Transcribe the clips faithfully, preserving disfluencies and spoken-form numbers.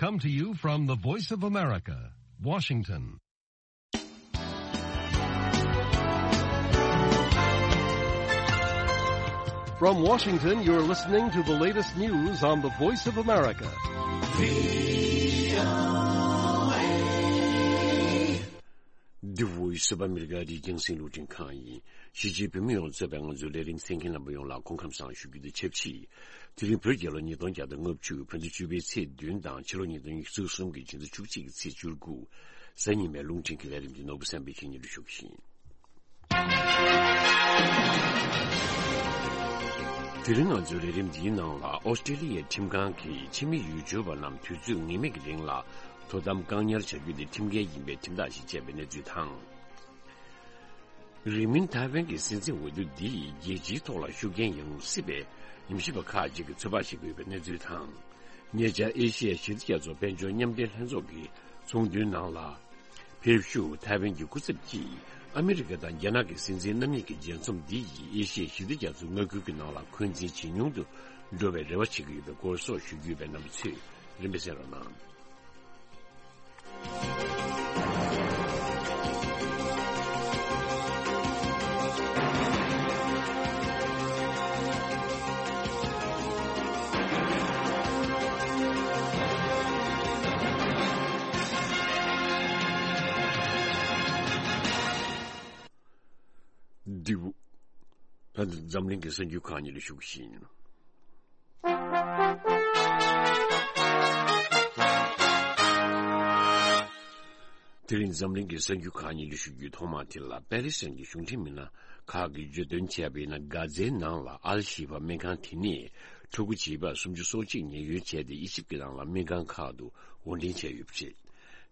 Come to you from the Voice of America, Washington. From Washington, you're listening to the latest news on the Voice of America. The Voice of America. འདི་རྒྱང་སྲིང་རླུང་འཕྲིན་ཁང་ཡིན། གཞིས་བྱེས་བོད་མི་ཡོངས་གཙོས་པའི་ང་ཚོའི་ལས་རིམ་གསན་མཁན་རྣམ་པ་ཡོངས་ལ་སྐུ་ཁམས་བཟང་ཞུ་རྒྱུ་དང་ཆབས་ཅིག་དེ་རིང་བོད་རྒྱལ་ལོ་ཉིས་སྟོང་བརྒྱ་དང་ལྔ་བཅུ་བོད་ཟླ་བཅུ་པའི་ཚེས་བདུན་དང་ཕྱི་ལོ་ཉིས་སྟོང་ཉི་ཤུ་རྩ་གསུམ་གྱི་ཕྱི་ཟླ་བཅུ་གཅིག་གི་ཚེས་བཅུ་དགུ། གཟའ་ཉི་མའི་རླུང་འཕྲིན་གྱི་ལས་རིམ་འདི་ནོར་བུ་བསམ་འཕེལ་གྱིས་སྙན་སྒྲོན་ཞུ་གི་ཡིན། དེ་རིང་ང་ཚོའི་ལས་རིམ་འདིའི་ནང་ལ་ཨོ་སི་ཀྲི་ལི་ཡའི་ཁྲིམས་ཁང་གིས་ཕྱི་མི་ཡུལ་སྐྱོར་བ་རྣམས་དུས་ཚོད་ངེས་མེད་ཀྱི་རིང་ལ་དོ་དམ་བཀག་ཉར་བྱ་རྒྱུ་དེ་ཁྲིམས་འགལ་ཡིན་པའི་ཁྲིམས་ཐག་ཞིག་བཅད་པའི་གནས་ཚུལ་དང་། རིང་མིན་ཐའེ་ཝན་གྱི་སྲིད་འཛིན་འོས་བསྡུ་འདིས་རྒྱལ་སྤྱིའི་ཐོག་ལ་ཤུགས་རྐྱེན་ཡོང་སྲིད་པའི་ཉམས་ཞིབ་པ་ཁག་ཅིག་གིས་ཚོད་དཔག་བྱེད་ཀྱི་ཡོད་པའི་གནས་ཚུལ་དང་། ཉེ་ཆར་ཨེ་ཤི་ཡའི་ཞི་བདེ་རྒྱ་མཚོ་དཔལ་འབྱོར་མཉམ་འབྲེལ་ལྷན་ཚོགས་ཀྱི་ཚོགས་འདུའི་ནང་ལ། ཕེབས་བཞུགས་ཐའེ་ཝན་གྱི་སྐུ་ཚབ་ཀྱིས་ཨ་མི་རི་ཀ་དང་རྒྱ་ནག་གི་སྲིད་འཛིན་རྣམ་གཉིས་ཀྱི་མཇལ་འཛོམས་འདི་ཡིས་ཨེ་ཤི་ཡའི་ཞི་བདེ་རྒྱ་མཚོའི་མངའ་ཁུལ་གྱི་ནང་ལ་འཁོན་འཛིན་ཇེ་ཉུང་དུ་འགྲོ་བའི་རེ་བ་བྱེད་ཀྱི་ཡོད་པའི་སྐོར་སོགས་ཞུ་རྒྱུ་ཡོད་པས་རྣམ་པ་ཚོས་རིམ་པས་གསན་རོགས་གནང་། འདི་བོ། ད་འཛམ་གླིང་གི་གསར་འགྱུར་ཁག་ཉིད་ལ་ཞུགས་ཤིང་། དེ་རིང་འཛམ་གླིང་གི་གསར་འགྱུར་ཁག་ཉིད་ལ་ཞུགས་རྒྱུའི་ཐོག་མ་དེ་ལ་པེ་ལི་སི་ཐན་གྱི་གཞུང་འབྲེལ་མི་སྣ་ཁག་གིས་བརྗོད་དོན་བྱས་པ་ཡིན་ན། གྷ་ཛའི་ནང་ལ་ཨལ་ཤི་ཧྥ་སྨན་ཁང་དེ་ནས་ཕྲུ་གུ་བྱིས་པ་སུམ་ཅུ་སོ་གཅིག་ཉེན་གཡོལ་བྱས་ཏེ་ཨི་ཇིབ་ཀྱི་ནང་ལ་སྨན་ཁང་ཁག་ཏུ་དབོར་འདྲེན་བྱས་ཡོད་པ་རེད།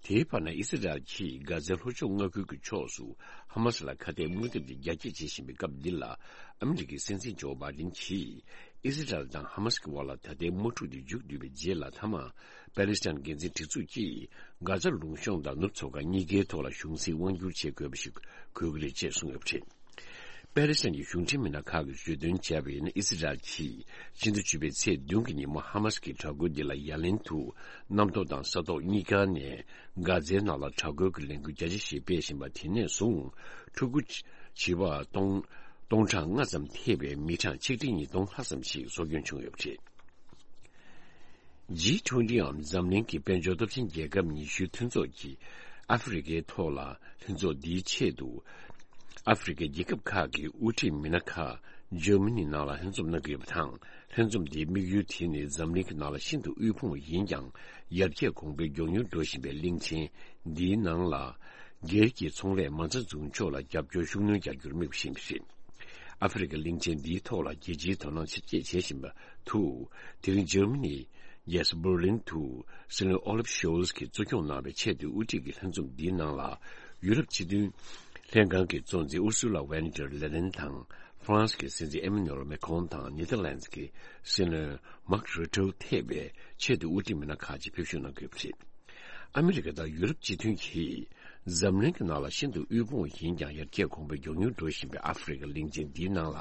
དེའི་བར་ན་ཨི་སི་རལ་གྱིས་གྷ་ཛའི་ལྷོ་ཕྱོགས་མངའ་ཁུལ་གྱི་ཕྱོགས་སུ་ཧ་མ་སི་ལ་ཁ་གཏད་དམག་འཐབ་དེ་རྒྱ་སྐྱེད་བྱེད་བཞིན་པའི་སྐབས་འདི་ལ། ཨ་མི་རི་ཀའི་སྲིད་འཛིན་ཇོ་བྷའི་ཌེན་གྱིས་ཨི་སི་རལ་དང་ཧ་མ་སི་ཀྱི་དབར་ལ་ད་ལྟའི་དམག་འཁྲུག་དེ་མཇུག་བསྡུས་པའི་རྗེས་ལ། མཐའ་མ་པེ་ལི་སི་ཐན་འགན་འཛིན་སྒྲིག་འཛུགས་ཀྱིས་གྷ་ཛ་ལུང་གཤོང་དང་ནུབ་མཚོ་ཁ་གཉིས་ཀའི་ཐོག་ལ་གཞུང་སྲིད་དབང་བསྒྱུར་བྱེད་དགོས་པ་ཞིག་དགོས་ཀྱི་རེད་ཅེས་གསུངས་ཡོད་པ་རེད། པེ་ལི་སི་ཐན་གྱི་གཞུང་འབྲེལ་མི་སྣ་ཁག་གིས་བརྗོད་དོན་བྱས་པ་ཡིན་ན། ཨི་སི་རལ་གྱིས་ཕྱི་ཟླ་བཅུ་པའི་ཚེས་བདུན་གྱི་ཉིན་མོ་ཧ་མ་སི་ཀྱི་དྲག་རྒོལ་འདི་ལ་ཡ་ལན་དུ་གནམ་ཐོག་དང་ས་ཐོག་གཉིས་ཀ་ནས་གྷ་ཛའི་ནང་ལ་དྲག་རྒོལ་གྱི་ལས་འགུལ་རྒྱ་ཆེ་ཞིག་སྤེལ་བཞིན་པ། དེ་ནས་བཟུང་ཕྲུ་གུ་བྱིས་པ་སྟོང་སྟོང་ཕྲག་ལྔ་ཙམ་ཐེ་བའི་མི་གྲངས་ཆིག་ཁྲི་ཉིས་སྟོང་ལྷག་ཙམ་ཞིག་སྲོག་སྐྱོན་བྱུང་ཡོད་པ་རེད། ཇི་ཊུ་ཝེན་ཊི་འམ་འཛམ་གླིང་གི་དཔལ་འབྱོར་སྟོབས་ཆེན་རྒྱལ་ཁབ་ཉི་ཤུའི་མཐུན་ཚོགས་ཀྱི་ཨ་ཧྥེ་རི་ཁའི་ཐོག་ལ་ལྷན་ཚོགས་འདིའི་ཆེད་དུ། ཨ་ཧྥེ་རི་ཁའི་རྒྱལ་ཁབ་ཁག་གི་དབུ་ཁྲིད་མི་སྣ་ཁག་འཇར་མ་ནི་ནང་ལ་ལྷན་འཛོམས་གནང་གི་ཡོད་པ་དང་། ལྷན་འཛོམས་འདིའི་དམིགས་ཡུལ་དེ་ནི་འཛམ་གླིང་གི་ནང་ལ་ཤིན་ཏུ་དབུལ་ཕོངས་ཡིན་ཀྱང་། ཡར་རྒྱས་གོང་འཕེལ་མགྱོགས་མྱུར་འགྲོ་བཞིན་པའི་གླིང་ཆེན་འདིའི་ནང་ལ། སྒེར་གྱི་ཚོང་ལས་མ་རྩ་འཛུགས་ཕྱོགས་ལ་རྒྱབ་སྐྱོར་ཤུགས་སྣོན་རྒྱག་རྒྱུར་དམིགས་པ་ཞིག་ཡིན་པ་རེད། ཨ་ཧྥེ་རི་ཁ་གླིང་ཆེན་འདིའི་ཐོག་ལ་རྒྱལ་སྤྱིའི་དོ་སྣང་ཆེ་བསྐྱེད་བྱེད་བཞིན་པ་དུ། དེ་རིང་འཇར་མ་ནི་རྒྱལ་ས་འབར་ལིན་དུ་སྲིད་བློན་ཨོ་ལབ་ཤོལ་ཚ་གིས་གཙོ་སྐྱོང་གནང་བའི་ཆེས་མཐོའི་དབུ་ཁྲིད་ཀྱི་ལྷན་འཛོམས་འདིའི་ནང་ལ། ཡུ་རོབ་སྤྱི་མཐུན་ལྷན་ཁང་གི་གཙོ་འཛིན་ཨུར་སུ་ལ་ཝེན་ཏེར་ལེ་ཡེན་དང་། ཧྥ་རན་སི་གི་སྲིད་འཛིན་ཨེ་མ་ནུ་ཨེལ་མེ་ཁོང་དང་། ནེ་ཐར་ལན་སི་གི་སྲིད་བློན་མཱག་རུ་ཏེ་ཐེ་བའི་ཆེས་མཐོའི་དབུ་ཁྲིད་མི་སྣ་ཁག་ཅིག་ཕེབས་བཞུགས་གནང་གི་ཡོད་པ་རེད། ཨ་མི་རི་ཀ་དང་ཡུ་རོབ་སྤྱི་མཐུན་གྱིས་འཛམ་གླིང་གི་ནང་ལ་ཤིན་ཏུ་དབུལ་ཕོངས་ཡིན་ཀྱང་ཡར་རྒྱས་གོང་འཕེལ་མགྱོགས་མྱུར་འགྲོ་བཞིན་པའི་ཨ་ཧྥེ་རི་ཁ་གླིང་ཆེན་འདིའི་ནང་ལ་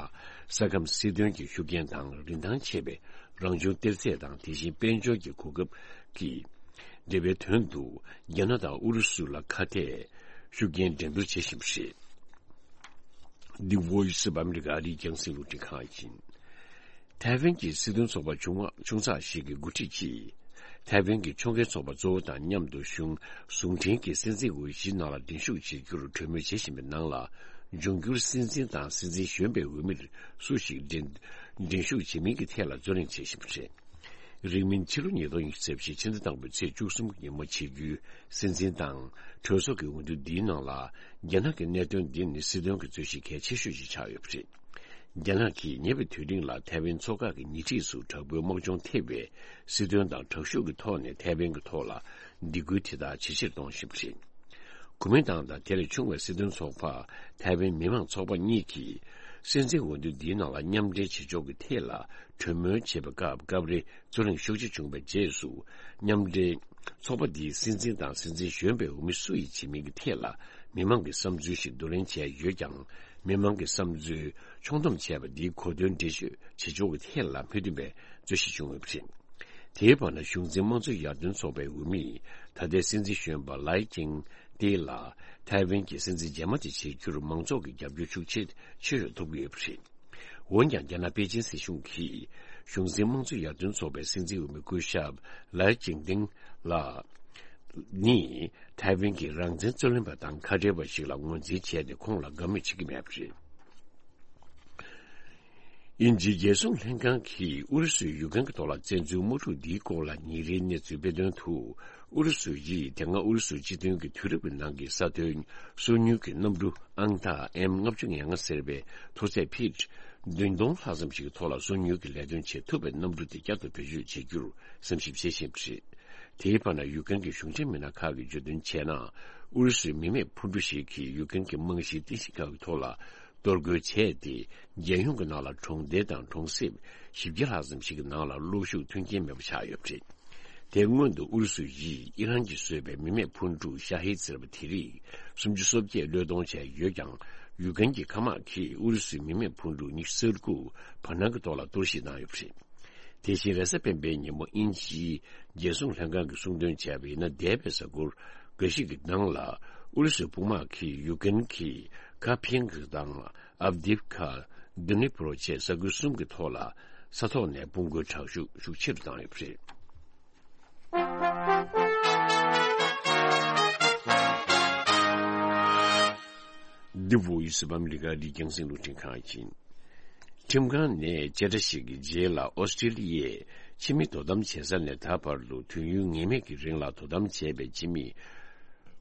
ས་ཁམས་སྲིད་དོན་གྱི་ཤུགས་རྐྱེན་དང་། རིན་ཐང་ཆེ་བའི་རང་བྱུང་གཏེར་རྫས་དང་། དེ་བཞིན་དཔལ་འབྱོར་གྱི་གོ་སྐབས་ཀྱི་འབྲེལ་བའི་དོན་དུ་རྒྱ་ནག་དང་ཨུ་རུ་སུ་ལ་ཁ་གཏད་ཤུགས་རྐྱེན་འགྲན་བསྡུར་བྱེད་བཞིན་པ་རེད། འདི་Voice of America ཨ་རིའི་རྒྱང་སྲིང་རླུང་འཕྲིན་ཁང་ཡིན། ཐའེ་ཝན་གྱི་སྲིད་དོན་ཚོགས་པ་ཆུང་བ་ཆུང་ཚག་ཞིག་གི་འགོ་ཁྲིད་ཀྱིས། ཐའེ་ཝན་གྱི་ཕྱོགས་འགལ་ཚོགས་པ་གཙོ་བོ་དང་མཉམ་དུ་གཞུང་ཟུང་འབྲེལ་གྱི་སྲིད་འཛིན་འོས་གཞིའི་ནང་ལ་འགྲན་ཞུགས་བྱེད་རྒྱུར་གྲོས་མོལ་བྱེད་བཞིན་པའི་ནང་ལ། འབྱུང་འགྱུར་སྲིད་འཛིན་དང་སྲིད་འཛིན་གཞོན་པའི་འོས་མིར་སུ་ཞིག་འགྲན་འགྲན་ཞུགས་བྱེད་མིན་གྱི་ཐད་ལ་རྩོད་གླེང་བྱེད་བཞིན་པ་རེད། རིང་མིན་ཕྱི་ལོ་ཉིས་སྟོང་ཉི་ཤུ་རྩ་བཞི་ཕྱི་ཟླ་དང་པོའི་ཚེས་བཅུ་གསུམ་གྱི་ཉིན་མོ་བྱེད་རྒྱུའི་སྲིད་འཛིན་དང་གྲོས་ཚོགས་ཀྱི་འོས་བསྡུ་འདིའི་ནང་ལ། རྒྱ་ནག་གི་གནད་དོན་འདི་ནི་སྲིད་དོན་གྱི་རྩོད་གཞི་གལ་ཆེ་ཤོས་ཤིག་ཆགས་ཡོད་པ་རེད། རྒྱ་ནག་གིས་ཉེ་བའི་དུས་རིང་ལ་ཐའེ་ཝན་མཚོ་འགག་གི་ཉེ་འཁྲིས་སུ་དྲག་པོའི་དམག་སྦྱོང་ཐེབས་པའི་སྲིད་དོན་དང་དྲག་ཤུགས་ཀྱི་ཐོག་ནས་ཐའེ་ཝན་གྱི་ཐོག་ལ་སྡིགས་སྐུལ་དེ་དག་ཇེ་ཆེར་གཏོང་བཞིན་པ་རེད། གོ་མིན་ཏང་དང་དེ་ལས་ཆུང་བའི་སྲིད་དོན་ཚོགས་པ་ཐའེ་ཝན་མི་དམངས་ཚོགས་པ་གཉིས་ཀྱིས་སྲིད་འཛིན་འོས་བསྡུ་འདིའི་ནང་ལ་མཉམ་འབྲེལ་བྱེད་ཕྱོགས་ཀྱི་ཐད་ལ་གྲོས་མོལ་བྱེད་པའི་སྐབས་སྐབས་རེ་རྩོད་གླེང་ཤུགས་ཆེ་བྱུང་བའི་རྗེས་སུ། མཉམ་འབྲེལ་ཚོགས་པ་འདིའི་སྲིད་འཛིན་དང་སྲིད་འཛིན་གཞོན་པའི་འོས་མི་སུ་ཡིས་བྱེད་མིན་གྱི་ཐད་ལ་མི་མང་གི་བསམ་ཚུལ་ཞིག་བསྡུ་ལེན་བྱས་ཡོད་ཀྱང་། མི་མང་གི་བསམ་ཚུལ་ཕྱོགས་བསྡོམས་བྱས་པ་འདིའི་གོ་དོན་འགྲེལ་བརྗོད་བྱེད་ཕྱོགས་ཀྱི་ཐད་ལ་མོས་མཐུན་པའི་རྩོད་གཞི་བྱུང་ཡོད་པ་རེད། དེའི་བར་ན་གཞུང་འཛིན་དམངས་གཙོ་ཡར་ཐོན་ཚོགས་པའི་འོས་མི་ད་ལྟའི་སྲིད་འཛིན་གཞོན་པ་ལའེ་ཅིང་ཏེ་ལ་ཐའེ་ཝན་གྱི་སྲིད་འཛིན་རྗེས་མ་དེ་བྱེད་རྒྱུར་མང་ཚོགས་ཀྱི་རྒྱབ་སྐྱོར་ཤུགས་ཆེ་ཆེ་རུ་ཐོབ་ཀྱི་ཡོད་པ་རེད། འོན་ཀྱང་རྒྱ་ནག་པེ་ཅིན་སྲིད་གཞུང་གིས་གཞུང་འཛིན་དམངས་གཙོ་ཡར་ཐོན་ཚོགས་པའི་སྲིད་འཛིན་འོས་མི་སྐུ་ཞབས་ལའེ་ཅིང་ཏིང་ལ་ནི་ཐའེ་ཝན་གྱི་རང་བཙན་རྩོད་ལེན་པ་དང་ཁ་བྲལ་བ་ཞིག་ལ་ངོས་འཛིན་བྱས་ཏེ་ཁོང་ལ་དགའ་མོས་བྱེད་ཀྱི་མེད་པ་རེད། དབྱིན་ཇིའི་རྒྱལ་སྲུང་ལྷན་ཁང་གིས་ཨུ་རུ་སུས་ཡུཀ་རེན་གྱི་ཐོག་ལ་བཙན་འཛུལ་དམག་འཁྲུག་འདིའི་སྐོར་ལ་ཉིན་རེའི་གནས་ཚུལ་སྤེལ་དོན་དུ། ཨུ་རུ་སུ་ཡིས་དེ་སྔ་ཨུ་རུ་སུའི་སྤྱི་མཐུན་གྱི་དུས་རབས་ཀྱི་ནང་གི་ས་མཐོའི་སོ་ཉུལ་གྱི་གནམ་གྲུ་ཨང་རྟགས་ཨེམ་ལྔ་བཅུ་ང་ལྔ་ཟེར་བའི་མཐོ་ཚད་ཕིཊ་བདུན་སྟོང་ལྷག་ཙམ་ཞིག་གི་ཐོག་ལ་སོ་ཉུལ་གྱི་ལས་དོན་བྱེད་ཐུབ་པའི་གནམ་གྲུ་དེ་བསྐྱར་དུ་བེད་སྤྱོད་བྱེད་རྒྱུར་བསམ་ཞིབ་བྱེད་བཞིན་པ་རེད། དེའི་བར་ན་ཡུཀ་རེན་གྱི་གཞུང་འབྲེལ་མི་སྣ་ཁག་གིས་བརྗོད་དོན་བྱས་ན། ཨུ་རུ་སུའི་མི་མེད་འཕུར་གྲུ་ཞིག་གིས་ཡུཀ་རེན་གྱི་རྨང་གཞིའི་རྟེན་གཞི་ཁག་གི་ཐོག་ལ་གཏོར་རྒོལ་བྱས་ཏེ། རྒྱལ་ཡོངས་ཀྱི་ནང་ལ་གྲོང་སྡེ་དང་གྲོང་གསེབ་བཞི་བརྒྱ་ལྷག་ཙམ་ཞིག་གི་ནང་ལ་གློག་ཤུགས་མཐུན་རྐྱེན་མེད་པ་ཆགས་ཡོད་པ་རེད། དེ་སྔོན་དུ་ཨུ་རུ་སུ་ཡིས་ཨི་རན་གྱིས་བཟོས་པའི་མི་མེད་འཕུར་གྲུ་ཤ་ཧིད་ཟེར་བ་དེ་རིགས་སུམ་ཅུ་སོ་བརྒྱད་བློས་གཏོང་བྱས་ཡོད་ཀྱང་། ཡུཀ་རེན་གྱི་མཁའ་དམག་གིས་ཨུ་རུ་སུའི་མི་མེད་འཕུར་གྲུ་ཉི་ཤུ་རྩ་དགུ་བར་སྣང་གི་ཐོག་ལ་གཏོར་བཤིག་བཏང་ཡོད་པ་རེད། དེ་བཞིན་རེས་གཟའ་སྤེན་པའི་ཉིན་མོ་དབྱིན་ཇིའི་རྒྱལ་སྲུང་ལྷན་ཁང་གིས་གསུང་དོན་བྱས་པ་ཡིན་ན། འདས་པའི་གཟའ་འཁོར་འགའ་ཞིག་གི་ནང་ལ་ཨུ་རུ་སུའི་དཔུང་དམག་གིས་ཡུཀ་རེན་གྱི་ཁ་ཕིང་གི་དང་ཨབ་དིབ་ཁ། དི་ནི་པྲོ་བཅས་ས་ཁུལ་གསུམ་གྱི་ཐོག་ལ་ས་ཐོག་ནས་དཔུང་རྒོལ་དྲག་ཤུགས་ཤུགས་ཆེ་རུ་བཏང་ཡོད་པ་རེད། འདི་བོད་ཡིག་ཟུར་པ་ཨ་མི་རི་ཀ་རིགས་རྒྱང་སྲིང་རླུང་འཕྲིན་ཁང་ཡིན། ཁྲིམས་ཁང་ནས་བཅད་ཁྲ་ཞིག་གི་རྗེས་ལ་ཨོ་སི་ཀྲི་ལི་ཡས་ཕྱི་མི་དོ་དམ་བྱེད་ས་ནས་ད་བར་དུ་དུས་ཡུན་ངེས་མེད་ཀྱི་རིང་ལ་དོ་དམ་བྱས་པའི་ཕྱི་མི་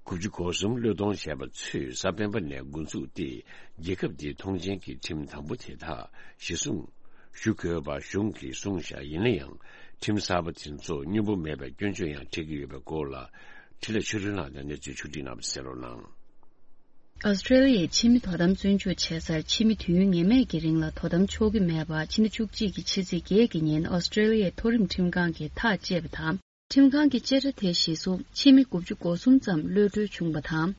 དགུ་བཅུ་གོ་གསུམ་བློས་གཏོང་བྱས་པ་ཚོས་གཟའ་སྤེན་པ་ནས་འགོ་འཛུགས་ཏེ། རྒྱལ་ཁབ་དེའི་ཐོངས་མཆན་གྱི་ཁྲིམས་དམ་པོ་དེ་དག་གཞི་བཟུང་ཞུ་དགོས་པ་གཞུང་གིས་གསུངས་བཞག་ཡིན་ན་ཡང་། ཁྲིམས་གསར་པ་དེ་ཚོ་སྙོམས་པོ་མེད་པའི་སྐྱོན་བརྗོད་ཡང་འཕྲད་ཀྱི་ཡོད་པའི་སྐོར་ལ། འཕྲིན་ལས་ཆོས་སྒྲོན་ལགས་ནས་གནས་ཚུལ་ཕྱོགས་སྒྲིག་གནང་བ་གསན་རོགས་གནང་། ཨོ་སི་ཀྲི་ལི་ཡའི་ཕྱི་མི་དོ་དམ་བཙོན་འཇུག་བྱེད་སར་ཕྱི་མི་དུས་ཡུན་ངེས་མེད་ཀྱི་རིང་ལ་དོ་དམ་ཆོག་གི་མེད་པ་ཕྱི་ཟླ་བཅུ་གཅིག་གི་ཕྱི་ཚེས་བརྒྱད་ཀྱི་ཉིན་ཨོ་སི་ཀྲི་ལི་ཡའི་མཐོ་རིམ་ཁྲིམས་ཁང་གིས་ཐག་བཅད་པ་དང་། ཁྲིམས་ཁང་གིས་བཅད་ཁྲ་དེ་གཞི་བཟུང་ཕྱི་མི་དགུ་བཅུ་གོ་གསུམ་ཙམ་གློད་གྲོལ་བྱུང་བ་དང་།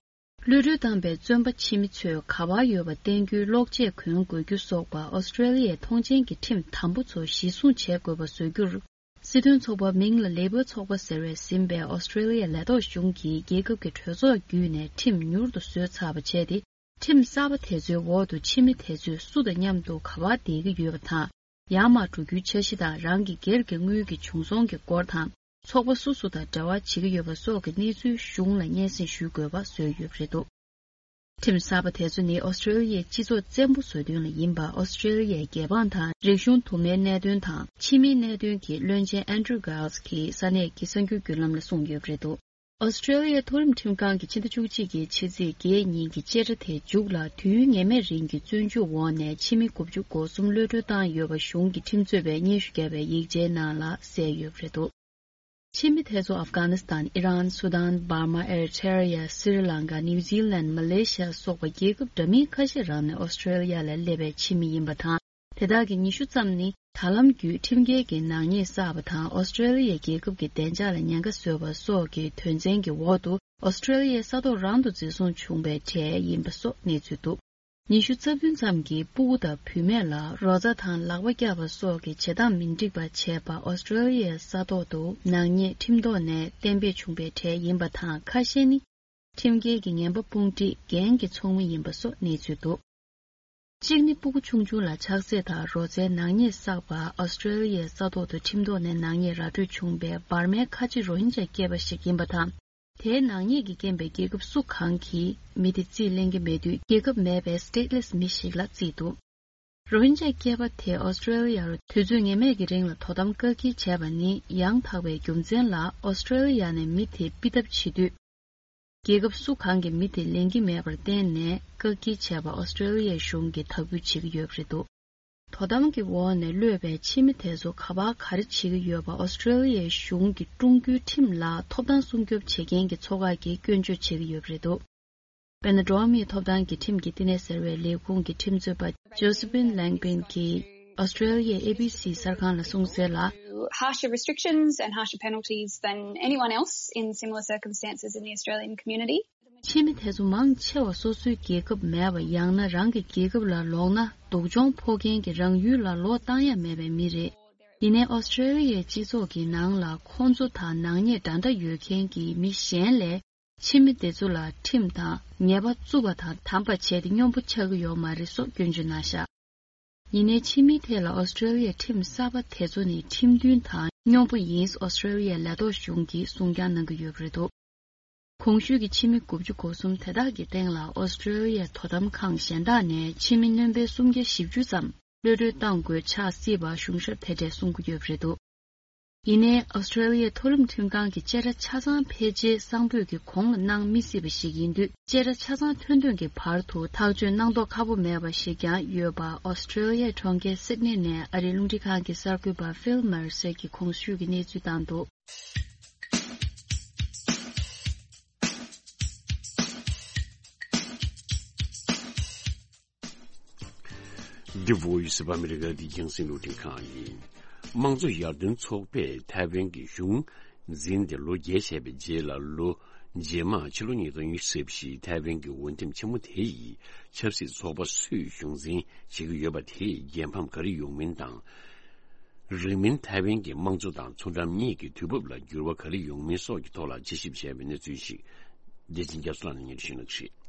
གློད་གྲོལ་བཏང་པའི་བཙོན་པ་ཕྱི་མི་ཚོས་ག་པར་ཡོད་པ་བསྟན་རྒྱུའི་གློག་ཆས་གོན་དགོས་རྒྱུ་སོགས་པ་ཨོ་སི་ཀྲི་ལི་ཡའི་ཐོངས་མཆན་གྱི་ཁྲིམས་དམ་པོ་ཚོ་གཞི་བཟུང་བྱེད་དགོས་པ་བཟོ་རྒྱུར། སྲིད་དོན་ཚོགས་པ་མིང་ལ་ལེ་བྷར་ཚོགས་པ་ཟེར་བས་ཟིན་པའི་ཨོ་སི་ཀྲི་ལི་ཡའི་ལས་ཐོག་གཞུང་གིས་རྒྱལ་ཁབ་ཀྱི་གྲོས་ཚོགས་བརྒྱུད་ནས་ཁྲིམས་མྱུར་དུ་བཟོས་ཚར་བ་བྱས་ཏེ། ཁྲིམས་གསར་པ་དེ་ཚོའི་འོག་ཏུ་ཕྱི་མི་དེ་ཚོས་སུ་དང་མཉམ་དུ་ག་པར་བསྡད་ཀྱི་ཡོད་པ་དང་། ཡར་མར་འགྲོ་རྒྱུའི་འཆར་གཞི་དང་རང་གི་སྒེར་གྱི་དངུལ་གྱི་བྱུང་སོང་གི་སྐོར་དང་། ཚོགས་པ་སུ་སུ་དང་འབྲེལ་བ་བྱེད་ཀྱི་ཡོད་པ་སོགས་ཀྱི་གནས་ཚུལ་གཞུང་ལ་སྙན་སེང་ཞུ་དགོས་པ་བཟོས་ཡོད་པ་རེད་འདུག་ཁྲིམས་གསར་པ་དེ་ཚོ་ནི་ཨོ་སི་ཀྲི་ལི་ཡའི་སྤྱི་ཚོགས་བཙན་པོ་བཟོ་དོན་ལ་ཡིན་པ་ཨོ་སི་ཀྲི་ལི་ཡའི་རྒྱལ་འབངས་དང་རིག་གཞུང་དུ་མའི་གནད་དོན་དང་ཕྱི་མིའི་གནད་དོན་གྱི་བློན་ཆེན་ཨན་ཌྲུ་གྷལ་སི་གིས་ས་གནས་ཀྱི་གསར་འགྱུར་བརྒྱུད་ལམ་ལ་གསུངས་ཡོད་པ་རེད་འདུག་ཨོ་སི་ཀྲི་ལི་ཡའི་མཐོ་རིམ་ཁྲིམས་ཁང་གིས་ཕྱི་ཟླ་བཅུ་གཅིག་གི་ཕྱི་ཚེས་བརྒྱད་ཉིན་གྱི་བཅད་ཁྲ་དེའི་མཇུག་ལ་དུས་ཡུན་ངེས་མེད་རིང་གི་བཙོན་འཇུག་འོག་ནས་ཕྱི་མི་དགུ་བཅུ་གོ་གསུམ་གློད་གྲོལ་བཏང་ཡོད་པ་གཞུང་གི་ཁྲིམས་རྩོད་པས་སྙན་ཞུ་བརྒྱབ་པའི་ཡིག་ཆའི་ནང་ལ་གསལ་ཡོད་པ་རེད་འདུག་ཕྱི་མི་དེ་ཚོ་ཨབ་གྷ་ནི་སི་ཐན། ཨི་རན། སུ་དཱན། འབར་མ། ཨེ་རི་ཐེ་རི་ཡ། སི་རི་ལང་ཀ། ནིའུ་ཛི་ལན། མ་ལེ་ཤི་ཡ་སོགས་པ་རྒྱལ་ཁབ་འདྲ་མིན་ཁ་ཤས་རང་ནས་ཨོ་སི་ཀྲི་ལི་ཡ་ལ་སླེབས་པའི་ཕྱི་མི་ཡིན་པ་དང་། དེ་དག་གི་ཉི་ཤུ་ཙམ་ནི་ད་ལམ་བརྒྱུད་ཁྲིམས་འགལ་གྱི་ནག་ཉེས་བསགས་པ་དང་ཨོ་སི་ཀྲི་ལི་ཡའི་རྒྱལ་ཁབ་ཀྱི་བདེ་འཇགས་ལ་ཉེན་ཁ་བཟོས་པ་སོགས་ཀྱི་དོན་ཚན་གྱི་འོག་ཏུ་ཨོ་སི་ཀྲི་ལི་ཡའི་ས་ཐོག་རང་དུ་འཛིན་བཟུང་བྱུང་བའི་གྲས་ཡིན་པ་སོགས་གནས་ཚུལ་འདུག་ཉི་ཤུ་རྩ་བདུན་ཙམ་གྱིས་སྤུ་གུ་དང་བུད་མེད་ལ་རོ་ཙ་དང་ལག་པ་བཀྱག་པ་སོགས་ཀྱི་བྱེད་སྟངས་མི་འགྲིག་པ་བྱས་པ་ཨོ་སི་ཀྲི་ལི་ཡའི་ས་ཐོག་ཏུ་ནག་ཉེས་ཁྲིམས་ཐོག་ནས་གཏན་འབེབས་བྱུང་བའི་གྲས་ཡིན་པ་དང་། ཁ་ཤས་ནི་ཁྲིམས་འགལ་གྱི་ངན་པ་དཔུང་སྒྲིག་འགན་གྱི་ཚོགས་མི་ཡིན་པ་སོགས་གནས་ཚུལ་འདུག་གཅིག་ནི་སྤུ་གུ་ཆུང་ཆུང་ལ་ཆགས་སྲེད་དང་རོ་ཙའི་ནག་ཉེས་བསགས་པ། ཨོ་སི་ཀྲི་ལི་ཡའི་ས་ཐོག་ཏུ་ཁྲིམས་ཐོག་ནས་ནག་ཉེས་ར་སྤྲོད་བྱུང་བའི་འབར་མའི་ཁ་ཆེ་རོ་ཧིན་ཇཱ་སྐྱེས་པ་ཞིག་ཡིན་པ་དང་། དེའི་ནག་ཉེས་ཀྱིས་རྐྱེན་པས་རྒྱལ་ཁབ་སུ་གང་གིས་མི་དེ་རྩིས་ལེན་གྱི་མེད་དུས། རྒྱལ་ཁབ་མེད་པའི་སི་ཊེ་ཊི་ལེ་སི་མི་ཞིག་ལ་བརྩིས་འདུག་རོ་ཧིན་ཇཱ་སྐྱེས་པ་དེ་ཨོ་སི་ཀྲི་ལི་ཡར་དུས་ཚོད་ངེས་མེད་ཀྱི་རིང་ལ་དོ་དམ་བཀག་སྐྱིལ་བྱས་པ་ནི་ཡང་དག་པའི་རྒྱུ་མཚན་ལ་ཨོ་སི་ཀྲི་ལི་ཡ་ནས་མི་དེ་ཕུད་ཐབས་བྱེད་དུས། རྒྱལ་ཁབ་སུ་གང་གིས་མི་དེ་ལེན་གྱི་མེད་པར་བརྟེན་ནས་བཀག་སྐྱིལ་བྱས་པ་ཨོ་སི་ཀྲི་ལི་ཡའི་གཞུང་གིས་དག་འབུད་བྱེད་ཀྱི་ཡོད་པ་རེད་འདུག་དོ་དམ་གྱི་འོག་ནས་གློད་པའི་ཕྱི་མི་དེ་ཚོ་ག་པར་ག་རེ་བྱེད་ཀྱི་ཡོད་པ་ཨོ་སི་ཀྲི་ལི་ཡའི་གཞུང་གི་ཀྲུང་གོའི་ཁྲིམས་ལ་ཐོབ་ཐང་སྲུང་སྐྱོབ་བྱེད་མཁན་གྱི་ཚོགས་ཁག་གིས་སྐྱོན་བརྗོད་བྱེད་ཀྱི་ཡོད་པ་རེད་འདུག་དཔེར་ན། འགྲོ་བ་མིའི་ཐོབ་ཐང་གི་ཁྲིམས་ཀྱི་བསྟི་གནས་ཟེར་བའི་ལས་ཁུངས་ཀྱི་ཁྲིམས་རྩོད་པ་ཇོ་སི་པིན་ལེང་པིན་གྱིས་ཨོ་སི་ཀྲི་ལི་ཡའི་ཨེ་བི་སི་གསར་ཁང་ལ་གསུངས་གསལ་ལ། Harsher restrictions and harsher penalties than anyone else in similar circumstances in the Australian community. ཕྱི་མི་དེ་ཚོ་མང་ཆེ་བ་སོ་སོའི་རྒྱལ་ཁབ་མེད་པ། ཡང་ན་རང་གི་རྒྱལ་ཁབ་ལ་ལོག་ན་སྡུག་སྦྱོང་ཕོག་མཁན་གྱི་རང་ཡུལ་ལ་ལོག་བཏང་ཡ་མེད་པའི་མི་རེད། ཡིན་ནའི་ཨོ་སི་ཀྲེ་ལི་ཡའི་སྤྱི་ཚོགས་ཀྱི་ནང་ལ་ཁོང་ཚོ་དང་ནག་ཉེས་འདྲ་འདྲ་ཡོད་མཁན་གྱི་མི་གཞན་ལས་ཕྱི་མི་དེ་ཚོ་ལ་ཁྲིམས་དང་ཉེས་པ་བཙུགས་པ་དང་དམ་པ་བྱས་ཏེ་སྙོམས་པོ་ཆགས་ཀྱི་ཡོད་མ་རེད་སོགས་སྐྱོན་བརྗོད་གནང་བཞག་ཡིན་ནའི་ཕྱི་མིའི་ཐད་ལ་ཨོ་སི་ཀྲེ་ལི་ཡའི་ཁྲིམས་གསར་པ་དེ་ཚོ་ནི་ཁྲིམས་མཐུན་དང་སྙོམས་པོ་ཡིན་ཨོ་སི་ཀྲེ་ལི་ཡའི་ལས་ཐོག་གཞུང་གིས་གསུང་བསྐྱར་གནང་གི་ཡོད་པ་རེད་འདུག་གོང་ཞུས་ཀྱི་ཕྱི་མི་དགུ་བཅུ་གོ་གསུམ་དེ་དག་གི་སྟེང་ལ་ཨོ་སི་ཀྲེ་ལི་ཡའི་དོ་དམ་ཁང་གཞན་དག་ནས་ཕྱི་མི་སྣོན་པའི་སུམ་བརྒྱ་བཞི་བཅུ་ཙམ་གློད་གྲོལ་གཏང་དགོས་ཆགས་སྲིད་པ་གཞུང་ཞབས་དེ་གྲས་གསུང་གི་ཡོད་པ་རེད་འདུག་ཡིན་ནའི་ཨོ་སི་ཀྲེ་ལི་ཡའི་མཐོ་རིམ་ཁྲིམས་ཁང་གི་བཅད་ཁྲ་ཆ་ཚང་ཕལ་ཆེར་གསང་ཕོད་ཀྱི་གོང་ལ་གནང་མི་སྲིད་པ་ཞིག་ཡིན་དུས། བཅད་ཁྲ་ཆ་ཚང་ཐོན་ཐོན་གྱི་བར་དུ་ཐག་གཅོད་གནང་མདོག་ཁ་པོ་མེད་པ་ཞིག་ཀྱང་ཡོད་པ་ཨོ་སི་ཀྲེ་ལི་ཡའི་གྲོང་ཁྱེར་སིད་ནི་ནས་ཨ་རིའི་རླུང་འཕྲིན་ཁང་གི་གསར་འགོད་པ་ཕིལ་མར་སེ་གིས་གོང་ཞུས་ཀྱི་གནས་ཚུལ་བཏང་འདུག The Voice of America འདི་རྒྱང་སྲིང་རླུང་འཕྲིན་ཁང་ཡིན། དམངས་གཙོ་ཡར་ཐོན་ཚོགས་པས་ཐའེ་ཝན་གྱི་གཞུང་འཛིན་ཏེ་ལོ་བརྒྱད་བྱས་པའི་རྗེས་ལ་ལོ་རྗེས་མ་ཕྱི་ལོ་ཉིས་སྟོང་ཉི་ཤུ་རྩ་བཞིའི་ཐའེ་ཝན་གྱི་འོས་འདེམས་ཆེན་མོ་དེ་ཡི་ཆབ་སྲིད་ཚོགས་པ་སུས་གཞུང་འཛིན་བྱེད་ཀྱི་ཡོད་པ་དེས་རྒྱལ་ཕམ་ག་རེ་ཡོང་མིན་དང་། རིང་མིན་ཐའེ་ཝན་གྱི་དམངས་གཙོ་དང་མཚོ་འགྲམ་གཉིས་ཀྱི་དུས་བབ་ལ་འགྱུར་བ་ག་རེ་ཡོང་མིན་སོགས་ཀྱི་ཐོག་ལ་དཔྱད་ཞིབ་བྱས་པའི་གནས་ཚུལ་ཞིག་བདེ་ཆེན་རྒྱ་མཚོ་ལགས་ནས་སྙན་སྒྲོན་ཞུ་གནང་གི་རེད།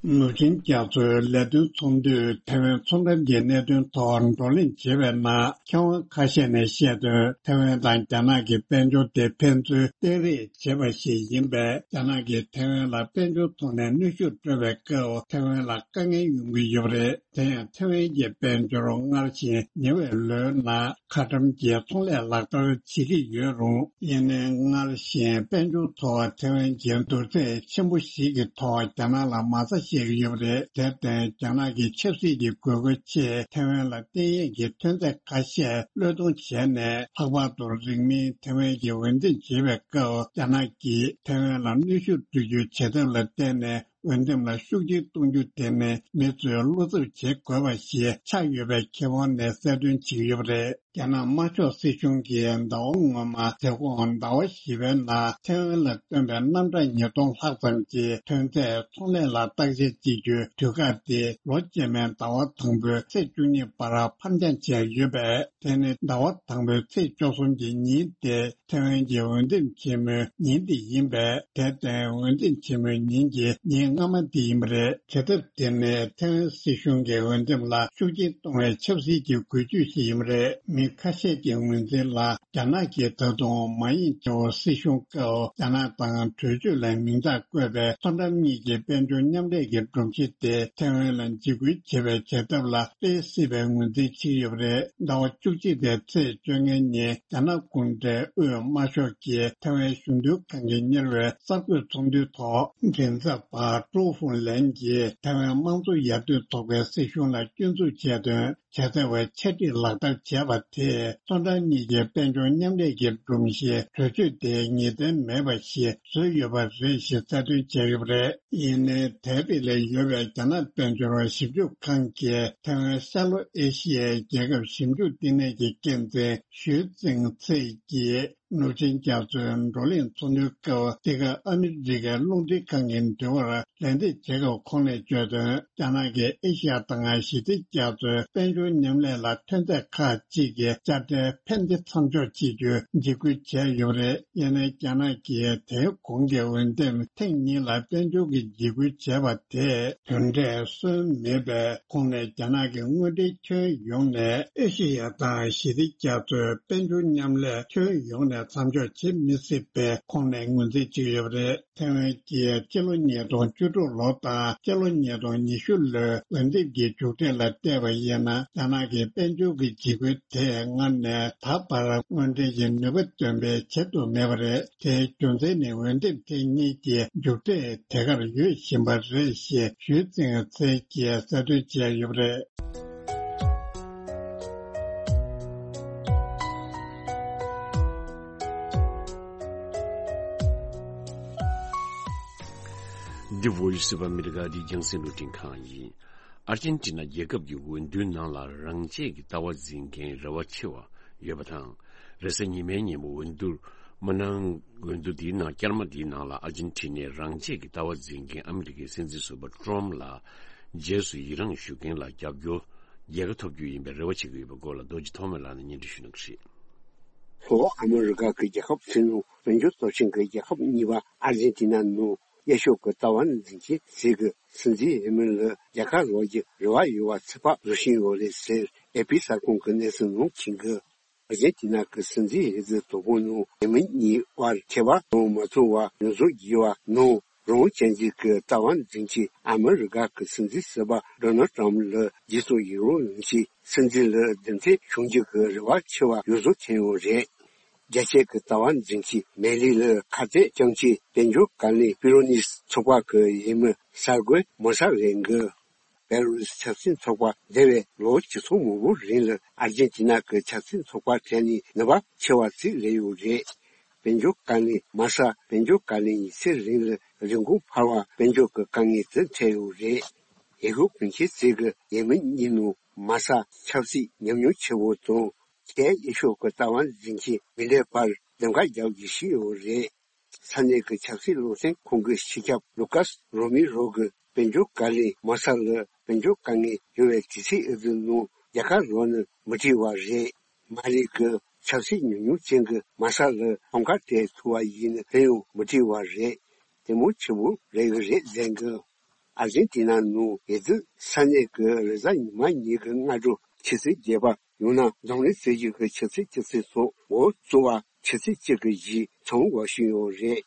ནུབ་ཆིངས་རྒྱ་མཚོའི་ལས་དོན་ཚོགས་འདུས་ཐའེ་ཝན་མཚོ་འགྲམ་གྱི་གནད་དོན་ཐོག་བགྲོ་གླེང་བྱེད་པའི་ནང་། མཁས་དབང་ཁ་ཤས་ནས་བཤད་དོན། ཐའེ་ཝན་དང་རྒྱ་ནག་གི་དཔལ་འབྱོར་དེ་ཕན་ཚུན་སྟེང་རེས་བྱེད་པ་ཞིག་ཡིན་པས། རྒྱ་ནག་གིས་ཐའེ་ཝན་ལ་དཔལ་འབྱོར་ཐོག་ནས་གནོན་ཤུགས་སྤྲོད་པའི་སྐབས། ཐའེ་ཝན་ལ་དཀའ་ངལ་ཡོང་གི་ཡོད་པ་རེད། དེ་ཡང་ཐའེ་ཝན་གྱི་དཔལ་འབྱོར་སྔར་བཞིན་ཉེ་བའི་ལོའི་ནང་ཁ་ཊམ་གྱི་ཚོང་ལས་ལག་བསྟར་བྱེད་ཀྱི་ཡོད་རུང་། ཡིན་ནའི་སྔར་བཞིན་དཔལ་འབྱོར་ཐོག་ཐའེ་ཝན་གྱི་བསྡུར་ཚད་ཆེན་པོ་ཞིག་གི་ཐོག་རྒྱ་ནག་ལ་མ་རྩ་བཞག་གི་ཡོད་པ་རེད། དེར་བརྟེན་རྒྱ་ནག་གི་ཆབ་སྲིད་ཀྱི་དགོས་མཁོའི་ཆེད་ཐའེ་ཝན་ལ་བརྟེན་ཡས་ཀྱི་ཐོན་རྫས་ཁ་ཤས་བློས་གཏོང་བྱས་ནས། ལྷག་པར་དུ་རིང་མིན་ཐའེ་ཝན་གྱི་འོས་འདེམས་བྱེད་པའི་སྐབས། རྒྱ་ནག་གིས་ཐའེ་ཝན་ལ་གནོན་ཤུགས་སྤྲོད་རྒྱུའི་བྱེད་ཐབས་ལ་བརྟེན་ནས། འོས་འདེམས་ལ་ཤུགས་ཆེན་གཏོང་རྒྱུ་དེ་ནི་མི་ཚོས་བློ་འཚབ་བྱེད་དགོས་པ་ཞིག་ཆགས་ཡོད་པའི་ཁེ་དབང་ནས་གསལ་སྟོན་བྱེད་ཀྱི་ཡོད་པ་རེད། རྒྱ་ནག་དམར་ཤོག་སྲིད་གཞུང་གིས་ཟླ་བ་སྔོན་མ་མཛད་ཁོངས་ཟླ་བ་བཞི་པའི་ནང་ཐའེ་ཝན་ལ་བཏོན་པའི་གནམ་གྲངས་ཉིས་སྟོང་ལྷག་ཙམ་གྱི་ཐོན་རྫས་ཚོང་ལས་ལ་བརྟག་དཔྱད་བྱེད་རྒྱུའི་དུས་བཀག་དེ་ལོ་རྗེས་མའི་ཟླ་བ་དང་པོའི་ཚེས་བཅུ་གཉིས་བར་ཕར་འགྱངས་བྱས་ཡོད་པས། དེ་ནི་ཟླ་བ་དང་པོའི་ཚེས་བཅུ་གསུམ་གྱི་ཉིན་དེ། ཐའེ་ཝན་གྱི་འོས་འདེམས་ཆེན་མོའི་ཉིན་དེ་ཡིན་པས། དེར་བརྟེན་འོས་འདེམས་ཆེན་མོའི་ཉིན་གྱི་ཉིན་སྔ་མ་དེ་ཡིན་པ་རེད། བྱེད་ཐབས་དེ་ནི་ཐའེ་ཝན་སྲིད་གཞུང་གི་འོས་འདེམས་ལ་ཤུགས་རྐྱེན་གཏོང་བའི་ཆབ་སྲིད་ཀྱི་འགུལ་སྐྱོད་ཞིག་ཡིན་པ་རེད། མི་ཁ་ཤས་ཀྱི་ངོས་འཛིན་ལ། རྒྱ་ནག་གིས་ད་དུང་མཱ་ཡིང་ཅའོ་སྲིད་གཞུང་སྐབས་རྒྱ་ནག་དང་གྲོས་ཆོད་ལ་མིང་རྟགས་བཀོད་པའི་མཚོ་འགྲམ་གཉིས་ཀྱི་དཔལ་འབྱོར་མཉམ་ལས་ཀྱི་སྒྲོམ་གཞི་དེ་ཐའེ་ཝན་ལ་འཇིགས་སྐུལ་བྱེད་པའི་བྱེད་ཐབས་ལ་སྤེལ་སྲིད་པའི་ངོས་འཛིན་བྱེད་ཀྱི་ཡོད་པ་རེད། ཟླ་བ་བཅུ་གཅིག་པའི་ཚེས་བཅོ་ལྔ་ཉིན་རྒྱ་ནག་གུང་ཁྲན་དབུས་དམར་ཤོག་གི་ཐའེ་ཝན་གཞུང་མཐུན་ཁང་གིས་གཉེར་བའི་གསར་འགོད་ཚོགས་འདུའི་ཐོག་མགྲིན་ཚབ་པ་ཀྲོའུ་ཧྥུང་ལན་གྱིས་ཐའེ་ཝན་དམངས་གཙོ་ཡར་ཐོན་ཚོགས་པའི་སྲིད་གཞུང་ལ་སྐྱོན་འཛུགས་བྱས་དོན། བྱེད་ཐབས་ཆ་སྒྲིག་ལག་བསྟར་བྱས་པ་དེས་མཚོ་འགྲམ་གཉིས་ཀྱི་དཔལ་འབྱོར་མཉམ་ལས་ཀྱི་སྒྲོམ་གཞི་གྲོས་ཆོད་དེ་ངེས་གཏན་མེད་པ་ཞིག་བཟོས་ཡོད་པ་རེད་ཞེས་གསལ་སྟོན་བྱས་ཡོད་པ་རེད། ཡིན་ནའི་ཐའེ་པེ་ལ་ཡོད་པའི་རྒྱ་ནག་དཔལ་འབྱོར་ཞིབ་འཇུག་ཁང་གི་ཐའེ་ཝན་ཤར་ལྷོ་ཨེ་ཤི་ཡའི་རྒྱལ་ཁབ་ཞིབ་འཇུག་བསྟི་གནས་ཀྱི་འགན་འཛིན་ཞུས་ཙིང་ཚེ་གིས། ནུབ་ཆིངས་རྒྱ་མཚོའི་བགྲོ་གླེང་ཚོགས་འདུའི་སྐབས། འདི་ག་ཨ་མི་རི་ཀའི་རླུང་འཕྲིན་ཁང་གི་འབྲེལ་བར་ལན་འདེབས་བྱེད་སྐབས་ཁོང་ནས་བརྗོད་དོན། རྒྱ་ནག་གིས་ཨེ་ཤི་ཡ་དང་ཞི་བདེ་རྒྱ་མཚོའི་དཔལ་འབྱོར་མཉམ་ལས་ལ་ཐོན་རྫས་ཁག་ཅིག་གི་དཔྱ་ཁྲལ་ཕན་བདེ་མཚམས་འཇོག་བྱེད་རྒྱུའི་འཇིགས་སྐུལ་བྱས་ཡོད་པ་རེད། ཡིན་ནའི་རྒྱ་ནག་གིས་དེའི་གོང་གི་འོས་འདེམས་ཐེངས་གཉིས་ལ་དཔལ་འབྱོར་གྱི་འཇིགས་སྐུལ་བྱས་པ་དེས་དོན་འབྲས་སོན་མེད་པས། ཁོང་ནས་རྒྱ་ནག་གི་དངོས་འབྲེལ་ཁྱོན་ཡོངས་ནས་ཨེ་ཤེ་ཡ་དང་ཞི་བདེ་རྒྱ་མཚོའི་དཔལ་འབྱོར་མཉམ་ལས་ཁྱོན་ཡོངས་ནས་མཚམས་འཇོག་བྱེད་མི་སྲིད་པའི་ཁོང་ནས་ངོས་འཛིན་བྱེད་ཀྱི་ཡོད་པ་རེད། ཐའེ་ཝན་གྱིས་སྤྱི་ལོ་ཉིས་སྟོང་བཅུ་དྲུག་ལོ་དང་སྤྱི་ལོ་ཉིས་སྟོང་ཉི་ཤུ་ལོའི་འོས་འདེམས་ཀྱི་མཇུག་འབྲས་ལ་བལྟས་པ་ཡིན་ན། རྒྱ་ནག་གི་དཔལ་འབྱོར་གྱི་འཇིགས་སྐུལ་དེས་སྔར་ནས་ད་བར་དངོས་འབྲེལ་གྱི་ནུས་པ་འདོན་སྤེལ་བྱེད་ཐུབ་མེད་པ་རེད། དེའི་རྒྱུ་མཚན་ནི་འོས་འདེམས་ཐེངས་གཉིས་ཀྱི་མཇུག་འབྲས་དེ་གར་ཡོད་བཞིན་པ་རེད་ཞེས་ཞུས་ཙིང་ཚེ་གིས་གསལ་སྟོན་བྱས་ཡོད་པ་རེད། The Voice of America འདི་རྒྱང་སྲིང་རླུང་འཕྲིན་ཁང་ཡིན། ཨར་ཇེན་ཊི་ན་རྒྱལ་ཁབ་ཀྱི་འོས་བསྡུའི་ནང་ལ་རང་བཅས་ཀྱི་ལྟ་བ་འཛིན་མཁན་རེ་བ་ཆེ་བ་ཡོད་པ་དང་། རེས་གཟའ་ཉི་མའི་ཉིན་མོ་འོས་བསྡུ་མ་གནང་། འོས་བསྡུ་དེའི་ནང་སྐར་མ་དེའི་ནང་ལ་ཨར་ཇེན་ཊི་ནས་རང་བཅས་ཀྱི་ལྟ་བ་འཛིན་མཁན་ཨ་མི་རི་ཀའི་སྲིད་འཛིན་ཟུར་པ་ཊྲམ་ལ་རྗེས་སུ་ཡི་རངས་ཞུ་མཁན་ལ་རྒྱབ་སྐྱོར་རྒྱལ་ཁ་ཐོབ་རྒྱུ་ཡིན་པའི་རེ་བ་བྱེད་ཀྱི་ཡོད་པའི་སྐོར་ལ་རྡོ་རྗེ་ཐོགས་མེད་ལགས་ནས་སྙན་སྒྲོན་ཞུ་གནང་གི་རེད། ལྷོ་ཨ་མི་རི་ཀ་གི་རྒྱལ་ཁབ་ཚོའི་ནང་དཔལ་འབྱོར་སྟོབས་ཆེན་གྱི་རྒྱལ་ཁབ་གཉིས་པ་ཨར་ཇེན་ཏི་ན་ནང་ཡ་ཤོད་ཀྱི་ལྟ་བ་འཛིན་མཁན་ཞིག་གི་སྲིད་འཛིན་འོས་མི་ལ་རྒྱལ་ཁ་ལོག་རྒྱུ་རེ་བ་ཡོད་པ་ཚོད་དཔག་བཟོ་བཞིན་ཡོད་རེད་ཟེར་ཨེ་པི་གསར་ཁང་གི་གནས་ཚུལ་ནང་འཁོད་འདུག་ཨར་ཇེན་ཏི་ན་གི་སྲིད་འཛིན་འོས་བསྡུ་དོ་དགོང་ནང་འོས་མི་གཉིས་དབར་ཁྱད་པར་དུ་མ་ཚོར་བར་ཡོངས་རྫོགས་བརྒྱུད་པ་ནང་རང་བཙན་འཛིན་གྱི་ལྟ་བ་འཛིན་གྱི་ཨ་མི་རི་ཀ་གི་སྲིད་འཛིན་ཟུར་པ་ཌོ་ནལ་ཊམ་ལ་རྗེས་སུ་ཡི་རང་ཡོང་ཆེད་སྲིད་འཛིན་ལ་རྒྱུན་མཐུད་བྱུང་རྒྱུ་གི་རེ་བ་ཆེ་བ་ཡོངས་རྫོགས་ཐོན་ཡོད་རེད། རྒྱལ་སྤྱིའི་ལྟ་བ་འཛིན་གྱི་མེ་ལི་ལ་ཁ་གཏད་གཏོང་ཆེད་དཔལ་འབྱོར་བཀའ་བློན་པི་རོ་ནིས་ཚོགས་པ་གི་འོས་མི་གསར་རྒོལ་མོ་ས་རེད་འདུག་བེ་ལ་རུ་སི་ཆབ་སྲིད་ཚོགས་པ་འདས་པའི་ལོ་བཅུ་ཚོ་མང་པོའི་རིང་ལ་ཨར་ཇེན་ཏི་ན་གི་ཆབ་སྲིད་ཚོགས་པ་གྲས་ནས་ནུས་པ་ཆེ་བ་ཞིག་སླེབས་ཡོད་རེད། དཔལ་འབྱོར་བཀའ་བློན་མ་ས་དཔལ་འབྱོར་བཀའ་བློན་ཡིན་ཚད་རིང་ལ་རིན་གོང་འཕར་བ་དཔལ་འབྱོར་གྱི་དཀའ་ངལ་དུ་འཕྲད་ཡོད་རེད། འོས་ཤོག་གོང་ཆེན་ཞིག་གི་འོས་མི་གཉིས་ནང་མ་ས་ཆབ་སྲིད་ཉམས་མྱོང་ཆེ་བོ་དང་། གལ་ཆེ་ཤོས་ཀྱི་ལྟ་བ་འཛིན་མཁན་མི་ལའི་བར་འདེམས་ཀ་རྒྱག་རྒྱུ་ཞིག་ཡོད་རེད། ས་གནས་ཀྱི་ཆབ་སྲིད་བློ་འཛིན་ཁང་གི་སྤྱི་ཁྱབ་ལུ་ཀཱས་རོ་མི་རོ་གིས་དཔལ་འབྱོར་བཀའ་བློན་མ་ས་ལ་དཔལ་འབྱོར་དཀའ་ངལ་ཡོད་པའི་དུས་ཚོད་འདི་ནང་རྒྱལ་ཁ་ལོག་ན་མི་འགྲིག་པ་རེད། མ་ལི་གི་ཆབ་སྲིད་ཉམས་མྱོང་ཅན་གྱི་མ་ས་ལ་ཐོག་ཁ་སྤྲད་ཐུབ་པ་ཡིན་ན་དེ་ཡང་མི་འགྲིག་པ་རེད། དེ་མོ་ཆེ་བོ་རེད་གི་རེད་ཟེར་གི། ཨར་ཇེན་ཏི་ན་ནང་འོས་བསྡུ་ས་གནས་ཀྱི་རེས་གཟའ་ཉི་མ་ཉིན་གྱི་སྔ་དྲོ་ཆུ་ཚོད་བརྒྱད་པ། ཡང་ན་འཛམ་གླིང་སྲིད་གཞུང་གི་ཆུ་ཚོད་བཅུ་ཚོད་སོགས་འགོ་གཙོ་བ་ཆུ་ཚོད་གཅིག་གི་གཞི་མཚམས་འགོ་བཞིན་ཡོད་རེད།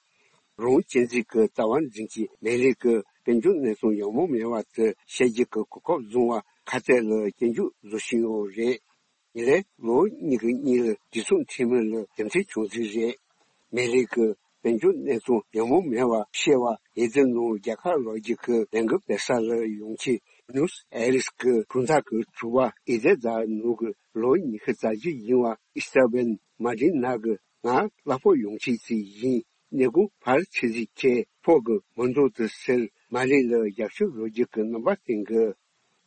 རང་བཙན་འཛིན་གྱི་ལྟ་བ་འཛིན་གྱི་མེ་ལི་གི་དཔལ་འབྱོར་གནས་སྟངས་ཡག་མོ་མེད་པ་དེ་བཤད་རྒྱུ་གི་གོ་སྐབས་བཟུང་བ་ཁ་གཏད་ལ་སྐྱོན་བརྗོད་བཟོ་བཞིན་ཡོད་རེད། ཉིན་རེ་ལོ་གཉིས་ཀྱི་གཉིས་ལ་དུས་མཚུངས་འཐུས་མི་ལ་རྒྱུ་མཚན་བྱུང་ཚུལ་རེད། མེ་ལི་གི་དཔལ་འབྱོར་གནས་སྟངས་ཡག་མོ་མེད་པ་བཤད་པ་ཡི་དེ་ནང་རྒྱལ་ཁ་ལོག་རྒྱུ་གི་ལས་འགུལ་སྤེལ་ས་ལ་ཡོང་ཆེད་ནུས་ཨེ་རིས་ཀྱི་གྲོང་རྡལ་གྱི་གྲུ་པ་ཨི་དེ་དང་ནུ་གི་ལོ་ཉི་ཤུ་རྩ་བཞི་ཡིན་པ་ཨི་སྟ་བན་མ་ཏི་ན་གི་ང་གླ་ཕོགས་ཡོང་ཆེད་ཅིག་ཡིན། ནས་གུང་བར་ཆི་ཟིག་ཁྱེད་ཕོག་གི་མི་འདུག་དུ་ཟེར་མ་ལི་ལ་རྒྱབ་སྐྱོར་བཟོ་རྒྱུ་གི་རྣམ་པ་བསྟན་གི།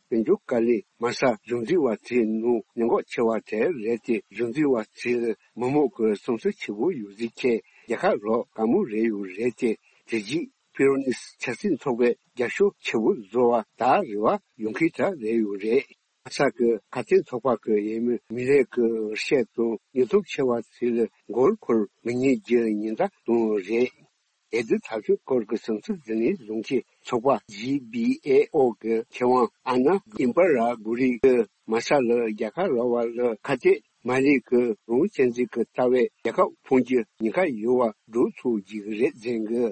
དཔལ་འབྱོར་བཀའ་བློན་མ་ས་གཞུང་འཛིན་པ་ཚོའི་ནང་ཉེན་འགོག་ཆེ་བ་དེ་རེད་དེ། གཞུང་འཛིན་པ་ཚོས་མི་མང་གི་བསམ་ཚུལ་ཆེ་བོ་ཡོད་ཟིག་ཁྱེད་རྒྱལ་ཁ་རོགས་དཀའ་མོ་རེད་ཡོད་རེད་དེ། དེ་རྗེས་ཕི་རོ་ནིས་ཆབ་སྲིད་ཚོགས་པའི་རྒྱབ་སྐྱོར་ཆེ་བོ་བཟོ་བ་ད་རེ་བ་ཡོང་མཁན་དྲག་རེད་ཡོད་རེད། ས་ཀི་ཁ་ཆེ་ཚོགས་པ་གི་འོས་མི་མི་ལས་ཀྱི་བཤད་དང་ཉེན་སྟོབས་ཆེ་བ་ཚོ་ལ་མགོ་འཁོར་མི་ཉན་རྒྱུ་ཉེན་བརྡ་བཏང་རེད། འོས་བསྡུ་ཐབས་ཇུས་སྐོར་གྱི་བསམ་ཚུལ་འཛིན་ལས་བཟོ་མཁན་ཚོགས་པ་ཇི་བི་ཨེ་ཨོ་གི་མཁས་དབང་ཨ་ན་ཨིན་པ་ར་གུ་རི་གི་མ་ས་ལ་རྒྱལ་ཁ་རག་པ་ལ་ཁ་གཏད་མ་ལས་ཀྱི་རང་བཙན་འཛིན་གྱི་ལྟ་བའི་རྒྱལ་ཁ་འཕངས་རྒྱུ་ཉེན་ཁ་ཡོད་པ་སྒྲོག་ཚུགས་རྒྱུ་རེད་ཟེར་གི།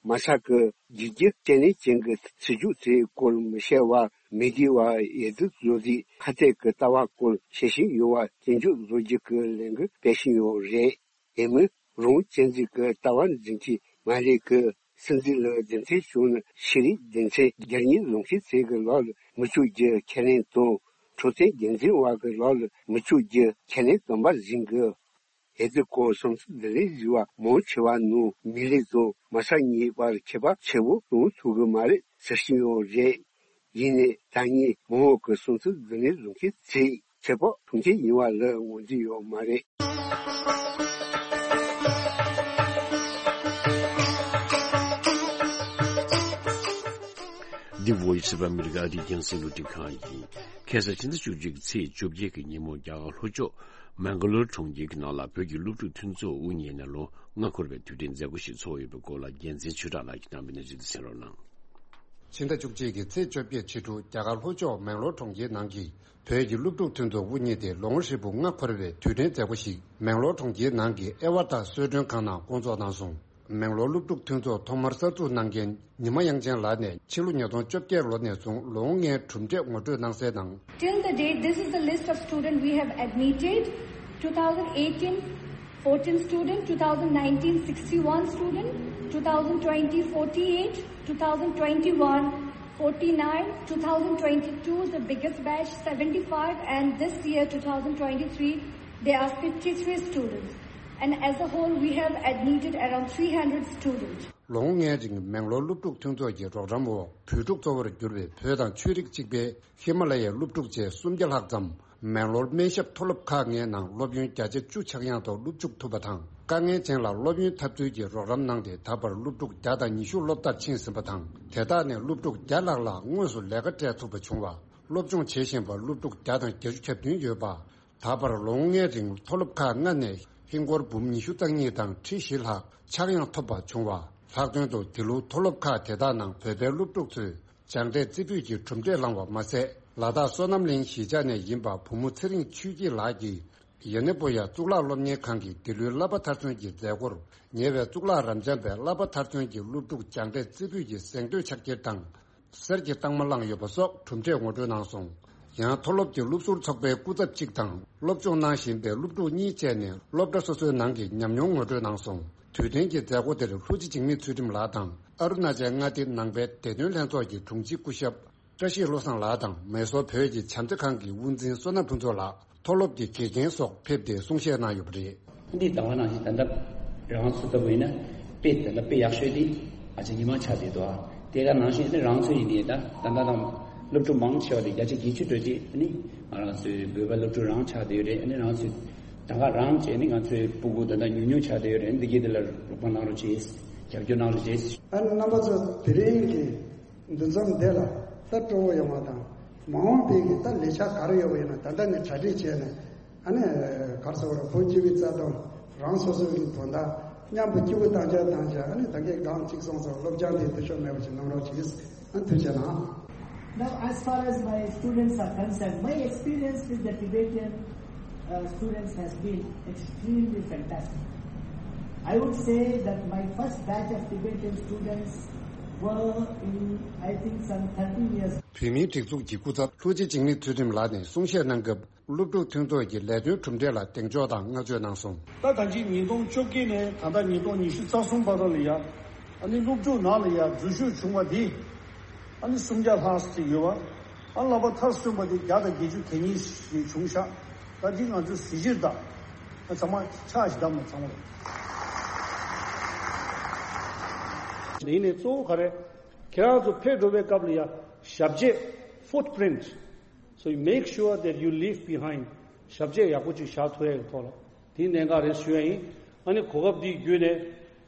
མ་ས་ཀི་རྒྱལ་སྤྱི་བརྟན་ལྷིང་ཅན་གྱི་སྲིད་ཇུས་དེའི་སྐོར་མི་བཤད་པ་མི་བདེ་བ་ཡེ་ཙི་བཟོ་རྩིས་ཁ་གཏད་ཀྱི་ལྟ་བ་སྐོར་བཤད་བཞིན་ཡོད་པ་སྐྱོན་བརྗོད་བཟོ་རྒྱུ་གི་ལས་འགུལ་སྤེལ་བཞིན་ཡོད་རེད། དེ་མིན་རང་བཙན་འཛིན་གྱི་ལྟ་བ་འཛིན་མཁན་མ་ལས་ཀྱི་སྲིད་འཛིན་ལ་རྒྱུ་མཚན་བྱུང་ན་ཤེས་རིག་སྡེ་ཚན་བརྒྱ་ཉིན་ལོངས་སྤྱོད་ཚད་ཀྱི་ལག་ལ་མི་བཅུག་རྒྱུ་ཁས་ལེན་དང་། འཕྲོད་བསྟེན་འགན་འཛིན་པ་གི་ལག་ལ་མི་བཅུག་རྒྱུ་ཁས་ལེན་དམ་པ་ཟིན་དགོས། ཨེ་ཙི་ཀོ་སོང་ཙི་ལྡི་ལི་བཞི་བ་མང་ཆེ་བ་ནང་མི་ལི་དང་མ་ས་གཉིས་བར་ཁྱད་པར་ཆེ་བོ་གཏོང་ཐུབ་གི་མ་རེད་ཟེར་བཞིན་ཡོད་རེད། ཡིན་ནའི་ད་ངས་མང་བོ་གི་སོང་ཙི་ལྡི་ལི་བཟུང་མཁན་ཚོས་ཁྱད་པར་མཐོང་མཁན་ཡིན་པ་ལ་ངོས་འཛིན་ཡོད་མ་རེད། འདི་Voice of America ཨ་རིའི་རྒྱང་སྲིང་རླུང་འཕྲིན་ཁང་ཡིན། ཁ་སང་ཕྱི་ཟླ་བཅུ་གཅིག་གི་ཚེས་བཅོ་བརྒྱད་ཀྱི་ཉིན་མོ་རྒྱ་གར་ལྷོ་ཕྱོགས་མེང་ག་ལོར་གྲོང་ཁྱེར་གྱི་ནང་ལ་བོད་ཀྱི་སློབ་ཕྲུག་མཐུན་ཚོགས་དབུ་བརྙེས་ནས་ལོ་ལྔ་འཁོར་བའི་དུས་དྲན་མཛད་སྒོ་ཞིག་ཚོགས་ཡོད་པའི་སྐོར་ལ་རྒྱལ་མཚན་ཆོས་གྲགས་ལགས་ཀྱིས་གནང་བའི་གནས་ཚུལ་དེ་གསན་རོགས་གནང་། ཕྱི་ཟླ་བཅུ་གཅིག་གི་ཚེས་བཅོ་བརྒྱད་ཕྱི་དྲོ་རྒྱ་གར་ལྷོ་ཕྱོགས་མེང་ལོར་གྲོང་ཁྱེར་ནང་གི་བོད་ཀྱི་སློབ་ཕྲུག་མཐུན་ཚོགས་དབུ་བརྙེས་ཏེ་ལོ་ངོ་ཧྲིལ་པོ་ལྔ་འཁོར་བའི་དུས་དྲན་མཛད་སྒོ་ཞིག་མེང་ལོར་གྲོང་ཁྱེར་ནང་གི་ཨེ་ཝ་ཏཱ་གསོལ་མགྲོན་ཁང་ནང་བསྐོང་ཚོགས་གནང་སོང་། མེང་ལོར་སློབ་ཕྲུག་མཐུན་ཚོགས་ཐོག་མར་གསར་འཛུགས་གནང་མཁན་ཉི་མ་དབྱངས་ཅན་ལགས་ནས་ཕྱི་ལོ་ཉིས་སྟོང་བཅོ་བརྒྱད་ལོ་ནས་བཟུང་ལོ་ངོ་ལྔའི་གྲུབ་འབྲས་ངོ་སྤྲོད་གནང་གསལ་དང་། Till the date, this is the list of student we have admitted. Two thousand eighteen, fourteen student, two thousand nineteen, sixty-one student, two thousand twenty, forty-eight, two thousand twenty-one, forty-nine, two thousand twenty-two, the biggest batch, seventy-five, and this year, two thousand twenty-three, there are fifty-three students. And as a whole, we have admitted around three hundred students. ལོ་ངོ་ལྔའི་རིང་མེང་ལོར་སློབ་ཕྲུག་མཐུན་ཚོགས་ཀྱི་རོགས་རམ་འོག་བོད་ཕྲུག་གཙོ་བོར་གྱུར་པའི་བོད་དང་ཆོས་རིག་གཅིག་པའི་ཧི་མ་ལ་ཡའི་སློབ་ཕྲུག་བཅས་སུམ་བརྒྱ་ལྷག་ཙམ་མེང་ལོར་སྨན་ཞབས་མཐོ་སློབ་ཁག་ལྔའི་ནང་སློབ་ཡོན་བརྒྱ་ཆ་བཅུ་ཆག་ཡང་དུ་སློབ་འཇུག་ཐུབ་པ་དང་། དཀའ་ངལ་ཅན་ལ་སློབ་ཡོན་ཐབས་འཚོལ་གྱི་རོགས་རམ་གནང་སྟེ། ད་བར་སློབ་ཕྲུག་བརྒྱ་དང་ཉི་ཤུ་སློབ་མཐར་ཕྱིན་ཟིན་པ་དང་། དེ་དག་ནས་སློབ་ཕྲུག་བརྒྱ་ལྷག་ལ་དངོས་སུ་ལས་ཀ་སྤྲད་ཐུབ་པ་བྱུང་བ། སློབ་སྦྱོང་བྱེད་བཞིན་པ་སློབ་ཕྲུག་བརྒྱ་དང་བརྒྱད་ཅུ་གྱ་བདུན་ཡོད་པ། ད་བར་ལོ་ངོ་ལྔའི་རིང་མཐོ་སློབ་ཁག་ལྔ་ནས་ ཧིན་སྒོར་འབུམ་ཉི་ཤུ་རྩ་གཉིས་དང་ཁྲི་བཞི་ལྷག་ཆག་ཡང་ཐོབ་པ་བྱུང་བ། ལྷག་དོན་དུ་དེ་ལོའི་མཐོ་སློབ་ཁག་དེ་དག་ནང་བོད་པའི་སློབ་ཕྲུག་ཚོས་སྦྱངས་འབྲས་རྩེ་ཕུད་ཀྱི་གྲུབ་འབྲས་བླངས་བ་མ་ཟད། ལ་དྭགས་བསོད་ནམས་གླིང་གཞིས་ཆགས་ནས་ཡིན་པ་བུ་མོ་ཚེ་རིང་ཆོས་སྐྱིད་ལགས་ཀྱིས། ཡེ་ནེ་པོ་ཡ་གཙུག་ལག་སློབ་གཉེར་ཁང་གི་འདི་ལོའི་བསླབ་པ་མཐར་སོན་གྱི་མཛད་སྒོར། ཉེ་བའི་གཙུག་ལག་རབ་འབྱམས་པའི་བསླབ་པ་མཐར་སོན་གྱི་སློབ་ཕྲུག་སྦྱངས་འབྲས་རྩེ་ཕུད་ཀྱི་གཟེངས་བསྟོད་ཕྱག་འཁྱེར་དང་། གསེར་གྱི་རྟགས་མ་བླངས་ཡོད་པ་སོགས་གྲུབ་འབྲས་ངོ་སྤྲོད་གནང་སོང་། ཡང་མཐོ་སློབ་ཀྱི་སློབ་ཟུར་ཚོགས་པའི་སྐུ་ཚབ་གཅིག་དང་སློབ་སྦྱོང་གནང་བཞིན་པའི་སློབ་ཕྲུག་གཉིས་བཅས་ནས་སློབ་གྲྭ་སོ་སོའི་ནང་གི་ཉམས་མྱོང་ངོ་སྤྲོད་གནང་སོང་། དུས་དྲན་གྱི་མཛད་སྒོ་དེར་ལྷུ་ཅི་འཇིགས་མེད་ཚུལ་ཁྲིམས་ལགས་དང་ཨ་རུ་ན་ཅལ་མངའ་སྡེ་ནང་པའི་བདེ་དོན་ལྷན་ཚོགས་ཀྱི་དྲུང་ཆེ་སྐུ་ཞབས་བཀྲ་ཤིས་བློ་བཟང་ལགས་དང་མེ་སོར་བོད་ཀྱི་བྱམས་བརྩེ་ཁང་གི་དབུ་འཛིན་བསོད་ནམས་ཕུན་ཚོགས་ལགས། མཐོ་སློབ་ཀྱི་དགེ་རྒན་སོགས་ཕེབས་ཏེ་གསུང་བཤད་གནང་ཡོད་པ་རེད། འདི་ལྟ་བ་ནང་བཞིན་ད་ལྟ་རང་ཚོ་ལྟ་བུ་ཡིན་ན་དཔེ་ད་ལྟ་དཔེ་ཡག་ཤོས་དེ་ཨ་ཅག་ཉི་མ་ཆགས་བསྡད་འདུག་ཨ་དེ་ག་ནང་བཞིན་ནི་རང་ཚོ་ཡིན་ནའི་ད་ད་ལྟ་དང་སློབ་ཕྲུག་མང་ཆེ་བ་དེ་བརྒྱ་ཆ་བརྒྱད་ཅུ་འགྲོ་རྗེས་ནི་ང་རང་ཚོའི་བོད་པ་སློབ་ཕྲུག་རང་ཆགས་བསྡད་ཡོད་རེད། ཨ་ནི་རང་ཚོའི་ད་ག་རང་བྱས་ནི་ང་ཚོའི་སྤུ་གུ་ད་ལྟ་ཉུང་ཉུང་ཆགས་བསྡད་ཡོད་རེད། འདི་གའི་དེ་ལ་རོགས་པ་གནང་རོགས་བྱེད། རྒྱབ་སྐྱོར་གནང་རོགས་བྱེད། ཨ་ནི་རྣམ་པ་ཚོ་དེ་རིང་གི་འདུ་འཛོམས་འདི་ལ་ད་སྤྲོ་བོ་ཡོང་བ་དང་མ་འོངས་པའི་གི་ད་ལས་འཆར་ག་རེ་ཡོད་པ་ཡིན་ན་ད་ལྟ་ནས་གྲ་སྒྲིག་བྱས་ནས་ཨ་ནི་ག་རེ་ཟེར་བ་རེད། བོད་སྤྱི་པའི་རྩ་དོན་རང་སོ་སོ་གི་དོན་དག་མཉམ་དུ་སྐྱིད་པོ་བཏང་རྒྱུ་བཏང་རྒྱུ། ཨ་ནི་ད་གིན་སྒང་གཅིག་སོང་ཙང་སློབ་སྦྱོང་དེ་འཐུས་ཤོར་མེད་པ་ཞིག་གནང་རོགས་གྱིས། ཨ་ཐུགས་རྗེ་གནང་། Now, as far as my students are concerned, my experience with the Tibetans, uh, students has been extremely fantastic. I would say that my first batch of Tibetan students were in, I think, some thirteen years. བོད་མིའི་སྒྲིག་འཛུགས་ཀྱི་སྐུ་ཚབ་ལྷུ་ཅི་འཇིགས་མེད་ཚུལ་ཁྲིམས་ལགས་ནས་གསུང་བཤད་གནང་སྐབས། སློབ་ཕྲུག་མཐུན་ཚོགས་ཀྱི་ལས་དོན་གྲུབ་འབྲས་ལ་གདེང་འཇོག་དང་བསྔགས་བརྗོད་གནང་སོང་། ད་ད་ཅི་ཉིས་སྟོང་བཅོ་བརྒྱད་ནས་ད་ལྟ་ཉིས་སྟོང་ཉི་ཤུ་རྩ་གསུམ་བར་ལ་ཡ། ཨ་ནི་སློབ་ཕྲུག་ནང་ལ་ཡ་འཛུལ་ཞུགས་བྱུང་བ་འདི་ཨ་ནི་སུམ་བརྒྱ་ལྷག་ཙམ་ཡོད་པ། ཨ་བསླབ་པ་མཐར་སོན་པ་འདི་བརྒྱ་དང་བརྒྱད་ཅུ་གྱ་གཉིས་ཤིག་བྱུང་ཤག་ད་འདི་ང་ཚོས་གཟི་བརྗིད་དང་། ཨ་ཚང་མ་ཕྱག་ཞིག་བསྡམས་ནས་ཚང་མ་ལ། དེ་ནས་གཙོ་བོ་ག་རེ། ཁྱེད་རང་ཚོ་ཕེབས་འགྲོ་བའི་སྐབས་ལ་ཡ་ཞབས་རྗེས། Footprint. So you make sure that you leave behind. ཞབས་རྗེས་ཡག་པོ་ཅིག་བཞག་ཐུབ་ཡ་གི་ཐོག་ལ། དེའི་གནད་འགག་རེད་ཞུ་ཡ་ཡིན། ཨ་ནི་གོ་སྐབས་འདི་བརྒྱུད་ནས་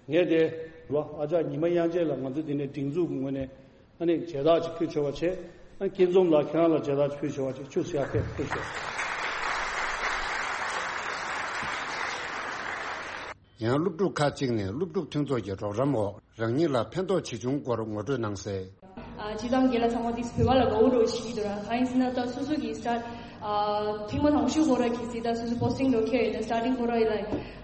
ངས་དེ་རུ་ཨ་ཅག་ཉི་མ་དབྱངས་ཅན་ལ་ང་ཚོ་འདི་ནས་སྒྲིག་འཛུགས་ཀྱི་ངོས་ནས་ཨ་ནི་མཇལ་དར་ཅིག་ཕུལ་ཆོག་པ་བྱས། ཨ་ནི་སྐྱིད་འཛོམས་ལགས་ཁྱེད་རང་ལ་མཇལ་དར་ཅིག་ཕུལ་ཆོག་པ་བྱས། ཁྱུག་ཙམ་ཡར་ཕེབས་ཕེབས་ཤོག་ཡང་སློབ་ཕྲུག་ཁག་ཅིག་ནས་སློབ་ཕྲུག་མཐུན་ཚོགས་ཀྱི་རོགས་རམ་འོག་རང་ཉིད་ལ་ཕན་ཐོགས་ཆེ་ཆུང་སྐོར་ངོ་སྤྲོད་གནང་གསལ། ཨ་སྤྱིར་བཏང་རྒན་ལགས་ཚང་མ་འདི་བོད་པ་ལ་དགའ་བོ་འདྲ་བོ་ཞིག་འདུག་ར། གང་ཡིན་ཟེར་ན་ད་སོ་སོ་གི་སི་ཊཱར་ཊི་ཨ་ཐེངས་མ་དང་ཤོས་ཁོ་ར་གི་སི་ད་སོ་སོ་པོ་སི་ཊིང་འགྲོ་ཁེལ་ཡོད་ན་སི་ཊར་ཊིང་ཁོ་ར་ཡི་ལ་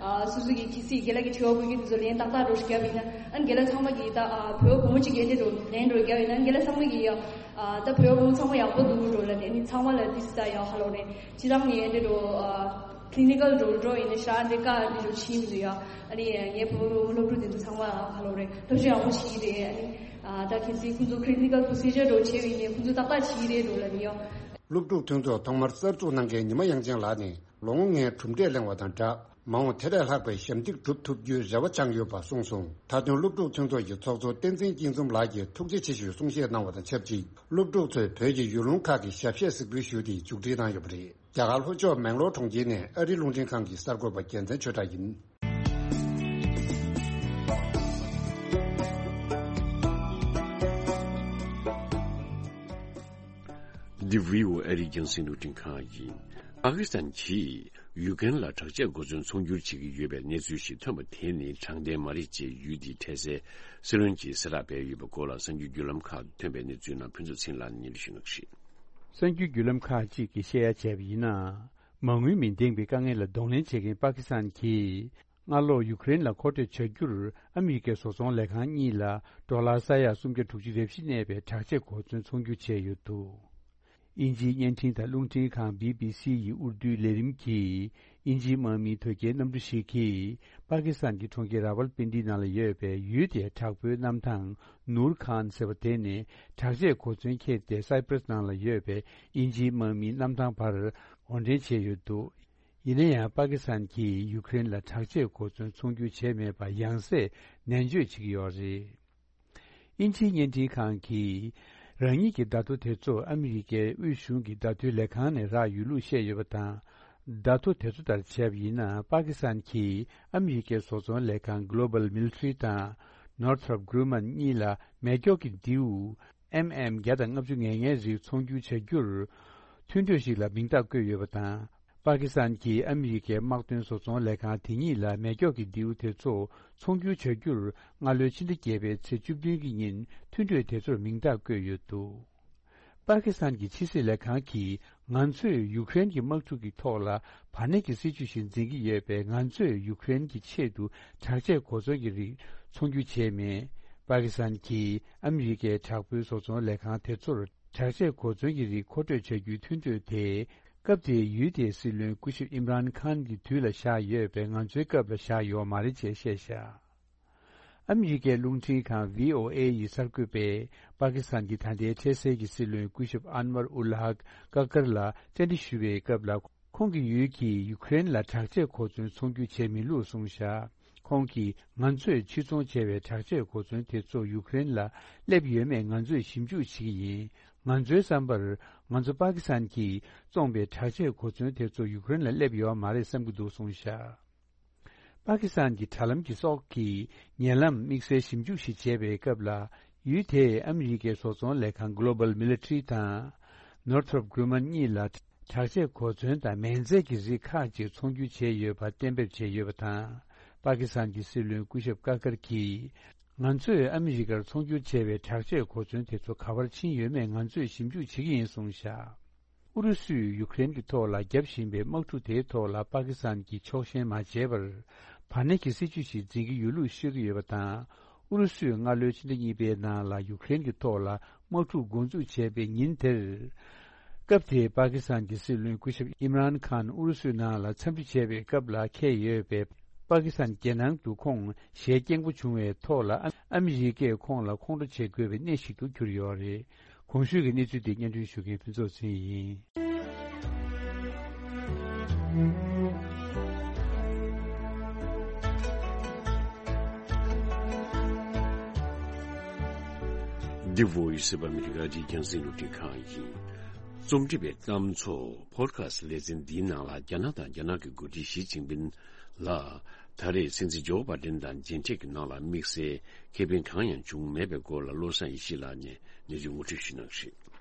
ཨ་སོ་སོ་གི་གི་སི་རྒན་ལགས་ཀྱི་དྲི་བ་བཀོད་རྒྱུ་དེ་ཚོ་ལན་ཏག་ཏག་འདྲ་བོ་ཞིག་བརྒྱབ་ཡིན་ན། ཨ་རྒན་ལགས་ཚང་མ་གི་ད་ཨ་བོད་བུ་མོ་གཅིག་གི་འདི་འདྲ་བོ་ལན་འདྲ་བོ་བརྒྱབ་ཡིན་ན། རྒན་ལགས་ཚང་མ་གི་ཡ་ཨ་ད་བོད་བུ་མོ་ཚང་མ་ཡག་པོ་འདུག་འགྲོ་ལ་ནས་ནི་ཚང་མ་ལ་འདི་སི་ད་ཡ་ཧ་ལོ་རེད། སྤྱིར་བཏང་ནས་འདི་འདྲ་བོ་ཨ། ཀི་ལི་ནི་ཀལ་རོལ་འགྲོ་ཡིན་ན་ཤ་འདི་ཀ་འདི་རུ་ཕྱིན་མི་འདུག་ཡ། ཨ་ནི་ངའི་བུ་རུ་སློབ་ཕྲུག་འདི་ཚོ་ཚང་མ་ཧ་ལོ་རེད། ཐབས་ཤེས་ཡག་པོ་བྱེད་ཀྱི་རེད། ཨ་ནི་ཨ་ད་གལ་སྲིད་ཁོང་ཚོ་ཀི་ལི་ནི་ཀལ་པོ་སི་ཇར་འདྲ་བོ་བྱས་པ་ཡིན་ནའི་ཁོང་ཚོ་ཏག་ཏག་བྱེད་ཀྱི་རེད་འགྲོ་ལབ་ནི་ཡ། སློབ་ཕྲུག་མཐུན་ཚོགས་ཐོག་མར་གསར་འཛུགས་གནང་མཁན་ཉི་མ་དབྱངས་ཅན་ལགས་ནས་ལོ་ངོ་ལྔའི་གྲུབ་འབྲས་གླེང་བ་དང་སྦྲགས། མ་འོངས་དེ་ལས་ལྷག་པའི་ཞབས་འདེགས་སྒྲུབ་ཐུབ་རྒྱུའི་རེ་བ་བཅངས་ཡོད་པ་གསུངས་སོང་། མཐའ་དོན་སློབ་ཕྲུག་མཐུན་ཚོགས་ཀྱི་ཚོགས་གཙོ་བསྟན་འཛིན་སྐྱིད་འཛོམས་ལགས་ཀྱིས་ཐུགས་རྗེ་ཆེ་ཞུའི་གསུང་བཤད་གནང་བ་དང་ཆབས་ཅིག་སློབ་ཕྲུག་ཚོས་བོད་ཀྱི་ཡུལ་ལུང་ཁག་གི་ཞབས་གཞས་གཟིགས་འབུལ་ཞུས་ཏེ་མཇུག་སྒྲིལ་གནང་ཡོད་པ་རེད། རྒྱ་གར་ལྷོ་ཕྱོགས་མེང་ལོར་གྲོང་ཁྱེར་ནས་ཨ་རིའི་རླུང་འཕྲིན་ཁང་གི་གསར་འགོད་པ་རྒྱལ་མཚན་ཆོས་གྲགས་ཡིན། འདི་བྷི་ཨོ་ཨེ་ཨ་རིའི་རྒྱང་སྲིང་རླུང་འཕྲིན་ཁང་ཡིན། པ་ཀི་སི་ཐན་གྱིས་ཡུ་ཀེ་རེན་ལ་དྲག་ཆས་གོ་མཚོན་ཚོང་སྒྱུར་བྱེད་ཀྱི་ཡོད་པའི་གནས་ཚུལ་ཞིག་ཐོན་པ་དེ་ནི་དྲང་བདེན་མ་རེད་ཅེས་ཡུལ་དེའི་འཕྲལ་སེལ་སྲིད་བློན་གྱིས་གསལ་བསྒྲགས་སྤེལ་ཡོད་པའི་སྐོར་ལ་གསར་འགྱུར་བརྒྱུད་ལམ་ཁག་ཏུ་ཐོན་པའི་གནས་ཚུལ་ནང་ཕུན་ཚོགས་ཚེ་རིང་ལགས་ནས་སྙན་སྒྲོན་ཞུ་གནང་གི་རེད། གསར་འགྱུར་བརྒྱུད་ལམ་ཁག་ཅིག་གིས་བཤད་ཡ་བྱས་པ་ཡིན་ན། མ་དངུལ་མི་ལྡན་པའི་དཀའ་ངལ་ལ་གདོང་ལེན་བྱེད་མཁན་པ་ཀི་སི་ཐན་གྱིས་སྔ་ལོར་ཡུ་ཀེ་རེན་ལ་མཁོ་སྤྲོད་བྱ་རྒྱུར་ཨ་མི་རི་ཀའི་བཟོ་ཚོང་ལས་ཁང་གཉིས་ལ་ཌོ་ལར་ས་ཡ་སུམ་བརྒྱ་དྲུག་ཅུ་རེ་བཞི་གནས་པའི་དྲག་ཆས་གོ་མཚོན་ཚོང་སྒྱུར་བྱས་ཡོད་འདུག་དབྱིན་ཇིའི་བརྙན་འཕྲིན་དང་རླུང་འཕྲིན་ཁང་བི་བི་སི་ཡི་ཨུར་དུའི་ལས་རིམ་གྱིས་དབྱིན་ཇིའི་དམག་མིའི་དོལ་རྒྱལ་གནམ་གྲུ་ཞིག་གིས་པ་ཀི་སི་ཐན་གྱི་གྲོང་ཁྱེར་ར་ཝལ་པིན་ཌི་ནང་ལ་ཡོད་པའི་ཡུལ་དེའི་དྲག་པོའི་གནམ་ཐང་ནུར་ཁཱན་ཟེར་བ་དེ་ནས་དྲག་ཆས་གོ་མཚོན་འཁྱེར་ཏེ་སའི་པྲེས་ནང་ལ་ཡོད་པའི་དབྱིན་ཇིའི་དམག་མིའི་གནམ་ཐང་བར་འོར་འདྲེན་བྱས་ཡོད་འདུག་ཡིན་ན་ཡང་པ་ཀི་སི་ཐན་གྱིས་ཡུ་ཀེ་རེན་ལ་དྲག་ཆས་གོ་མཚོན་ཚོང་སྒྱུར་བྱས་མེད་པ་ཡང་སེ་ནན་བརྗོད་བྱེད་ཀྱི་ཡོད་རེད། དབྱིན་ཇིའི་བརྙན་འཕྲིན་ཁང་གིས་རང་ཉིད་ཀྱི་བརྡ་ཐོ་དེ་ཚོ་ཨ་མི་རི་ཀའི་དབུས་གཞུང་གི་བརྡ་དོན་ལས་ཁང་ནས་རག་ཡོད་ལུགས་བཤད་ཡོད་པ་དང་། བརྡ་ཐོ་དེ་ཚོ་ལྟར་བྱས་པ་ཡིན་ན་པ་ཀི་སི་ཐན་གྱིས་ཨ་མི་རི་ཀའི་བཟོ་ཚོང་ལས་ཁང་Global Military དང་Northrop Grumman གཉིས་ལ་མེ་སྒྱོགས་ཀྱི་མདེའུ་ཨེམ་ཨེམ་བརྒྱ་དང་ལྔ་བཅུ་ང་ལྔའི་རིགས་ཚོང་སྒྱུར་བྱ་རྒྱུར་མཐུན་གྲོས་ཤིག་ལ་མིང་རྟགས་བཀོད་ཡོད་པ་དང་། པ་ཀི་སི་ཐན་གྱིས་ཨ་མི་རི་ཀའི་དམག་དོན་བཟོ་ཚོང་ལས་ཁང་དེ་ཉིད་ལ་མེ་སྒྱོགས་ཀྱི་མདེའུ་དེ་ཚོ་ཚོང་སྒྱུར་བྱ་རྒྱུར་སྔ་ལོའི་ཕྱི་ཟླ་བརྒྱད་པའི་ཚེས་བཅུ་བདུན་གྱི་ཉིན་མཐུན་གྲོས་དེ་ཚོར་མིང་རྟགས་བཀོད་ཡོད་འདུག་པ་ཀི་སི་ཐན་གྱི་ཕྱི་སྲིད་ལས་ཁང་གིས། ང་ཚོས་ཡུ་ཀེ་རེན་གྱི་དམག་འཁྲུག་གི་ཐོག་ལ་བར་གནས་ཀྱི་སྲིད་ཇུས་ཤིག་འཛིན་གྱི་ཡོད་པས། ང་ཚོས་ཡུ་ཀེ་རེན་གྱི་ཆེད་དུ་དྲག་ཆས་གོ་མཚོན་གྱི་རིགས་ཚོང་སྒྱུར་བྱས་མེད། པ་ཀི་སི་ཐན་གྱིས་ཨ་མི་རི་ཀའི་དྲག་པོའི་བཟོ་ཚོང་ལས་ཁང་དེ་ཚོར་དྲག་ཆས་གོ་མཚོན་གྱི་རིགས་མཁོ་སྤྲོད་བྱ་རྒྱུའི་མཐུན་གྲོས་དེ། སྐབས་དེའི་ཡུལ་དེའི་སྲིད་བློན་སྐུ་ཞབས་ཨིམ་རཱན་ཁཱན་གྱི་དུས་ལ་བཞག་ཡོད་པས། ང་ཚོའི་སྐབས་ལ་བཞག་ཡོད་མ་རེད་ཅེས་བཤད་བཞག་ཨ་མི་རི་ཀའི་རླུང་འཕྲིན་ཁང་བྷི་ཨོ་ཨེ་ཡི་གསར་འགོད་པས། པ་ཀི་སི་ཐན་གྱི་ད་ལྟའི་འཕྲལ་སེལ་གྱི་སྲིད་བློན་སྐུ་ཞབས་ཨན་ཝར་ཨུལ་ཧག་ཀ་ཀར་ལ་བཅར་འདྲི་ཞུ་བའི་སྐབས་ལ། ཁོང་གི་ཡུལ་གྱིས་ཡུ་ཀེ་རེན་ལ་དྲག་ཆས་གོ་མཚོན་ཚོང་སྒྱུར་བྱེད་མི་ལུགས་གསུངས་བཞག་ཁོང་གིས། ང་ཚོས་ཕྱིར་ཚོང་བྱས་པའི་དྲག་ཆས་གོ་མཚོན་དེ་ཚོ་ཡུ་ཀེ་རེན་ལ་སླེབས་ཡོད་མེད་ང་ཚོས་ཞིབ་འཇུག་བྱེད་ཀྱི་ཡིན། ང་ཚོའི་བསམ་པར། ང་ཚོ་པ་ཀི་སི་ཐན་གྱིས་བཙོངས་པའི་དྲག་ཆས་གོ་མཚོན་དེ་ཚོ་ཡུ་ཀེ་རེན་ལ་སླེབས་ཡོད་མ་རེད་བསམ་གྱི་འདུག་གསུངས་བཞག་པ་ཀི་སི་ཐན་གྱི་དྲ་ལམ་གྱི་སོགས་ཀྱིས་ཉེ་ལམ་དམིགས་བསལ་ཞིབ་འཇུག་ཞིག་བྱས་པའི་སྐབས་ལ། ཡུལ་དེས་ཨ་མི་རི་ཀའི་བཟོ་ཚོང་ལས་ཁང་Global Military དང་། Northrop Grumman གཉིས་ལ་དྲག་ཆས་གོ་མཚོན་དང་མེ་མཛད་ཀྱི་རིགས་ཁག་ཅིག་ཚོང་སྒྱུར་བྱས་ཡོད་པ་གཏན་འབེབས་བྱས་ཡོད་པ་དང་། པ་ཀི་སི་ཐན་གྱི་སྲིད་བློན་སྐུ་ཞབས་ཀ་ཀར་གྱིས། ང་ཚོས་ཨ་མི་རི་ཀར་ཚོང་སྒྱུར་བྱས་པའི་དྲག་ཆས་གོ་མཚོན་དེ་ཚོ་ག་པར་ཕྱིན་ཡོད་མེད་ང་ཚོས་ཞིབ་འཇུག་བྱེད་ཀྱི་ཡིན་གསུངས་བཞག་ཨུ་རུ་སུས་ཡུ་ཀེ་རེན་གྱི་ཐོག་ལ་བརྒྱབ་བཞིན་པའི་དམག་འཁྲུག་དེའི་ཐོག་ལ་པ་ཀི་སི་ཐན་གྱིས་ཕྱོགས་ཞེན་མ་བྱས་པར། བར་གནས་ཀྱི་སྲིད་ཇུས་ཤིག་འཛིན་གྱི་ཡོད་ལུགས་ཤོད་ཀྱི་ཡོད་པ་དང་། ཨུ་རུ་སུས་སྔ་ལོའི་ཕྱི་ཟླ་གཉིས་པའི་ནང་ལ་ཡུ་ཀེ་རེན་གྱི་ཐོག་ལ་དམག་འཁྲུག་འགོ་འཛུགས་བྱས་པའི་ཉིན་དེར། སྐབས་དེའི་པ་ཀི་སི་ཐན་གྱི་སྲིད་བློན་སྐུ་ཞབས་ཨིམ་རཱན་ཁཱན་ཨུ་རུ་སུའི་ནང་ལ་འཚམས་འདྲི་བྱས་པའི་སྐབས་ལ་འཁེལ་ཡོད་པའི། པ་ཀི་སི་ཐན་རྒྱལ་ནང་དུ་ཁོང་ཞལ་སྐྱེངས་པོ་བྱུང་བའི་ཐོག་ལ། ཨ་མི་རི་ཀས་ཁོང་ལ་ཁོང་ཁྲོ་བྱེད་དགོས་པའི་གནས་ཤིག་ཏུ་གྱུར་ཡོད་རེད། གོང་ཞུས་ཀྱི་གནས་ཚུལ་དེ་སྙན་སྒྲོན་ཞུ་མཁན་ཕུན་ཚོགས་ཚེ་རིང་ཡིན། The Voice of America འདི་རྒྱང་སྲིང་རླུང་འཕྲིན་ཁང་ཡིན། རྩོམ་སྒྲིག་པའི་གཏམ་ཚོགས་Podcast ལེ་ཚན་འདིའི་ནང་ལ། རྒྱ་ནག་དང་རྒྱ་ནག་གི་འགོ་ཁྲིད་ཞི་ཅིན་ཕིན་ལ། ད་རེས་སྲིད་འཛིན་ཇོ་བྷའི་ཌེན་དང་མཇལ་འཕྲད་ཀྱི་ནང་ལ་དམིགས་བསལ་ཁེ་ཕན་གང་ཡང་བྱུང་མེད་པའི་སྐོར་ལ། བློ་བཟང་ཡེ་ཤེས་ལགས་ནས་གནས་ཚུལ་ངོ་སྤྲོད་ཞུ་གནང་གི་རེད།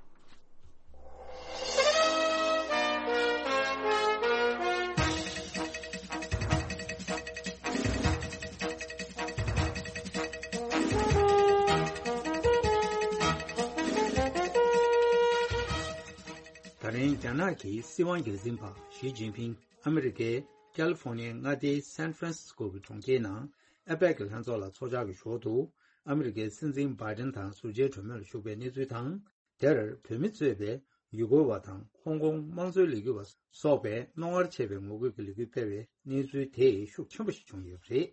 ད་རིང་རྒྱ་ནག་གི་སྲིད་དབང་སྒེར་འཛིན་པ་ཞི་ཅིན་ཕིང་ཨ་མི་རི་ཀའི་ཀལ་ཧྥོ་ནི་ཡའི་མངའ་སྡེའི་སན་ཧྥ་རན་སི་སྐོ་གི་གྲོང་ཁྱེར་ནང་ཨེ་པེག་གི་ལྷན་ཚོགས་ལ་ཚོགས་བཅར་གྱི་ཞོར་དུ། ཨ་མི་རི་ཀའི་སྲིད་འཛིན་བྷའི་ཌེན་དང་ཟུར་མཇལ་གྲོས་མོལ་ལ་ཞུགས་པའི་གནས་ཚུལ་དང་། དེར་བོད་མི་གཙོས་པའི་ཡུ་གུར་བ་དང་ཧོང་ཀོང་དམངས་གཙོའི་ལས་འགུལ་བ་སོགས་པས་རྣོ་ངར་ཆེ་བའི་ངོ་རྒོལ་གྱི་ལས་འགུལ་སྤེལ་བའི་གནས་ཚུལ་དེ་ཤུགས་ཆེན་པོ་ཞིག་བྱུང་ཡོད་པ་རེད།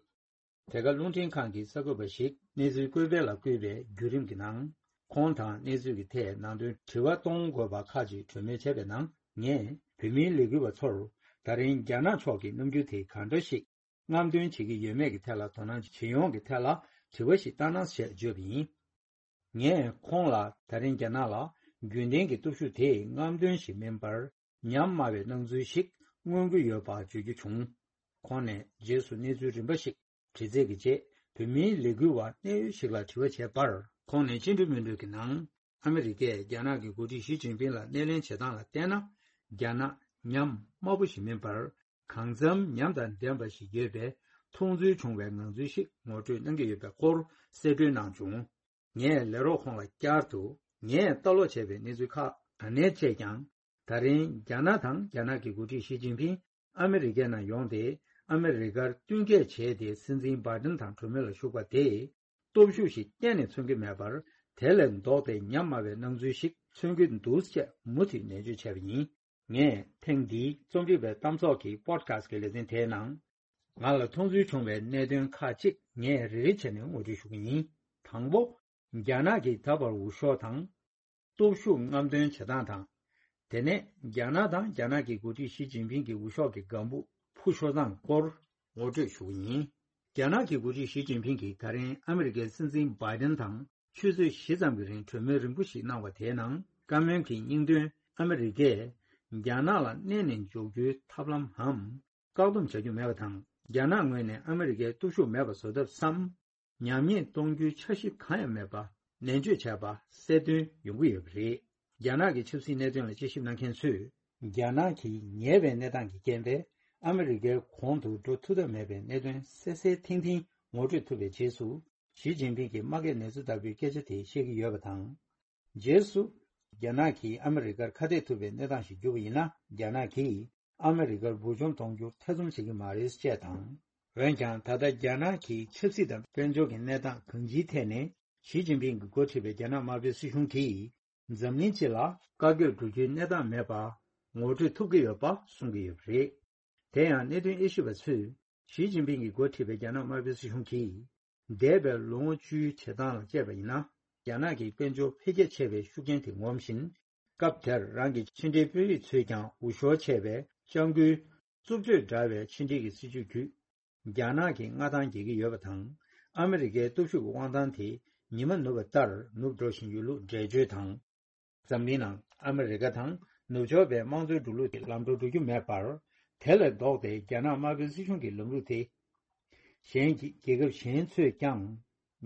དེ་ག་རླུང་འཕྲིན་ཁང་གི་གསར་འགོད་པ་ཞིག་གནས་ཚུལ་བཀོད་སྤེལ་ལ་བསྐུལ་བའི་བརྒྱུད་རིམ་གྱི་ནང་། ཁོང་དང་གནས་ཚུལ་གྱི་ཐད་ནང་དོན་དྲི་བ་གཏོང་དགོས་པ་ཁག་ཅིག་གྲོས་མོལ་བྱས་པའི་ནང་། ངས་བོད་མིའི་ལས་འགུལ་བ་ཚོར་ད་རིང་རྒྱ་ནག་ཕྱོགས་ཀྱི་རྣམ་འགྱུར་དེ་གང་འདྲ་ཞིག་རྔམ་སྟོན་བྱེད་ཀྱི་ཡོད་མེད་ཀྱི་ཐད་ལ་དོ་སྣང་བྱེད་ཡོང་གི་ཐད་ལ་དྲི་བ་ཞིག་བཏང་ན་ཞེས་བརྗོད་པ་ཡིན། ངས་ཁོང་ལ་ད་རིང་རྒྱ་ནག་ལ་རྒྱུན་ལྡན་གྱི་སྟོབས་ཤུགས་དེ་རྔམ་སྟོན་ཞིག་མིན་པར། ཉམས་དམའ་བའི་སྣང་ཚུལ་ཞིག་མངོན་གྱི་ཡོད་པ་བརྗོད་རྒྱུ་བྱུང་། ཁོང་ནས་རྗེས་སུ་གནས་ཚུལ་རིམ་པ་ཞིག་དྲི་རྩད་ཀྱི་རྗེས། བོད་མིའི་ལས་འགུལ་བ་གནད་ཡོད་ཞིག་ལ་དྲི་བ་བྱས་པར། ཁོང་ནས་སྤྱི་འཐུས་མི་འགྲོས་ཀྱི་ནང་། ཨ་མི་རི་ཀས་རྒྱ་ནག་གི་འགོ་ཁྲིད་ཞི་ཅིན་ཕིང་ལ་སྣེ་ལེན་བྱེད་སྟངས་ལ་བལྟས་ན། རྒྱ་ནག་ཉམས་དམའ་པོ་ཞིག་མིན་པར། གང་འཚམ་ཉམས་དང་ལྡན་པ་ཞིག་ཡོད་པའི་མཐོང་ཚུལ་བྱུང་བའི་ངང་ཚུལ་ཞིག་ངོ་སྤྲོད་གནང་གི་ཡོད་པའི་སྐོར་གསལ་སྒྲོན་གནང་བྱུང་། ངས་ལས་རོགས་ཁོང་ལ་བསྐྱར་དུ། ངས་ལྟ་ཀློག་བྱས་པའི་གནས་ཚུལ་ཁག་ག་ནས་བཅད་ཀྱང་། ད་རིང་རྒྱ་ནག་དང་རྒྱ་ནག་གི་འགོ་ཁྲིད་ཞི་ཅིན་ཕིང་ཨ་མི་རི་ཀའི་ནང་ཡོང་སྟེ། ཨ་མི་རི་ཀར་བསྟུན་མཁས་བྱས་ཏེ། སྲིད་འཛིན་བྷའི་ཌེན་དང་གྲོས་མོལ་ལ་ཞུགས་པ་དེས། སྟོབས་ཤུགས་ཤིག་གཏན་ནས་མཚོན་གྱི་མེད་པར། དེ་ལས་ལྡོག་སྟེ་ཉམས་དམའ་བའི་སྣང་ཚུལ་ཞིག་མཚོན་གྱི་འདུག་ཅེས་མུ་མཐུད་ནན་བརྗོད་བྱས་པ་ཡིན། ངས་ཐེངས་འདིའི་རྩོམ་སྒྲིག་པའི་གཏམ་ཚོགས་ཀྱི་Podcast གི་ལེ་ཚན་དེའི་ནང་། ང་ལ་མཐོང་ཚུལ་བྱུང་བའི་གནད་དོན་ཁག་ཅིག་ངས་རེ་རེ་བྱས་ནས་ངོ་སྤྲོད་ཞུ་གི་ཡིན། དང་པོ། རྒྱ་ནག་གིས་ད་བར་འུར་ཤོག་དང་། སྟོབས་ཤུགས་རྔམ་སྟོན་བྱེད་སྟངས་དང་། དེ་ནས་རྒྱ་ནག་དང་རྒྱ་ནག་གི་འགོ་ཁྲིད་ཞི་ཅིན་ཕིང་གི་འུར་ཤོག་གི་སྒམ་པོ་འཕུར་ཤོར་སྟངས་སྐོར་ངོ་སྤྲོད་ཞུ་གི་ཡིན། རྒྱ་ནག་གི་འགོ་ཁྲིད་ཞི་ཅིན་ཕིང་གིས་ད་རིང་ཨ་མི་རི་ཀའི་སྲིད་འཛིན་བྷའི་ཌེན་དང་ཆུ་ཚོད་བཞི་ཙམ་གྱི་རིང་གྲོས་མོལ་རིང་པོ་ཞིག་གནང་བ་དེའི་ནང་། བཀའ་མོལ་གྱི་སྙིང་དོན། ཨ་མི་རི་ཀས་རྒྱ་ནག་ལ་མནན་ནས་འཇོག་རྒྱུའི་ཐབས་ལམ་འམ། བཀག་སྡོམ་བྱ་རྒྱུ་མེད་པ་དང་། རྒྱ་ནག་ངོས་ནས་ཨ་མི་རི་ཀའི་སྟོབས་ཤུགས་མེད་པ་བཟོ་ཐབས་སམ། ཉམས་ཉེས་གཏོང་རྒྱུའི་འཆར་གཞི་གང་ཡང་མེད་པ་ནན་བརྗོད་བྱས་པ་གསལ་སྟོན་ཡོང་གི་ཡོད་པ་རེད། རྒྱ་ནག་གི་ཆབ་སྲིད་གནད་དོན་ལ་དཔྱད་ཞིབ་གནང་མཁན་ཚོས། རྒྱ་ནག་གིས་ཉེས་པའི་གནས་སྟངས་ཀྱི་རྐྱེན་པས་ཨ་མི་རི་ཀའི་གོང་དུ་འགྲོ་ཐུབ་ཐབས་མེད་པའི་གནད་དོན་གསལ་གསལ་ཐིང་ཐིང་ངོ་སྤྲོད་ཐུབ་པའི་རྗེས་སུ། ཞི་ཅིན་ཕིང་གིས་དམག་སྐད་ནས་ཚུལ་ལྟ་བུའི་སྐད་ཆ་དེ་བཤད་ཀྱི་ཡོད་པ་དང་། རྗེས་སུ། རྒྱ་ནག་གིས་ཨ་མི་རི་ཀར་ཁ་གཏད་ཐུབ་པའི་གནས་སྟངས་ཤིག་གྱུར་པ་ཡིན་ན། རྒྱ་ནག་གིས་ཨ་མི་རི་ཀར་འབུར་འཇོམས་གཏོང་རྒྱུར་ཐེ་ཚོམ་བྱེད་ཀྱི་མ་རེད་ཅེས་དང་། འོན་ཀྱང་། ད་ལྟ་རྒྱ་ནག་གི་ཆབ་སྲིད་དང་དཔལ་འབྱོར་གྱི་གནས་སྟངས་གང་ཅིའི་ཐད་ནས། ཞི་ཅིན་ཕིང་གིས་འགོ་ཁྲིད་པའི་རྒྱ་ནག་དམར་པོའི་སྲིད་གཞུང་གིས། འཛམ་གླིང་སྤྱི་ལ་བཀའ་བཀྱོན་འགྲོ་རྒྱུའི་གནས་སྟངས་མེད་པ་ངོ་སྤྲོད་ཐུབ་ཀྱི་ཡོད་པ་གསུང་གི་ཡོད་པ་རེད། དེ་ཡང་། གནད་དོན་དབྱེ་ཞིབ་པ་ཚོས། ཞི་ཅིན་ཕིང་གིས་འགོ་ཁྲིད་པའི་རྒྱ་ནག་དམར་པོའི་སྲིད་གཞུང་གིས། འདས་པའི་ལོ་ངོ་བཅུའི་བྱེད་སྟངས་ལ་དཔྱད་པ་ཡིན་ན། རྒྱ་ནག་གི་དཔལ་འབྱོར་འཕེལ་རྒྱས་ཆེ་བའི་ཤུགས་རྐྱེན་དེ་ངོམ་བཞིན། སྐབས་དེར་རང་གི་ཕྱི་འབྲེལ་དཔོན་རིགས་ཚོས་ཀྱང་འུར་ཤོར་ཆེ་བའི་སྐྱབས་མགོན་རྩུབ་སྤྱོད་འདྲ་བའི་ཕྱི་འབྲེལ་གྱི་སྲིད་བྱུས་བརྒྱུད། རྒྱ་ནག་གི་མངའ་ཐང་རྒྱས་ཀྱི་ཡོད་པ་དང་། ཨ་མི་རི་ཀའི་སྟོབས་ཤུགས་ཀྱི་དབང་ཐང་དེ་ཉི་མ་ནུབ་པ་ལྟར་ནུབ་འགྲོ་བཞིན་ཡོད་ལུགས་འགྲེལ་བརྗོད་དང་། འཛམ་གླིང་ནང་ཨ་མི་རི་ཀ་དང་ནུབ་ཕྱོགས་པའི་དམངས་གཙོའི་འགྲོ་ལུགས་ཀྱི་ལམ་འགྲོ་འགྲོ་རྒྱུ་མེད་པར། དེ་ལས་ལྡོག་སྟེ་རྒྱ་ནག་དམར་པོའི་སྲིད་གཞུང་གི་ལམ་ལུགས་དེ། གཞན་གྱི་རྒྱལ་ཁབ་གཞན་ཚོས་ཀྱང་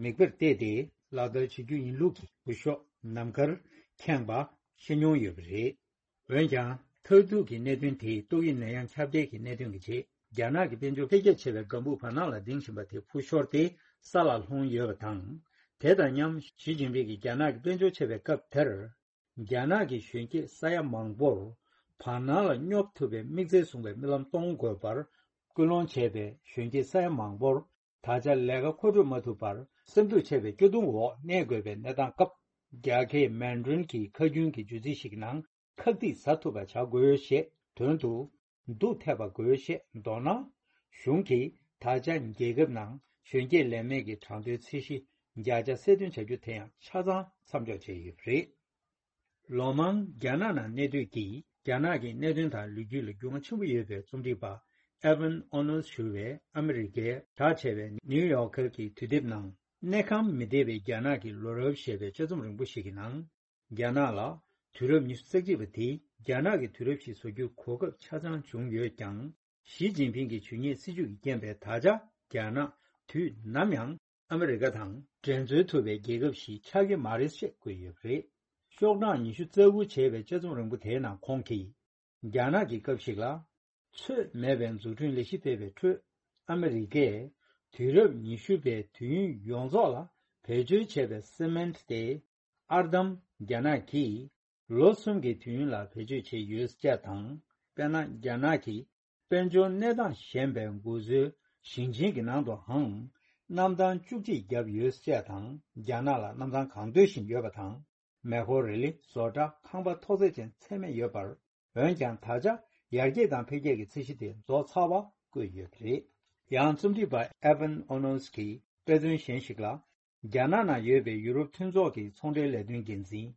མིག་དཔེར་བལྟས་ཏེ་ལག་བསྟར་བྱེད་རྒྱུ་ཡིན་ལུགས་ཀྱི་འུར་ཤོག་ནམ་མཁར་ཁེངས་པ་ཤེས་མྱོང་ཡོད་པ་རེད། འོན་ཀྱང་། མཐར་ཐུག་གི་གནད་དོན་དེ་ཏོག་དབྱིབས་ནད་ཡམས་ཁྱབ་གདལ་གྱི་གནད་དོན་གྱི་རྗེས། རྒྱ་ནག་གི་དཔལ་འབྱོར་འཕེལ་རྒྱས་ཆེ་བའི་སྒམ་པོ་བར་སྣང་ལ་ལྡིང་བཞིན་པ་དེ་འཕུར་ཤོར་ཏེ་ས་ལ་ལྷུང་ཡོད་པ་དང་། དེ་དང་མཉམ་ཞི་ཅིན་ཕིང་གིས་རྒྱ་ནག་གི་དཔལ་འབྱོར་ཆེ་བའི་སྐབས་དེར། རྒྱ་ནག་གི་གཞོན་སྐྱེས་ས་ཡ་མང་པོར་བར་སྣང་ལ་སྙོབ་ཐུབ་པའི་དམིགས་བརྩེ་བཟུང་བའི་རྨི་ལམ་གཏོང་དགོས་པར་སྐུལ་སློང་བྱས་པའི་གཞོན་སྐྱེས་ས་ཡ་མང་པོར། ད་ཆ་ལས་ཀ་མཁོ་སྤྲོད་མ་ཐུབ་པར་སེམས་སྡུག་ཆེ་བའི་སྐྱོ་གདུང་འོག་གནས་དགོས་པའི་གནས་སྟངས་སྐབས། རྒྱ་སྐད་མན་ཌྲིན་གྱི་ཁ་རྒྱུན་གྱི་བརྗོད་ཚིག་ཞིག་ནང་ཁག་ཐེག་ཟ་ཐུབ་པ་བྱ་དགོས་ཞེས་དོན་དུ། སྡུག་ཐེབས་པ་དགོས་ཞེས་མདོར་ན། གཞུང་གིས་ད་ཆ་རྒྱལ་ཁབ་ནང་གཞོན་སྐྱེས་ལས་མེད་ཀྱི་གྲངས་ཐོའི་ཚད་གཞི་བརྒྱ་ཆ་གསལ་སྟོན་བྱ་རྒྱུ་དེ་ཡང་ཆ་ཚང་མཚམས་འཇོག་བྱས་ཡོད་པ་རེད། ལོ་མང་རྒྱ་ནག་ནང་གནས་སྡོད་ཀྱིས་རྒྱ་ནག་གི་གནད་དོན་དང་ལོ་རྒྱུས་ལ་རྒྱུས་མངའ་ཆེན་པོ་ཡོད་པའི་རྩོམ་སྒྲིག་པ་ཨེ་ཝན་ཨོ་ནོལ་ཞུ་བས་ཨ་མི་རི་ཀའི་གྲགས་ཆེ་བའི་ནིའུ་ཡོག་ཀར་གྱི་དུས་དེབ་ནང་གནས་ཁང་མི་བདེ་བའི་རྒྱ་ནག་གི་ལོ་རབས་ཞེས་པའི་དཔྱད་རྩོམ་རིང་པོ་ཞིག་གི་ནང་། རྒྱ་ནག་ལ་དུས་རབས་ཉི་ཤུ་རྩ་གཅིག་པ་དེ་རྒྱ་ནག་གི་དུས་རབས་ཤིག་བཟོ་རྒྱུའི་གོ་སྐབས་ཆ་ཚང་བྱུང་ཡོད་ཀྱང་། ཞི་ཅིན་ཕིང་གི་ཇུས་ཉེས་སྲིད་བྱུས་ཀྱི་རྐྱེན་པས་ད་ཆ་རྒྱ་ནག་དུས་ནམ་ཡང་ཨ་མི་རི་ཀ་དང་འགྲན་རྩོད་ཐུབ་པའི་རྒྱལ་ཁབ་ཞིག་ཆགས་ཀྱི་མ་རེད་ཅེས་བཀོད་ཡོད་པ་རེད། ཤོག་གྲངས་ཉི་ཤུ་རྩ་དགུ་བྱས་པའི་དཔྱད་རྩོམ་རིང་པོ་དེའི་ནང་ཁོང་གིས། རྒྱ་ནག་གི་སྐབས་ཤིག་ལ། ཚོད་མེད་པའི་འཛུགས་སྐྲུན་ལས་གཞི་སྤེལ་བའི་ཁྲོད། ཨ་མི་རི་ཀས་དུས་རབས་ཉི་ཤུ་པའི་དུས་ཡུན་ཡོངས་རྫོགས་ལ་བེད་སྤྱོད་བྱས་པའི་སི་མེན་ཊི་དེ། ཨར་འདམ་རྒྱ་ནག་གིས་ལོ་གསུམ་གྱི་དུས་ཡུན་ལ་བེད་སྤྱོད་བྱས་ཡོད་ཅེས་དང་། དཔེར་ན། རྒྱ་ནག་གི་དཔལ་འབྱོར་གནས་སྟངས་ཞན་པའི་འགོ་གཙོའི་ཞིང་ཆེན་གྱི་ནང་དུའང་གནམ་ཐང་བཅུ་གཅིག་བརྒྱབ་ཡོད་ཅེས་དང་། རྒྱ་ནག་ལ་གནམ་ཐང་གང་འདོད་བཞིན་ཡོད་པ་དང་། མེ་འཁོར། རི་ལི། བཟོ་གྲྭ། ཁང་པ་ཐོག་ཚད་ཅན་ཚད་མེད་ཡོད་པར། འོན་ཀྱང་། ད་ཆ་ཡར་རྒྱས་དང་འཕེལ་རྒྱས་ཀྱི་ཚད་གཞི་དེ་རྫོགས་ཚར་བ་བཀོད་ཡོད་པ་རེད། ཡང་རྩོམ་སྒྲིག་པ་ཨེ་ཝན་ཨོ་ནོལ་གྱིས་དཔེ་མཚོན་གཞན་ཞིག་ལ། རྒྱ་ནག་ནང་ཡོད་པའི་ཡུ་རོབ་མཐུན་ཚོགས་ཀྱི་ཚོང་འབྲེལ་ལས་དོན་འགན་འཛིན་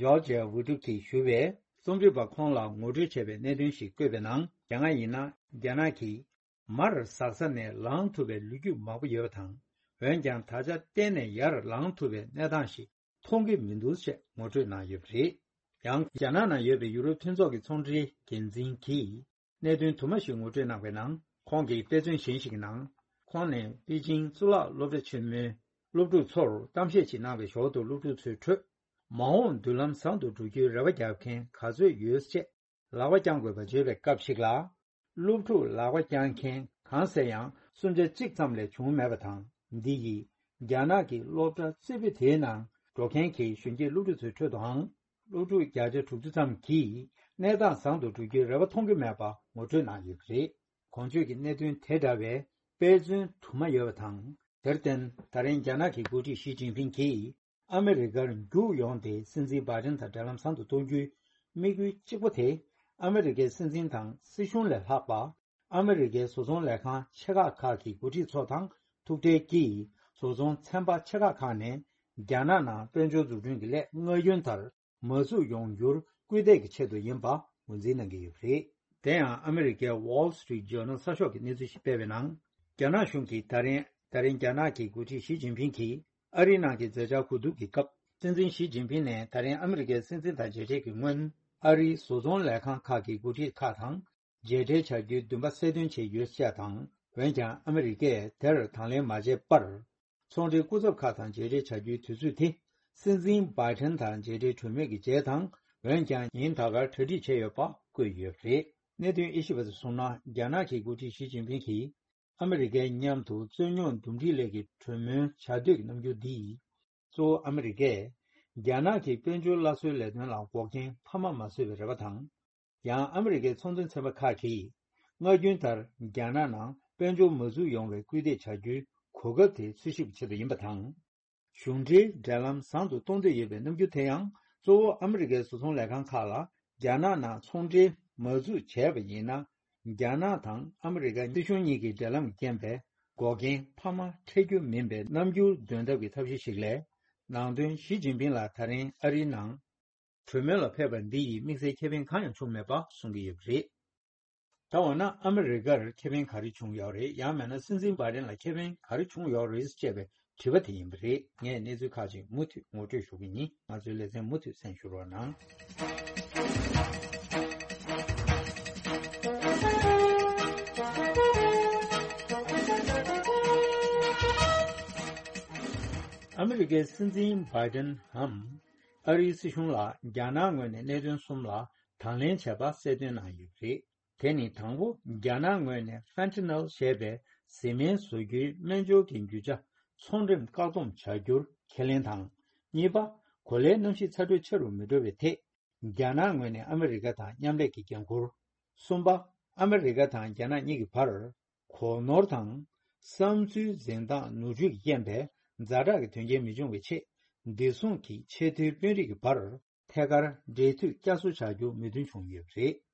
ཇོར་ཇ་ཝི་ཏུ་གིས་ཞུ་བས། རྩོམ་སྒྲིག་པ་ཁོང་ལ་ངོ་སྤྲོད་བྱས་པའི་གནད་དོན་ཞིག་བཀོད་པའི་ནང་། རྒྱ་ནག་ཡིན་ན། རྒྱ་ནག་གིས་མར་ཟག་ས་ནས་ལངས་ཐུབ་པའི་ལོ་རྒྱུས་མང་པོ་ཡོད་པ་དང་། འོན་ཀྱང་། ད་ཆ་གཏན་ནས་ཡར་ལངས་ཐུབ་པའི་གནས་སྟངས་ཤིག་མཐོང་གི་མི་འདུག་ཅེས་ངོ་སྤྲོད་གནང་ཡོད་པ་རེད། ཡང་། རྒྱ་ནག་ནང་ཡོད་པའི་ཡུ་རོབ་མཐུན་ཚོགས་ཀྱི་ཚོང་འབྲེལ་འགན་འཛིན་གྱིས་གནད་དོན་དུ་མ་ཞིག་ངོ་སྤྲོད་གནང་བའི་ནང་། ཁོང་གིས་དཔེ་མཚོན་གཞན་ཞིག་གི་ནང་། ཁོང་ནས་པེ་ཅིང་གཙུག་ལག་སློབ་གྲྭ་ཆེན་མོའི་སློབ་ཕྲུག་ཚོར་གཏམ་བཤད་ཅིག་གནང་བའི་ཞོར་དུ། སློབ་ཕྲུག་ཚོའི་ཁྲོད་མ་འོངས་མདུན་ལམ་བཟང་དུ་འགྲོ་རྒྱུའི་རེ་བ་བརྒྱབ་མཁན་ག་ཚོད་ཡོད་ཅེས་ལག་པ་བརྐྱང་དགོས་པ་བརྗོད་པའི་སྐབས་ཤིག་ལ། སློབ་ཕྲུག་ལག་པ་བརྐྱང་མཁན་གང་ཟེར་ཡང་གསུམ་ཆ་གཅིག་ཙམ་ལས་བྱུང་མེད་པ་དང་། འདི་ཡིས་རྒྱ་ནག་གི་སློབ་གྲྭ་རྩེ་ཕུད་དེའི་ནང་འགྲོ་མཁན་གྱི་གཞོན་སྐྱེས་སློབ་ཕྲུག་ཚོའི་ཁྲོད་དུའང་། སློབ་ཕྲུག་བརྒྱ་ཆ་དྲུག་ཅུ་ཙམ་གྱིས་གནས་སྟངས་བཟང་དུ་འགྲོ་རྒྱུའི་རེ་བ་མཐོང་གི་མེད་པ་ངོ་སྤྲོད་གནང་ཡོད་པ་རེད། གོང་བརྗོད་ཀྱི་གནད་དོན་དེ་འདྲ་བའི་དཔེ་མཚོན་དུ་མ་ཡོད་པ་དང་། དེར་བརྟེན། ད་རིང་རྒྱ་ནག་གི་འགོ་ཁྲིད་ཞི་ཅིན་ཕིང་གིས། ཨ་མི་རི་ཀར་རྒྱུགས་ཡོང་སྟེ། སྲིད་འཛིན་བྷའི་ཏིན་དང་འབྲེལ་ལམ་བཟང་དུ་གཏོང་རྒྱུའི་དམིགས་ཡུལ་གཅིག་པོ་དེ། ཨ་མི་རི་ཀའི་སྲིད་འཛིན་དང་སྲིད་གཞུང་ལས་ལྷག་པ། ཨ་མི་རི་ཀའི་བཟོ་ཚོང་ལས་ཁང་ཆེ་ཁག་ཁག་གི་འགོ་ཁྲིད་ཚོ་དང་ཐུག་འཕྲད་ཀྱིས། བཟོ་ཚོང་ཚན་པ་ཆེ་ཁག་ཁག་ནས་རྒྱ་ནག་ནང་དཔལ་འབྱོར་འཛུགས་སྐྲུན་གྱི་ལས་སྔ་རྒྱུན་ལྟར་མ་བཙུགས་ཡོང་རྒྱུར་སྐུལ་འདེད་ཀྱི་ཆེད་དུ་ཡིན་པ་ངོས་འཛིན་གནང་གི་ཡོད་པ་རེད། དེ་ཡང་། ཨ་མི་རི་ཀའི་Wall Street Journal་གསར་ཤོག་གིས་གནས་ཚུལ་ཞིག་སྤེལ་བའི་ནང་། རྒྱ་ནག་གཞུང་གིས་ད་རིང་། ད་རིང་རྒྱ་ནག་གི་འགོ་ཁྲིད་ཞི་ཅིན་ཕིང་གིས་ཨ་རིའི་ནང་གི་མཛད་འཆར་གོ་བསྡུར་གྱི་སྐབས། སྲིད་འཛིན་ཞི་ཅིན་ཕིང་ནས་ད་རིང་ཨ་མི་རི་ཀའི་སྲིད་འཛིན་དང་མཇལ་འཕྲད་ཀྱི་སྔོན། ཨ་རིའི་བཟོ་ཚོང་ལས་ཁང་ཁག་གི་འགོ་ཁྲིད་ཁག་དང་མཇལ་འཕྲད་བྱ་རྒྱུའི་འདུན་པ་གསལ་སྟོན་བྱས་ཡོད་ཅེས་དང་། འོན་ཀྱང་། ཨ་མི་རི་ཀས་དེར་དང་ལེན་མ་བྱས་པར། ཚོང་འབྲེལ་སྐུ་ཚབ་ཁག་དང་མཇལ་འཕྲད་བྱ་རྒྱུའི་དུས་ཚོད་དེ། སྲིད་འཛིན་བྷའི་ཏིན་དང་མཇལ་འཕྲད་གྲོལ་མུས་ཀྱི་རྗེས་དང་། འོན་ཀྱང་། ཉིན་ད་གར་གྲ་སྒྲིག་བྱས་ཡོད་པ་ བཀོད་ཡོད་པ་རེད། གནད་དོན་དབྱེ་ཞིབ་པ་ཚོས་གསུངས་ན། རྒྱ་ནག་གི་འགོ་ཁྲིད་ཞི་ཅིན་ཕིང་གིས་ཨ་མི་རི་ཀའི་མཉམ་དུ་རྩོད་རྙོག་འདུམ་འགྲིག་སླད་ཀྱི་གྲོས་མོལ་བྱ་འདོད་ཀྱི་རྣམ་འགྱུར་འདིས། གཙོ་བོ་ཨ་མི་རི་ཀས་རྒྱ་ནག་གི་དཔལ་འབྱོར་སླར་གསོའི་ལས་དོན་ལ་འགོག་རྐྱེན་འཕར་མ་མ་བཟོས་པའི་རེ་བ་དང་། ཡང་ཨ་མི་རི་ཀའི་ཚོང་དོན་ཚན་པ་ཁག་གིས་སྔ་རྒྱུན་ལྟར་རྒྱ་ནག་ནང་དཔལ་འབྱོར་མ་འཛུགས་ཡོང་བའི་སྐུལ་འདེད་བྱ་རྒྱུའི་གོ་སྐབས་དེ་འཚོལ་ཞིབ་ཆེད་དུ་ཡིན་པ་དང་། གཞུང་འབྲེལ་འབྲེལ་ལམ་བཟང་དུ་གཏོང་འདོད་ཡོད་པའི་རྣམ་འགྱུར་དེ་ཡང་། གཙོ་བོ་ཨ་མི་རི་ཀའི་བཟོ་ཚོང་ལས་ཁང་ཁག་ལ་རྒྱ་ནག་ནང་ཚོང་འབྲེལ་མ་འཛུགས་བྱས་པ་ཡིན་ན། རྒྱ་ནག་དང་ཨ་མི་རི་ཀ་སྲིད་གཞུང་གཉིས་ཀྱི་འབྲེལ་ལམ་རྐྱེན་པས་འགོག་རྐྱེན་འཕར་མ་འཕྲད་རྒྱུ་མིན་པའི་རྣམ་འགྱུར་འདོན་ཐབས་ཀྱི་ཐབས་ཤེས་ཤིག་ལས། ནང་དོན། ཞི་ཅིན་ཕིང་ལ་ད་རིང་ཨ་རིའི་ནང་གྲོས་མོལ་ལ་ཕེབས་པ་འདི་ཡིས་དམིགས་བསལ་ཁེ་ཕན་གང་ཡང་བྱུང་མེད་པ་གསུང་གི་ཡོད་པ་རེད། ད་འོ་ན་ཨ་མི་རི་ཀར་ཁེ་ཕན་ག་རེ་བྱུང་ཡོད་རེད། ཡང་མིན་ན་སྲིད་འཛིན་བྷའི་ཌེན་ལ་ཁེ་ཕན་ག་རེ་བྱུང་ཡོད་རེད་ཅེས་པའི་དྲི་བ་དེ་ཡིན་པ་རེད། ངས་གནས་ཚུལ་ཁག་ཅིག་མུ་མཐུད་ངོ་སྤྲོད་ཞུ་གི་ཡིན། ང་ཚོའི་ལེ་ཚན་མུ་མཐུད་གསན་ཞུ་རོགས་གནང་། ཨ་མི་རི་ཀའི་སྲིད་འཛིན་བྷའི་ཌེན་འམ། ཨ་རིའི་སྲིད་གཞུང་ལ་རྒྱ་ནག་ངོས་ནས་གནད་དོན་གསུམ་ལ་དང་ལེན་བྱས་པ་གསལ་སྟོན་གནང་ཡོད་པ་རེད། དེ་ནི་དང་པོ། རྒྱ་ནག་ངོས་ནས་ཕན་ཐི་ནལ་ཞེས་པའི་བཟི་སྨན་བཟོ་རྒྱུའི་སྨན་སྦྱོར་གྱི་རྒྱུ་ཆ་ཚོང་འགྲེམས་བཀག་སྡོམ་བྱ་རྒྱུར་ཁས་ལེན་དང་། གཉིས་པ། གོ་ལའི་གནམ་གཤིས་ཚ་དྲོད་ཆེ་རུ་མི་འགྲོ་བའི་ཐད། རྒྱ་ནག་ངོས་ནས་ཨ་མི་རི་ཀ་དང་མཉམ་ལས་ཀྱི་འགན་འཁུར། གསུམ་པ། ཨ་མི་རི་ཀ་དང་རྒྱ་ནག་གཉིས་ཀྱི་བར་གོ་ནོར་དང་བསམ་ཚུལ་འཛིན་སྟངས་ནོར་འཁྲུལ་གྱི་རྐྱེན་པས་ཛ་དྲག་གི་དོན་རྐྱེན་མི་འབྱུང་བའི་ཆེད། བདེ་སྲུང་གི་ཆེས་མཐོའི་དཔོན་རིགས་ཀྱི་བར་ཐད་ཀར་འབྲེལ་མཐུད་བསྐྱར་གསོ་བྱ་རྒྱུ་མོས་མཐུན་བྱུང་ཡོད་པ་རེད།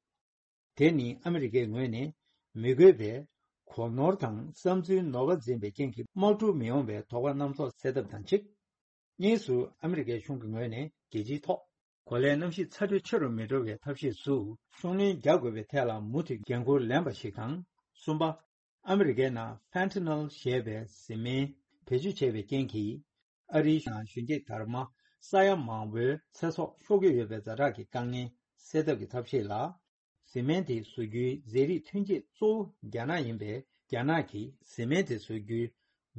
དེ་ནི་ཨ་མི་རི་ཀའི་ངོས་ནས་མི་དགོས་པའི་གོ་ནོར་དང་བསམ་ཚུལ་ནོར་བ་འཛིན་པའི་རྐྱེན་གྱིས་དམག་འཁྲུག་མི་ཡོང་བའི་དོགས་པ་རྣམ་རྟོག་སེལ་ཐབས་དང་གཅིག། གཉིས་སུ། ཨ་མི་རི་ཀའི་གཞུང་གི་ངོས་ནས་རྒྱལ་སྤྱིའི་ཐོག་གོ་ལའི་གནམ་གཤིས་ཚ་དྲོད་ཆེ་རུ་མི་འགྲོ་བའི་ཐབས་ཤེས་སུ་ཤུགས་སྣོན་རྒྱག་དགོས་པའི་ཐད་ལ་མུ་མཐུད་འགན་འཁུར་ལེན་པ་ཞིག་དང་། གསུམ་པ། ཨ་མི་རི་ཀའི་ནང་ཕན་ཐི་ནལ་ཞེས་པའི་བཟི་སྨན་བེད་སྤྱོད་བྱས་པའི་རྐྱེན་གྱིས། ཨ་རིའི་ནང་གཞོན་སྐྱེས་དར་མ་ས་ཡ་མང་བོའི་ཚེ་སྲོག་ཤོར་གྱི་ཡོད་པའི་ཛ་དྲག་གི་དཀའ་ངལ་སེལ་ཐབས་ཀྱི་ཐབས་ཤེས་ལ། བཟི་སྨན་དེ་བཟོ་རྒྱུའི་ཟས་རིགས་ཐོན་སྐྱེད་གཙོ་བོ་རྒྱ་ནག་ཡིན་པས། རྒྱ་ནག་གིས་བཟི་སྨན་དེ་བཟོ་རྒྱུའི་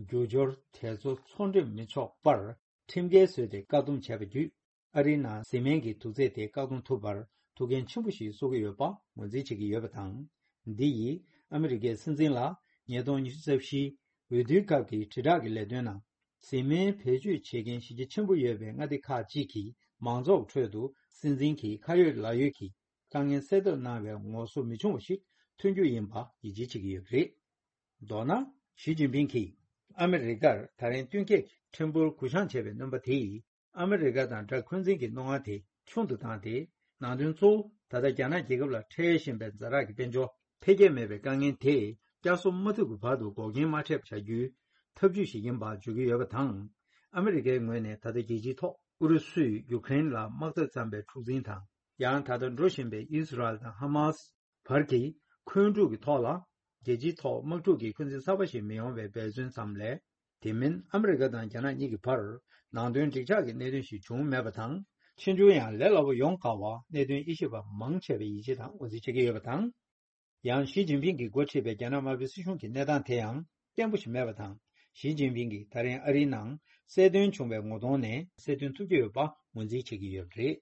རྒྱུ་སྦྱོར་དེ་ཚོ་ཚོང་འགྲེམས་མི་ཆོག་པར་ཁྲིམས་འགལ་བཟོས་ཏེ་བཀག་སྡོམ་བྱས་པ་བརྒྱུད། ཨ་རིའི་ནང་བཟི་སྨན་གྱི་དུག་རྫས་དེ་བཀག་སྡོམ་ཐུབ་པར་ཐུགས་འགན་ཆེན་པོ་ཞིག་གསོག་གི་ཡོད་པ་ངོས་འཛིན་བྱེད་ཀྱི་ཡོད་པ་དང་། འདི་ཡིས་ཨ་མི་རི་ཀའི་སྲིད་འཛིན་ལ་ཉིས་སྟོང་ཉི་ཤུ་རྩ་བཞི་འོས་བསྡུའི་སྐབས་ཀྱི་དྲིལ་བསྒྲགས་ཀྱི་ལས་དོན་ནང་། བཟི་སྨན་བེད་སྤྱོད་བྱེད་མཁན་གཞི་རྒྱ་ཆེན་པོ་ཡོད་པའི་མངའ་སྡེ་ཁག་ཅིག་གི་མང་ཚོགས་ཁྲོད་དུ་སྲིད་འཛིན་གྱི་ཁ་ཡོད་ལག་ཡོད་ཀྱི་དཀའ་ངལ་སེལ་ཐབས་གནང་བའི་ངོ་སོ་མི་ཆུང་བ་ཞིག་ཐོན་རྒྱུ་ཡིན་པ་ཡིད་ཆེས་བྱེད་ཀྱི་ཡོད་པ་རེད། མདོར་ན། ཞི་ཅིན་ཕིང་གིས་ཨ་མི་རི་ཀར་ད་རིང་བསྟུན་མཁས་ཀྱི་ཕྲན་བུར་གུ་བཤངས་བྱས་པའི་སྣོན་པ་དེས། ཨ་མི་རི་ཀ་དང་དགྲ་འཁོན་འཛིན་གྱི་རྣོ་ངར་དེ་ཆུང་དུ་བཏང་སྟེ། ནང་དོན་གཙོ་བོ་ད་ལྟ་རྒྱ་ནག་རྒྱལ་ཁབ་ལ་འཕྲད་བཞིན་པའི་ཛ་དྲག་གི་དཔལ་འབྱོར་འཕེལ་རྒྱས་མེད་པའི་དཀའ་ངལ་དེ་བསྐྱར་གསོ་མ་ཐུབ་ཀྱི་བར་དུ་འགོག་རྐྱེན་མ་འཕྲད་པ་བྱ་རྒྱུའི་ཐབས་ཇུས་ཤིག་ཡིན་པ་བརྗོད་ཀྱི་ཡོད་པ་དང་། ཨ་མི་རི་ཀའི་ངོས་ནས་ད་ལྟ་རྒྱལ་སྤྱིའི་ཐོག་ཨུ་རུ་སུས་ཡུ་ཀེ་རེན་ལ་དམག་འཐབ་བརྩམས་པའི་འཁྲུག་འཛིང་དང་། ཡང་ད་ལྟ་འགྲོ་བཞིན་པའི་ཨིས་ར་ཨེལ་དང་ཧ་མ་སི་བར་གྱི་འཁོན་འཁྲུག་གི་ཐོག་ལ། རྒྱལ་སྤྱིའི་ཐོག་དམག་འཁྲུག་གི་འཁོན་འཛིན་གསར་པ་ཞིག་མི་ཡོང་བའི་འབད་བརྩོན་ཙམ་ལས། དེ་མིན་ཨ་མི་རི་ཀ་དང་རྒྱ་ནག་གཉིས་ཀྱི་བར་ནང་དོན་འགྲིག་ཆགས་ཀྱི་གནད་དོན་ཞིག་བྱུང་མེད་པ་དང་། ཕྱིར་འགྱུར་ཡང་ལས་སླ་པོ་ཡོང་དཀའ་བར་གནད་དོན་དབྱེ་ཞིབ་པ་མང་ཆེ་བས་ཡིད་ཆེས་དང་ངོས་འཛིན་བྱེད་ཀྱི་ཡོད་པ་དང་། ཡང་ཞི་ཅིན་ཕིང་གིས་འགོ་ཁྲིད་པའི་རྒྱ་ནག་དམར་པོའི་སྲིད་གཞུང་གི་གནས་སྟངས་དེ་ཡང་བརྟན་པོ་ཞིག་མེད་པ་དང་། ཞི་ཅིན་ཕིང་གིས་ད་རིང་ཨ་རིའི་ནང་གསལ་སྟོན་བྱུང་བའི་ངོ་གདོང་ནས་གསལ་སྟོན་ཐུབ་ཀྱི་ཡོད་པ་ངོས་འཛིན་བྱེད་ཀྱི་ཡོད་པ་རེད།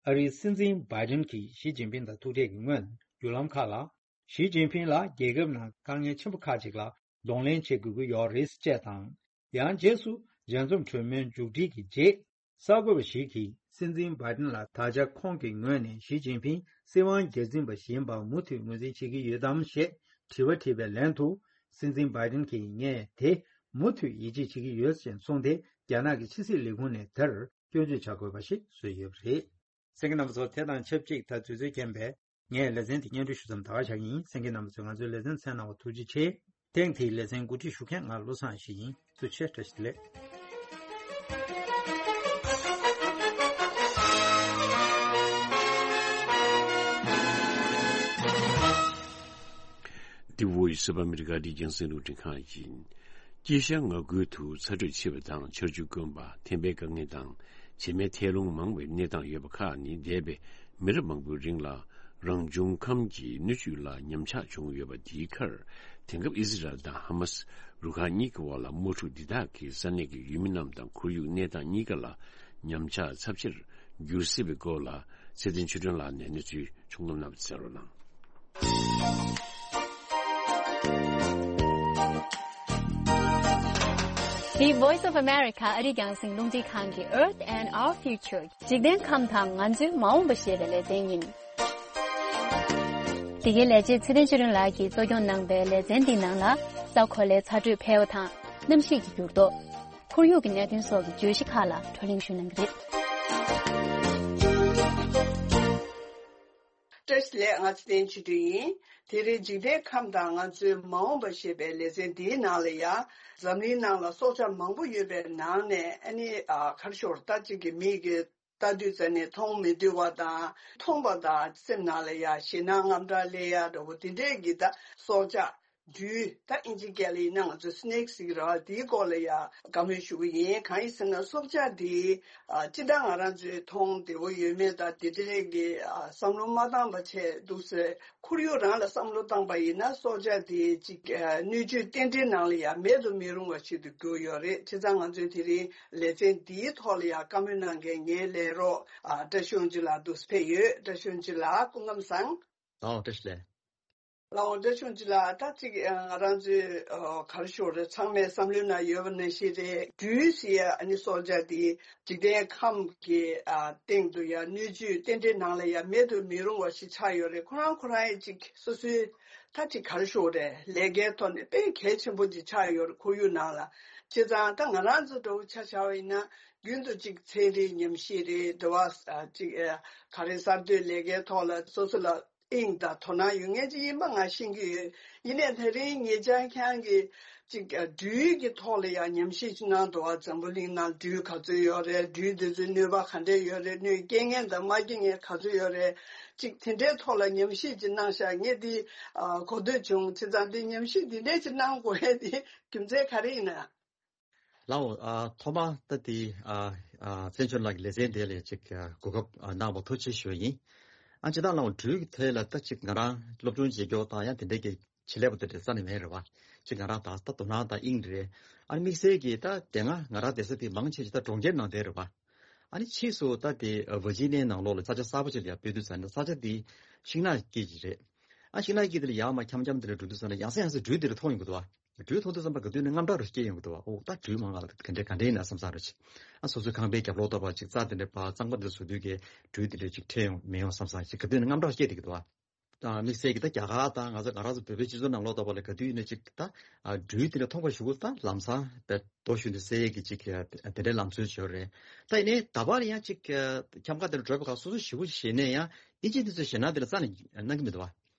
ཨ་རིའི་སྲིད་འཛིན་བྷའི་ཌེན་གྱིས་ཞི་ཅིན་ཕིང་དང་ཐུག་འཕྲད་ཀྱི་སྔོན། བརྒྱུད་ལམ་ཁག་ལ། ཞི་ཅིན་ཕིང་ལ་རྒྱལ་ཁབ་ནང་དཀའ་ངལ་ཆེན་པོ་ཁག་ཅིག་ལ་གདོང་ལེན་བྱེད་དགོས་ཀྱི་ཡོད་རེད་ཅེས་དང་། ཡང་རྗེས་སུ་མཇལ་འཛོམས་གྲོས་མོལ་མཇུག་སྒྲིལ་གྱི་རྗེས། གསར་འགོད་པ་ཞིག་གིས་སྲིད་འཛིན་བྷའི་ཌེན་ལ་ད་ཆ་ཁོང་གི་ངོས་ནས་ཞི་ཅིན་ཕིང་སྲིད་དབང་སྒེར་འཛིན་པ་ཞིག་ཡིན་པར་མུ་མཐུད་ངོས་འཛིན་བྱེད་ཀྱི་ཡོད་དམ་ཞེས་དྲི་བ་དྲིས་པའི་ལན་དུ། སྲིད་འཛིན་བྷའི་ཌེན་གྱིས་ངས་དེ་མུ་མཐུད་ཡིད་ཆེས་བྱེད་ཀྱི་ཡོད་ཅེས་གསུངས་ཏེ། རྒྱ་ནག་གི་ཕྱི་སྲིད་ལས་ཁུངས་ནས་དེར་སྐྱོན་བརྗོད་བྱ་དགོས་པ་ཞིག་བཟོས་ཡོད་པ་རེད། གསན་མཁན་རྣམ་པ་ཚོ། དེ་དང་ཆབས་ཅིག་ད་དུས་ཚོད་རྐྱེན་པས་ངས་ལེ་ཚན་འདི་སྙན་སྒྲོན་ཞུ་མཚམས་ད་ག་བཞག་གི་ཡིན། གསན་མཁན་རྣམ་པ་ཚོས་ང་ཚོའི་ལེ་ཚན་གསན་གནང་བར་ཐུགས་རྗེ་ཆེ། ཐེངས་འདིའི་ལེ་ཚན་གོ་སྒྲིག་ཞུ་མཁན་ང་བློ་བཟང་ཡེ་ཤེས་ཡིན། ཐུགས་རྗེ་ཆེ། བཀྲ་ཤིས་བདེ་ལེགས། འདི་Voice of America རྒྱང་སྲིང་རླུང་འཕྲིན་ཁང་ཡིན། དཀྱིལ་ཤར་མངའ་ཁུལ་དུ་ཚ་དྲོད་ཆེ་བ་དང་ཆར་ཆུ་དཀོན་པ། ཐན་པའི་དཀའ་ངལ་དང་བྱེ་མའི་ཐལ་རླུང་མང་བའི་གནས་སྟངས་ཡོད་པ་ཁག་ནི། འདས་པའི་མི་རབས་མང་པོའི་རིང་ལ་རང་བྱུང་ཁམས་ཀྱི་སྣོད་བཅུད་ལ་ཉམས་ཆག་བྱུང་ཡོད་པ་དེའི་ཁར། དེང་སྐབས་ཨི་ཟི་རལ་དང་ཧ་མ་སི་རུ་ཁག་གཉིས་ཀྱི་དབར་ལ་དམག་འཁྲུག་འདི་དག་གིས་ས་གནས་ཀྱི་ཡུལ་མི་རྣམས་དང་ཁོར་ཡུག་གནས་སྟངས་གཉིས་ཀ་ལ་ཉམས་ཆག་ཚབས་ཆེར་ འགྱུར་སྲིད་པའི་སྐོར་ལ་ཚེ་བརྟན་ཆོས་སྒྲོན་ལགས་ནས་གནས་ཚུལ་ཕྱོགས་བསྡོམས་གནང་བ་གསན་རོགས་གནང་། འདི་Voice of America ཨ་རིའི་རྒྱང་སྲིང་རླུང་འཕྲིན་ཁང་གི Earth and Our Future འཇིག་རྟེན་ཁམས་དང་ང་ཚོའི་མ་འོངས་པ་ཞེས་པའི་ལེ་ཚན་ཡིན། འདི་གའི་ལས་བྱེད་ཚེ་བརྟན་ཆོས་སྒྲོན་ལགས་ཀྱིས་གཙོ་སྐྱོང་གནང་པའི་ལེ་ཚན་འདིའི་ནང་ལ། ས་གོ་ལའི་ཚ་དྲོད་འཕེལ་བ་དང་གནམ་གཤིས་ཀྱི་འགྱུར་ལྡོག་ཁོར་ཡུག་གི་གནད་དོན་སོགས་ཀྱི་བརྗོད་གཞི་ཁག་ལ་བགྲོ་གླེང་ཞུས་གནང་གི་རེད། བཀྲ་ཤིས་བདེ་ལེགས། ང་ཚེ་བརྟན་ཆོས་སྒྲོན་ཡིན། དེ་རིང་འཇིག་རྟེན་ཁམས་དང་ང་ཚོའི་མ་འོངས་པ་ཞེས་པའི་ལེ་ཚན་འདིའི་ནང་ལ་ཡང་འཛམ་གླིང་ནང་ལ་སྲོག་ཆགས་མང་པོ་ཡོད་པའི་ནང་ནས་ཨ་ནི་ཨ་ག་རེ་ཞུ་དགོས་རེད། ད་གཅིག་གི་མིག་གིས་ལྟ་དུས་ཙམ་ནས་མཐོང་མི་འདོད་པ་དང་མཐོང་པ་དང་སེམས་ནང་ལ་ཡ་ཞེད་སྣང་དངངས་སྐྲག་སླེབས་ཡ་འདྲ་བོ་དེ་འདྲས་ཀྱི་ད་སྲོག་ཆགས། སྦྲུལ། ད་ཨིན་ཇི་སྐད་ལ་ཡིན་ན་ང་ཚོས་སི་ནེག་ཟེར་གྱི་རེད་བ། དེའི་སྐོར་ལ་ཡ་བཀའ་མོལ་ཞུ་གི་ཡིན། གང་ཡིན་ཟེར་ན་སྲོག་ཆགས་དེ་ཨ་སྤྱིར་བཏང་ང་རང་ཚོས་མཐོང་བདེ་བོ་ཡོད་མེད་དང་དེ་འདྲས་ཀྱི་ཨ་བསམ་བློ་མ་བཏང་པ་བྱས་འདུག་ཟེར། ཁོར་ཡུག་རང་ལ་བསམ་བློ་བཏང་པ་ཡིན་ན་སྲོག་ཆགས་དེ་གཅིག་ཨ་སྣོད་བཅུད་རྟེན་འབྲེལ་ནང་ལ་ཡ་མེད་དུ་མི་རུང་བ་ཞིག་ཏུ་གྱུར་ཡོད་རེད། བྱས་ཙང་ང་ཚོས་དེ་རིང་ལེ་ཚན་འདིའི་ཐོག་ལ་ཡ་བཀའ་མོལ་གནང་མཁན་ངའི་ལས་རོགས་ཨ་བཀྲ་ཤིས་དབང་ཕྱུག་ལགས་འདུག་ཕེབས་ཡོད། བཀྲ་ཤིས་དབང་ཕྱུག་ལགས་སྐུ་ཁམས་བཟང་། ལགས་འོང་། བཀྲ་ཤིས་བདེ་ལེགས། ལགས་འོང་། བཀྲ་ཤིས་དབང་ཕྱུག་ལགས། ད་གཅིག་ང་རང་ཚོའི་ཨ་ག་རེ་ཞུ་དགོས་རེད། ཚང་མའི་བསམ་བློའི་ནང་ཡོད་པ་ནང་བཞིན་རེད། སྦྲུལ་ཟེར་ཡ་ཨ་ནི་སྲོག་ཆགས་དེ་འཇིག་རྟེན་ཁམས་ཀྱི་ཨ་སྟེང་དུ་ཡ་སྣོད་བཅུད་རྟེན་འབྲེལ་ནང་ལ་ཡ་མེད་དུ་མི་རུང་བ་ཞིག་ཆགས་ཡོད་རེད། ཁོ་རང་ཁོ་རང་ཡ་གཅིག་སོ་སོའི་ད་གཅིག་ག་རེ་ཞུ་དགོས་རེད། ལས་ཀའི་ཐོག་ནས་དཔེ་གལ་ཆེན་པོ་ཅིག་ཆགས་ཡོད་རེད། ཁོར་ཡུག་ནང་ལ། བྱས་ཙང་ད་ང་རང་ཚོ་འདྲ་བོ་ཆ་བཞག་པ་ཡིན་ན་རྒྱུན་དུ་གཅིག་ཚན་རིག་ཉམས་ཞིབ་རེད། འདྲ་བ་ཨ་གཅིག་ཨ་ག་རེ་གསར་གཏོད་ལས་ཀའི་ཐོག་ལ་སོ་སོ་ལ་དབྱིངས་དང་དོ་སྣང་ཡོད་མཁན་ཅིག་ཡིན་པ་ང་ཤེས་ཀྱི་ཡོད། ཡིན་ནའི་དེ་རིང་ངེད་ཅག་ཁྱེད་རང་གིས་ཅིག་སྦྲུལ་གྱི་ཐོག་ལ་ཡང་ཉམས་ཞིབ་ཅིག་གནང་འདུག་བ། འཛམ་བུ་གླིང་ནང་སྦྲུལ་ག་ཚོད་ཡོད་རེད། སྦྲུལ་དེ་ཚོའི་གནོད་པ་ག་འདྲས་ཡོད་རེད། གནོད་སྐྱེལ་མཁན་དང་མ་སྐྱེལ་མཁན་ག་ཚོད་ཡོད་རེད། ཅིག་དེ་འདྲའི་ཐོག་ལ་ཉམས་ཞིབ་ཅིག་གནང་ཤག་ངས་འདི་ཨ་གོ་ཐོས་བྱུང་། བྱས་ཙང་འདི་ཉམས་ཞིབ་འདི་འདྲས་ཅིག་གནང་དགོས་ཡས་དེ་རྒྱུ་མཚན་ག་རེ་ཡིན་ན། ལགས་འོང་། ཨ་ཐོག་མར་ད་དེ་ཨ་ཨ་བཙན་བྱོལ་ནང་གི་ལེ་ཚན་དེ་ལ་ཅིག་ཨ་གོ་སྐབས་ཨ་གནང་བར་ཐུགས་རྗེ་ཆེ་ཞུ་བ་ཡིན། ཨ་ཅི་ད་ལགས་འོང་། སྦྲུལ་གྱི་ཐད་ལ་ད་ཅིག་ང་རང་སློབ་སྦྱོང་བྱེད་རྒྱུ་དང་ཡང་དེ་འདྲའི་གི་ཆེད་ལས་པ་དེ་འདྲ་རྩ་ནས་མེད་རེད་བ། ཅིག་ང་རང་ད་ད་དོ་སྣང་དང་དབྱིངས་རེད། ཨ་ནི་དམིགས་བསལ་གྱི་ད་དེ་སྔ་ང་རང་བསྡད་ས་དེ་མང་ཆེ་ཅིག་ད་གྲོང་ཁྱེར་ནང་བསྡད་རེད་བ། ཨ་ནི་ཕྱིས་སུ་ད་དེ་ཝར་ཇི་ནི་ཡའི་ནང་ལོགས་ལ་ས་ཆ་གསར་པ་ཅིག་ལ་ཡར་སྤོས་དུས་ཙམ་ནས་ས་ཆ་དེ་ཤིང་ནགས་དཀྱིལ་ཅིག་རེད། ཨ་ཤིང་ནགས་དཀྱིལ་དེ་ལ་ཡར་མར་འཁྱམ་འཁྱམ་དེ་འདྲ་འགྲོ་དུས་ཙམ་ནས་ཡང་སེ་ཡང་སེ་སྦྲུལ་དེ་འདྲ་མཐོང་ཡོང་གི་འདུག་བ། སྦྲུལ་མཐོང་དུས་ཙམ་པ་ག་དུས་ནས་དངངས་སྐྲག་རུ་སྐྱེ་ཡོང་གི་འདུག་བ། ཨོ་ད་སྦྲུལ་མང་ང་ལ་ག་འདྲ་ག་འདྲ་ཡིན་ན་བསམ་བསམ་རེད་ཅིག། ཨ་སོ་སོའི་ཁང་པའི་རྒྱབ་ལོགས་ལྟ་བུ་ཅིག་རྩྭ་དེ་འདྲ་བ་གཙང་པོ་འདྲ་བཟོ་དུས་ཀྱི་སྦྲུལ་དེ་འདྲ་ཅིག་འཕྲད་ཡོང་མི་ཡོང་བསམ་བསམ་ཅིག་ག་དུས་ནས་དངངས་སྐྲག་སྐྱེ་བསྡད་ཀྱི་འདུག་བ། ཨ་དམིགས་བསལ་གྱི་ད་རྒྱ་གར་དང་ང་ཚོ་ང་རང་ཚོ་བོད་པའི་སྤྱི་ཚོགས་ནང་ལོགས་ལྟ་བུ་ལ་ག་དུས་ཡིན་ན་ཅིག་ད་ཨ་སྦྲུལ་དེ་འདྲ་མཐོང་པ་ཞུ་གི་ད་ལམ་སང་དཔེ་རྡོ་གཞུས་ནས་བསད་ཡས་ཀྱི་ཅིག་དེ་འདྲའི་ལམ་སྲོལ་ཅིག་ཡོད་རེད། ད་ཡིན་ནའི་ད་བར་ཡང་ཅིག་འཁྱམ་ཁ་དེ་འདྲ་བགྲོད་པ་ག་སོ་སོ་ཞེ་པོ་ཞེད་ནས་ཡང་ཨིན་ཇི་དེ་ཚོས་ཞེད་སྣང་དེ་ལ་རྩ་ནས་གནང་གི་མི་འདུག་བ།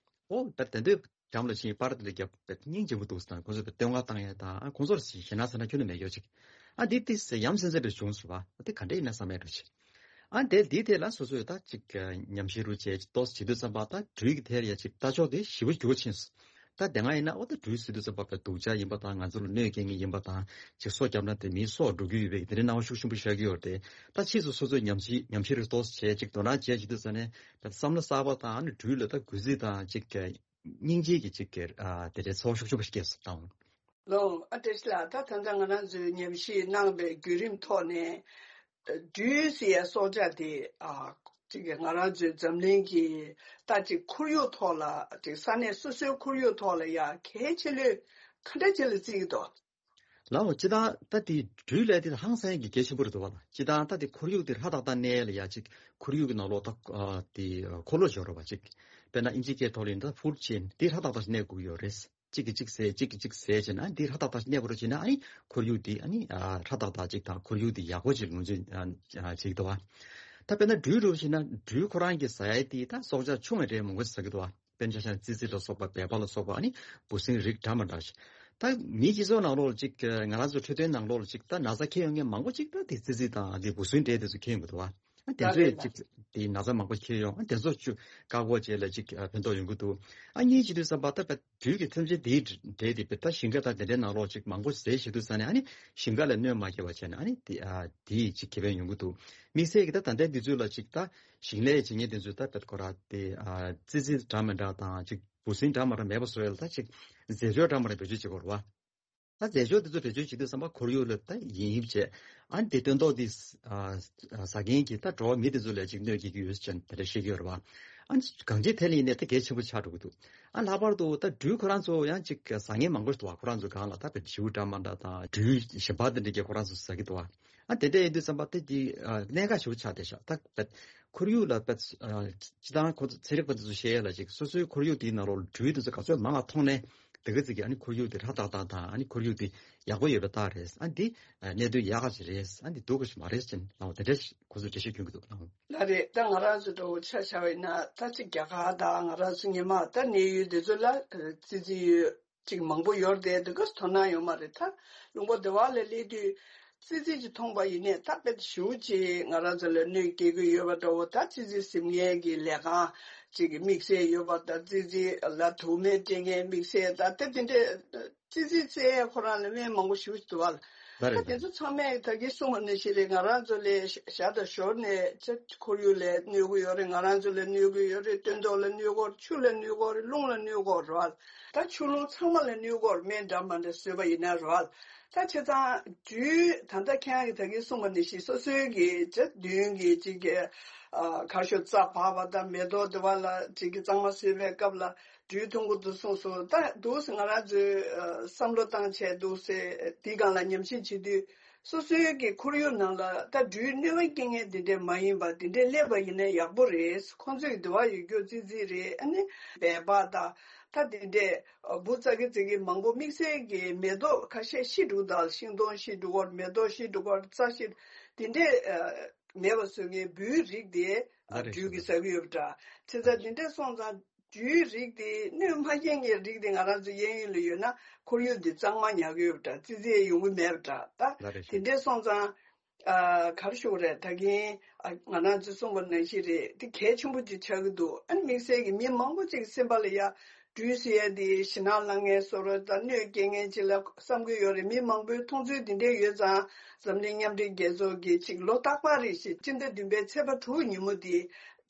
ཨོ་ད་དེ་འདོད་འགྲམ་ལ་ཕྱིན་པར་དེ་ལ་རྒྱབ་སྙིང་རྗེ་པོ་འདུག་ཟེར་དང་ཁོང་ཚོས་བསྟོད་བསྔགས་བཏང་ཡས་དང་ཁོང་ཚོར་ཞེད་སྣང་ཟེར་ན་ཁྱོན་ནས་མེད་ཡོད་ཅིག། ཨ་འདི་ཏིས་ཡམ་སེམས་ཚེ་འདྲ་བྱུང་སོང་བ། ཨ་དེ་ག་འདྲ་ཡིན་ན་བསམ་ཡས་འགྲོ་ཅིག། ཨ་དེ་འདིའི་ཐད་ལ་སོ་སོས་ད་ཅིག་ཉམས་ཞིབ་རུ་བྱས་ཏོག་ཙམ་བྱེད་དུས་ཙམ་པ་ད་སྦྲུལ་གྱི་ཐད་ལ་ཡ་ཅིག་ལྟ་ཕྱོགས་དེ་ཞེ་པོ་འགྱུར་ཕྱིན་སོང་། ད་དེ་སྔ་ཡིན་ན་ཨོ་ད་སྦྲུལ་ཟེར་དུས་ཙམ་པ་དཔེ་སྡུག་ཅག་ཡིན་པ་དང་ང་ཚོ་ལ་གནོད་སྐྱེལ་མཁན་ཡིན་པ་དང་ཅིག་སྲོག་བསྐྱབས་ན་དེ་མིའི་སྲོག་འགྲོ་རྒྱུ་ཡོད་པའི་དེ་འདྲའི་སྣང་བ་ཤུགས་ཆེན་པོ་ཤར་གྱི་ཡོད་རེད། ད་ཕྱིས་སུ་སོ་སོས་ཉམས་ཞིབ་ཉམས་ཞིབ་རུ་ཏོག་ཙམ་བྱས་ཅིག་དོ་སྣང་བྱས་བྱེད་དུས་ཙམ་ནས་ད་བསམ་བློ་གསར་པ་དང་ཨ་ནི་སྦྲུལ་ལ་ད་གུས་བརྩི་དང་ཅིག་སྙིང་རྗེ་གི་ཅིག་གི་ཨ་དེ་འདྲའི་ཚོར་བ་ཤུགས་ཆེན་པོ་ཞིག་སྐྱེས་སོང་དང་། ལོ། ཨ་བཀྲ་ཤིས་ལགས། ད་ད་ལྟ་ང་རང་ཚོས་ཉམས་ཞིབ་གནང་བའི་བརྒྱུད་རིམ་ཐོག་ནས་སྦྲུལ་ཟེར་ཡ་སྲོག་ཆགས་དེ་ཨ་ཅིག་ང་རང་ཚོའི་འཛམ་གླིང་གི་ད་ཅིག་ཁོར་ཡུག་ཐོག་ལ་ཅིག་ས་གནས་སོ་སོའི་ཁོར་ཡུག་ཐོག་ལ་ཡ་གལ་ཆེ་ལོས་ག་འདྲ་ཅིག་ལ་བརྩི་གི་འདུག། ལའོ་སྤྱིར་བཏང་ད་དེ་སྦྲུལ་ལས་དེ་ཧང་སང་གི་གལ་ཆེན་པོ་རེད་འདུག་བ་ལ། སྤྱིར་བཏང་ད་དེ་ཁོར་ཡུག་དེ་ཧྲ་ཏག་ཏག་གནས་ལ་ཡ་ཅིག་ཁོར་ཡུག་གི་ནང་ལོགས་ད་དེ་འཁོར་ལོ་སྦྱོར་བ་ཅིག། དཔེར་ན་ཨིན་ཇི་སྐད་ཐོག་ལ་ཡིན་ན་ད་ཧྥུཌ་ཆེན་དེ་ཧྲ་ཏག་ཏག་གནས་དགོས་ཀྱི་ཡོད་རེད། གཅིག་གིས་གཅིག་བཟས་གཅིག་གིས་གཅིག་བཟས་བྱས་ན་འདི་ཧྲ་ཏག་ཏག་གནས་པ་རུ་བྱས་ན་ཨ་ནི་ཁོར་ཡུག་འདི་ཨ་ནི་ཧྲ་ཏག་ཏག་ཅིག་དང་ཁོར་ཡུག་འདི་ཡག་པོ་ཅིག་ངོས་འཛིན་བྱེད་ཀྱི་འདུག་བ། ད་དཔེར་ན་སྦྲུལ་རུ་བྱས་ན་སྦྲུལ་ཁོ་རང་གི་ཟ་ཡ་དེ་ད་སྲོག་ཆགས་ཆུང་བའི་རིགས་མང་པོ་ཟ་གི་འདུག་བ། དཔེར་ན་ཆ་བཞག་ན་ཙི་ཙི་ལ་སོགས་པ་བལ་པ་ལ་སོགས་པ་ཨ་ནི་འབུ་སྲིན་རིགས་འདྲ་མི་འདྲ་ཞིག། ད་མིའི་སྤྱི་ཚོགས་ནང་ལོགས་ལ་ཅིག་ང་རང་ཚོ་འཕྲོད་བསྟེན་ནང་ལོགས་ལ་ཅིག་ད་ན་ཚ་འཁྱེར་ཡོང་མཁན་མང་པོ་ཅིག་ད་དེ་ཙི་ཙི་དང་དེ་འབུ་སྲིན་འདྲ་དེ་ཚོ་འཁྱེར་ཡོང་གི་འདུག་བ། ཨ་དེ་ཚོས་ཅིག་དེ་ན་ཚ་མང་པོ་འཁྱེར་ཡོང་། ཨ་དེ་ཚོ་ཅུ་བཀག་འགོག་བྱེད་ལ་ཅིག་ཕན་ཐོགས་ཡོང་གི་འདུག། ཨ་གཉིས་བྱེད་དུས་ཙམ་པ་ད་དཔེ་སྦྲུལ་གྱི་ཐམས་ཅད་དེའི་འབྲས་དེ་དཔེ་ད་ཞིང་ཁ་དང་དེ་འདྲའི་ནང་ལོགས་ཅིག་མང་པོ་ཟས་བྱེད་དུས་ཙ་ནས་ཨ་ནི་ཞིང་ཁ་ལ་གནོད་མ་སྐྱེལ་བ་བྱས་ནས་ཨ་ནི་དེ་ཨ་དེའི་ཅིག་ཁེ་ཕན་ཡོང་གི་འདུག། དམིགས་བསལ་གྱི་ད་ད་ལྟའི་དུས་ཚོད་ལ་ཅིག་ད་ཞིང་ལས་བྱེད་མཁན་དེ་ཚོས་ད་དཔེ་ཁོ་ར་དེ་ཨ་ཙི་ཙི་འདྲ་མི་འདྲ་དང་ཅིག་འབུ་སྲིན་འདྲ་མི་འདྲ་མེད་པ་བཟོ་ཡ་ལ་ད་ཅིག་རྫས་སྦྱོར་འདྲ་མི་འདྲ་བེད་སྤྱོད་བྱེད་དགོས་རེད་བ། ད་རྫས་སྦྱོར་དེ་ཚོ་བེད་སྤྱོད་བྱེད་དུས་ཙམ་པ་ཁོར་ཡུག་ལ་ད་ཡིན་ཡིབ་བྱས། ཨ་ནི་དེ་སྟོན་ཐོག་དེ་ཟ་མཁན་གྱི་ད་འགྲོ་བ་མི་དེ་ཚོ་ལ་ཅིག་གནོད་སྐྱེལ་གྱི་ཡོད་ཅེས་དེ་འདྲ་བཤད་ཀྱི་ཡོད་རེད་བ། ཨ་ནི་གང་ཅིའི་ཐད་ལ་ཡིན་ནའི་ད་གལ་ཆེན་པོ་ཆགས་འགྲོ་གི་འདུག་ཨ་ལྷག་པར་དུ་ད་སྦྲུལ་ཁོ་རང་ཚོ་ཡང་ཅིག་ཟ་མཁན་མང་པོ་ཞིག་འདུག་བ། ཁོ་རང་ཚོ་སྒང་ལ་ད་བེད་ཞིའུ་འདྲ་མ་འདྲ་དང་སྦྲུལ་གཞན་པ་དེ་འདྲ་གྱིས་ཁོ་རང་ཚོ་ཟ་གི་འདུག་བ། ཨ་དེ་འདྲ་ཡིན་དུས་ཙམ་པ་དེ་གྱི་གནད་འགག་ཞིག་ཆགས་བསྡད་ཤག་ད་ཁོར་ཡུག་ལ་སྤྱི་བཏང་ཁོ་ཚོ་ཚན་རིག་པ་དེ་ཚོ་བཤད་ཡ་ལ་ཅིག་སོ་སོའི་ཁོར་ཡུག་དེའི་ནང་ལོགས་ལ་སྦྲུལ་དེ་ཚོ་ག་ཚོད་མང་བ་མཐོང་ནས། དེ་ག་ཙིག་གིས་ཨ་ནི་ཁོར་ཡུག་དེ་ཧྲ་ཏག་ཏག་དང་། ཨ་ནི་ཁོར་ཡུག་དེ་ཡག་པོ་ཡོད་པའི་རྟགས་རེད། ཨ་འདི་གནད་དོན་ཡག་ག་ཅིག་རེད། ཨ་འདི་སྡུག་ག་ཅིག་མ་རེད་ཅེས་ལབ་པ་དེ་འདྲ་ཁོ་ཚོས་འགྲེལ་བཤད་སྐྱོན་གྱི་འདུག་ལགས། ལགས་རེད། ད་ང་རང་ཚོ་འདྲ་བོ་ཆ་བཞག་པ་ཡིན་ན་ད་ཅིག་རྒྱ་གར་དང་ང་རང་ཚོ་སྔོན་མ་ད་གནས་ཡུལ་དེ་ཚོ་ལ་ཙི་ཙི་ཡོད་ཅིག་མང་པོ་ཡོད་རེད་དེ། དེ་ག་དོ་སྣང་ཡོད་མ་རེད། ད་ལུང་པ་དེ་བ་ལ་སླེབས་དུས་ཙི་ཙི་ཅིག་མཐོང་པ་ཡིན་ནའི་ད་དཔེ་ཞེ་པོ་ཅིག་ང་རང་ཚོ་ལ་གནོད་སྐྱེལ་གྱི་ཡོད་པ་འདྲ་བོ། ད་ཙི་ཙི་ཟིན་མཁན་གྱི་ལས་ཁང་ཅིག་གི་དམིགས་བསལ་ཡོད་པ་དང་། ཙི་ཙི་ལ་དུག་སྨན་སྤྲད་མཁན་དམིགས་བསལ་དང་། དེ་དེ་འདྲས་ཙི་ཙི་བཙལ་ཡས་ཁོ་རང་ལ་སྨན་མང་པོ་ཞེ་པོ་ཅིག་འདུག་བ། ལ་རེད། ད་དེ་ཚོ་ཚང་མས་ད་གིན་གསུངས་པ་ནང་བཞིན་རེད། ང་རང་ཚོ་ལ་ཞག་དང་ཞོར་ནས་ཅིག་ཁོར་ཡུག་ལ་གནོད་ཀྱི་ཡོད་རེད། ང་རང་ཚོ་ལ་གནོད་ཀྱི་ཡོད་རེད། སྟོན་ཐོག་ལ་གནོད་ཀྱི་ཡོད་རེད། ཆུ་ལ་གནོད་ཀྱི་ཡོད་རེད། རླུང་ལ་གནོད་ཀྱི་ཡོད་རེད་བ། ད་ཆུ་རླུང་ཚང་མ་ལ་གནོད་ཀྱི་ཡོད་རེད། སྨན་འདྲ་མ་འདྲ་བཟོས་པ་ཡིན་ན་རེད་བ། ད་བྱས་ཙང་སྦྲུལ་ད་ལྟ་ཁྱེད་རང་གིས་ད་གིན་གསུངས་པ་ནང་བཞིན་སོ་སོའི་གི་ཅིག་མདུན་གྱི་ཅིག་གི་ཨ་གར་ཤོག་རྩྭ་བར་བ་དང་མེ་ཏོག་དེ་བ་ལ་ཅིག་གི་གཙང་མ་བཟོས་པའི་སྐབས་ལ་སྦྲུལ་མཐོང་གི་འདུག་གསུངས་སོང་། ད་འདུག་སེ་ང་རང་ཚོས་ཨ་བསམ་བློ་བཏང་བྱས་འདུག་སེ་དེའི་སྒང་ལ་ཉམས་ཞིབ་བྱེད་དུས། སོ་སོའི་གི་ཁོར་ཡུག་ནང་ལ་ད་སྦྲུལ་གནོད་པ་སྐྱེལ་མཁན་དེ་འདྲས་མ་ཡིན་པ་དེ་འདྲས་སླེབས་པ་ཡིན་ན་ཡག་པོ་རེད། ཁོང་ཚོས་དེ་བ་ཡོད་རྒྱུ་ཙི་ཙི་རེད། ཨ་ནི་སྦལ་པ་དང་ད་དེ་འདྲས་འབུ་ཙག་གི་ཙིག་གི་མང་པོ་དམིགས་བསལ་གྱི་མེ་ཏོག་ཁ་ཤས་ཤི་འགྲོ་དང་། ཤིང་སྡོང་ཤི་འགྲོ་གི་ཡོད་རེད། མེ་ཏོག་ཤི་འགྲོ་གི་ཡོད་རེད། རྩྭ་ཤི་དེ་འདྲས་མེད་པ་བཟོ་མཁན་འབུའི་རིགས་དེ་ལ་རེད། སྦྲུལ་གྱིས་ཟ་གི་ཡོད་པ་འདྲ། བྱས་ཙང་དེ་འདྲས་སོང་ཙང་སྦྲུལ་རིགས་དེ་གནོད་མ་སྐྱེལ་མཁན་རིགས་དེ་ང་རང་ཚོ་གཡས་གཡོན་ལ་ཡོད་ན་ཁོར་ཡུག་འདི་གཙང་མ་ཉར་གི་ཡོད་པ་འདྲ། ཙི་ཙི་ཡོང་གི་མེད་པ་འདྲ། ད་ལ་རེད། དེ་འདྲས་སོང་ཙང་ཨ་ག་རེ་ཞུ་དགོས་རེད། ད་གིན་ཨ་ང་རང་ཚོས་གསུངས་པ་ནང་བཞིན་རེད། དེ་གལ་ཆེན་པོ་ཅིག་ཆགས་ཀྱི་འདུག་ཨ་ནི་དམིགས་བསལ་གྱི་མི་མང་པོ་ཅིག་གི་སེམས་པ་ལ་ཡ་སྦྲུལ་ཟེར་ཡ་དེ་ཞེད་སྣང་ལངས་མཁན་བཟོ་འདྲ་དང་གནོད་སྐྱེལ་མཁན་ཅིག་ལ་བསམ་གྱི་ཡོད་རེད། མི་མང་པོའི་མཐོང་ཚུལ་དེ་འདྲས་ཡོད་ཙང་འཛམ་གླིང་མཉམ་འབྲེལ་རྒྱལ་ཚོགས་ཀྱིས་ཅིག་ལོ་རྟག་པར་རེ་བཞིན་སྤྱི་ཟླ་བདུན་པའི་ཚེས་པ་དྲུག་ཉིན་མོ་དེ་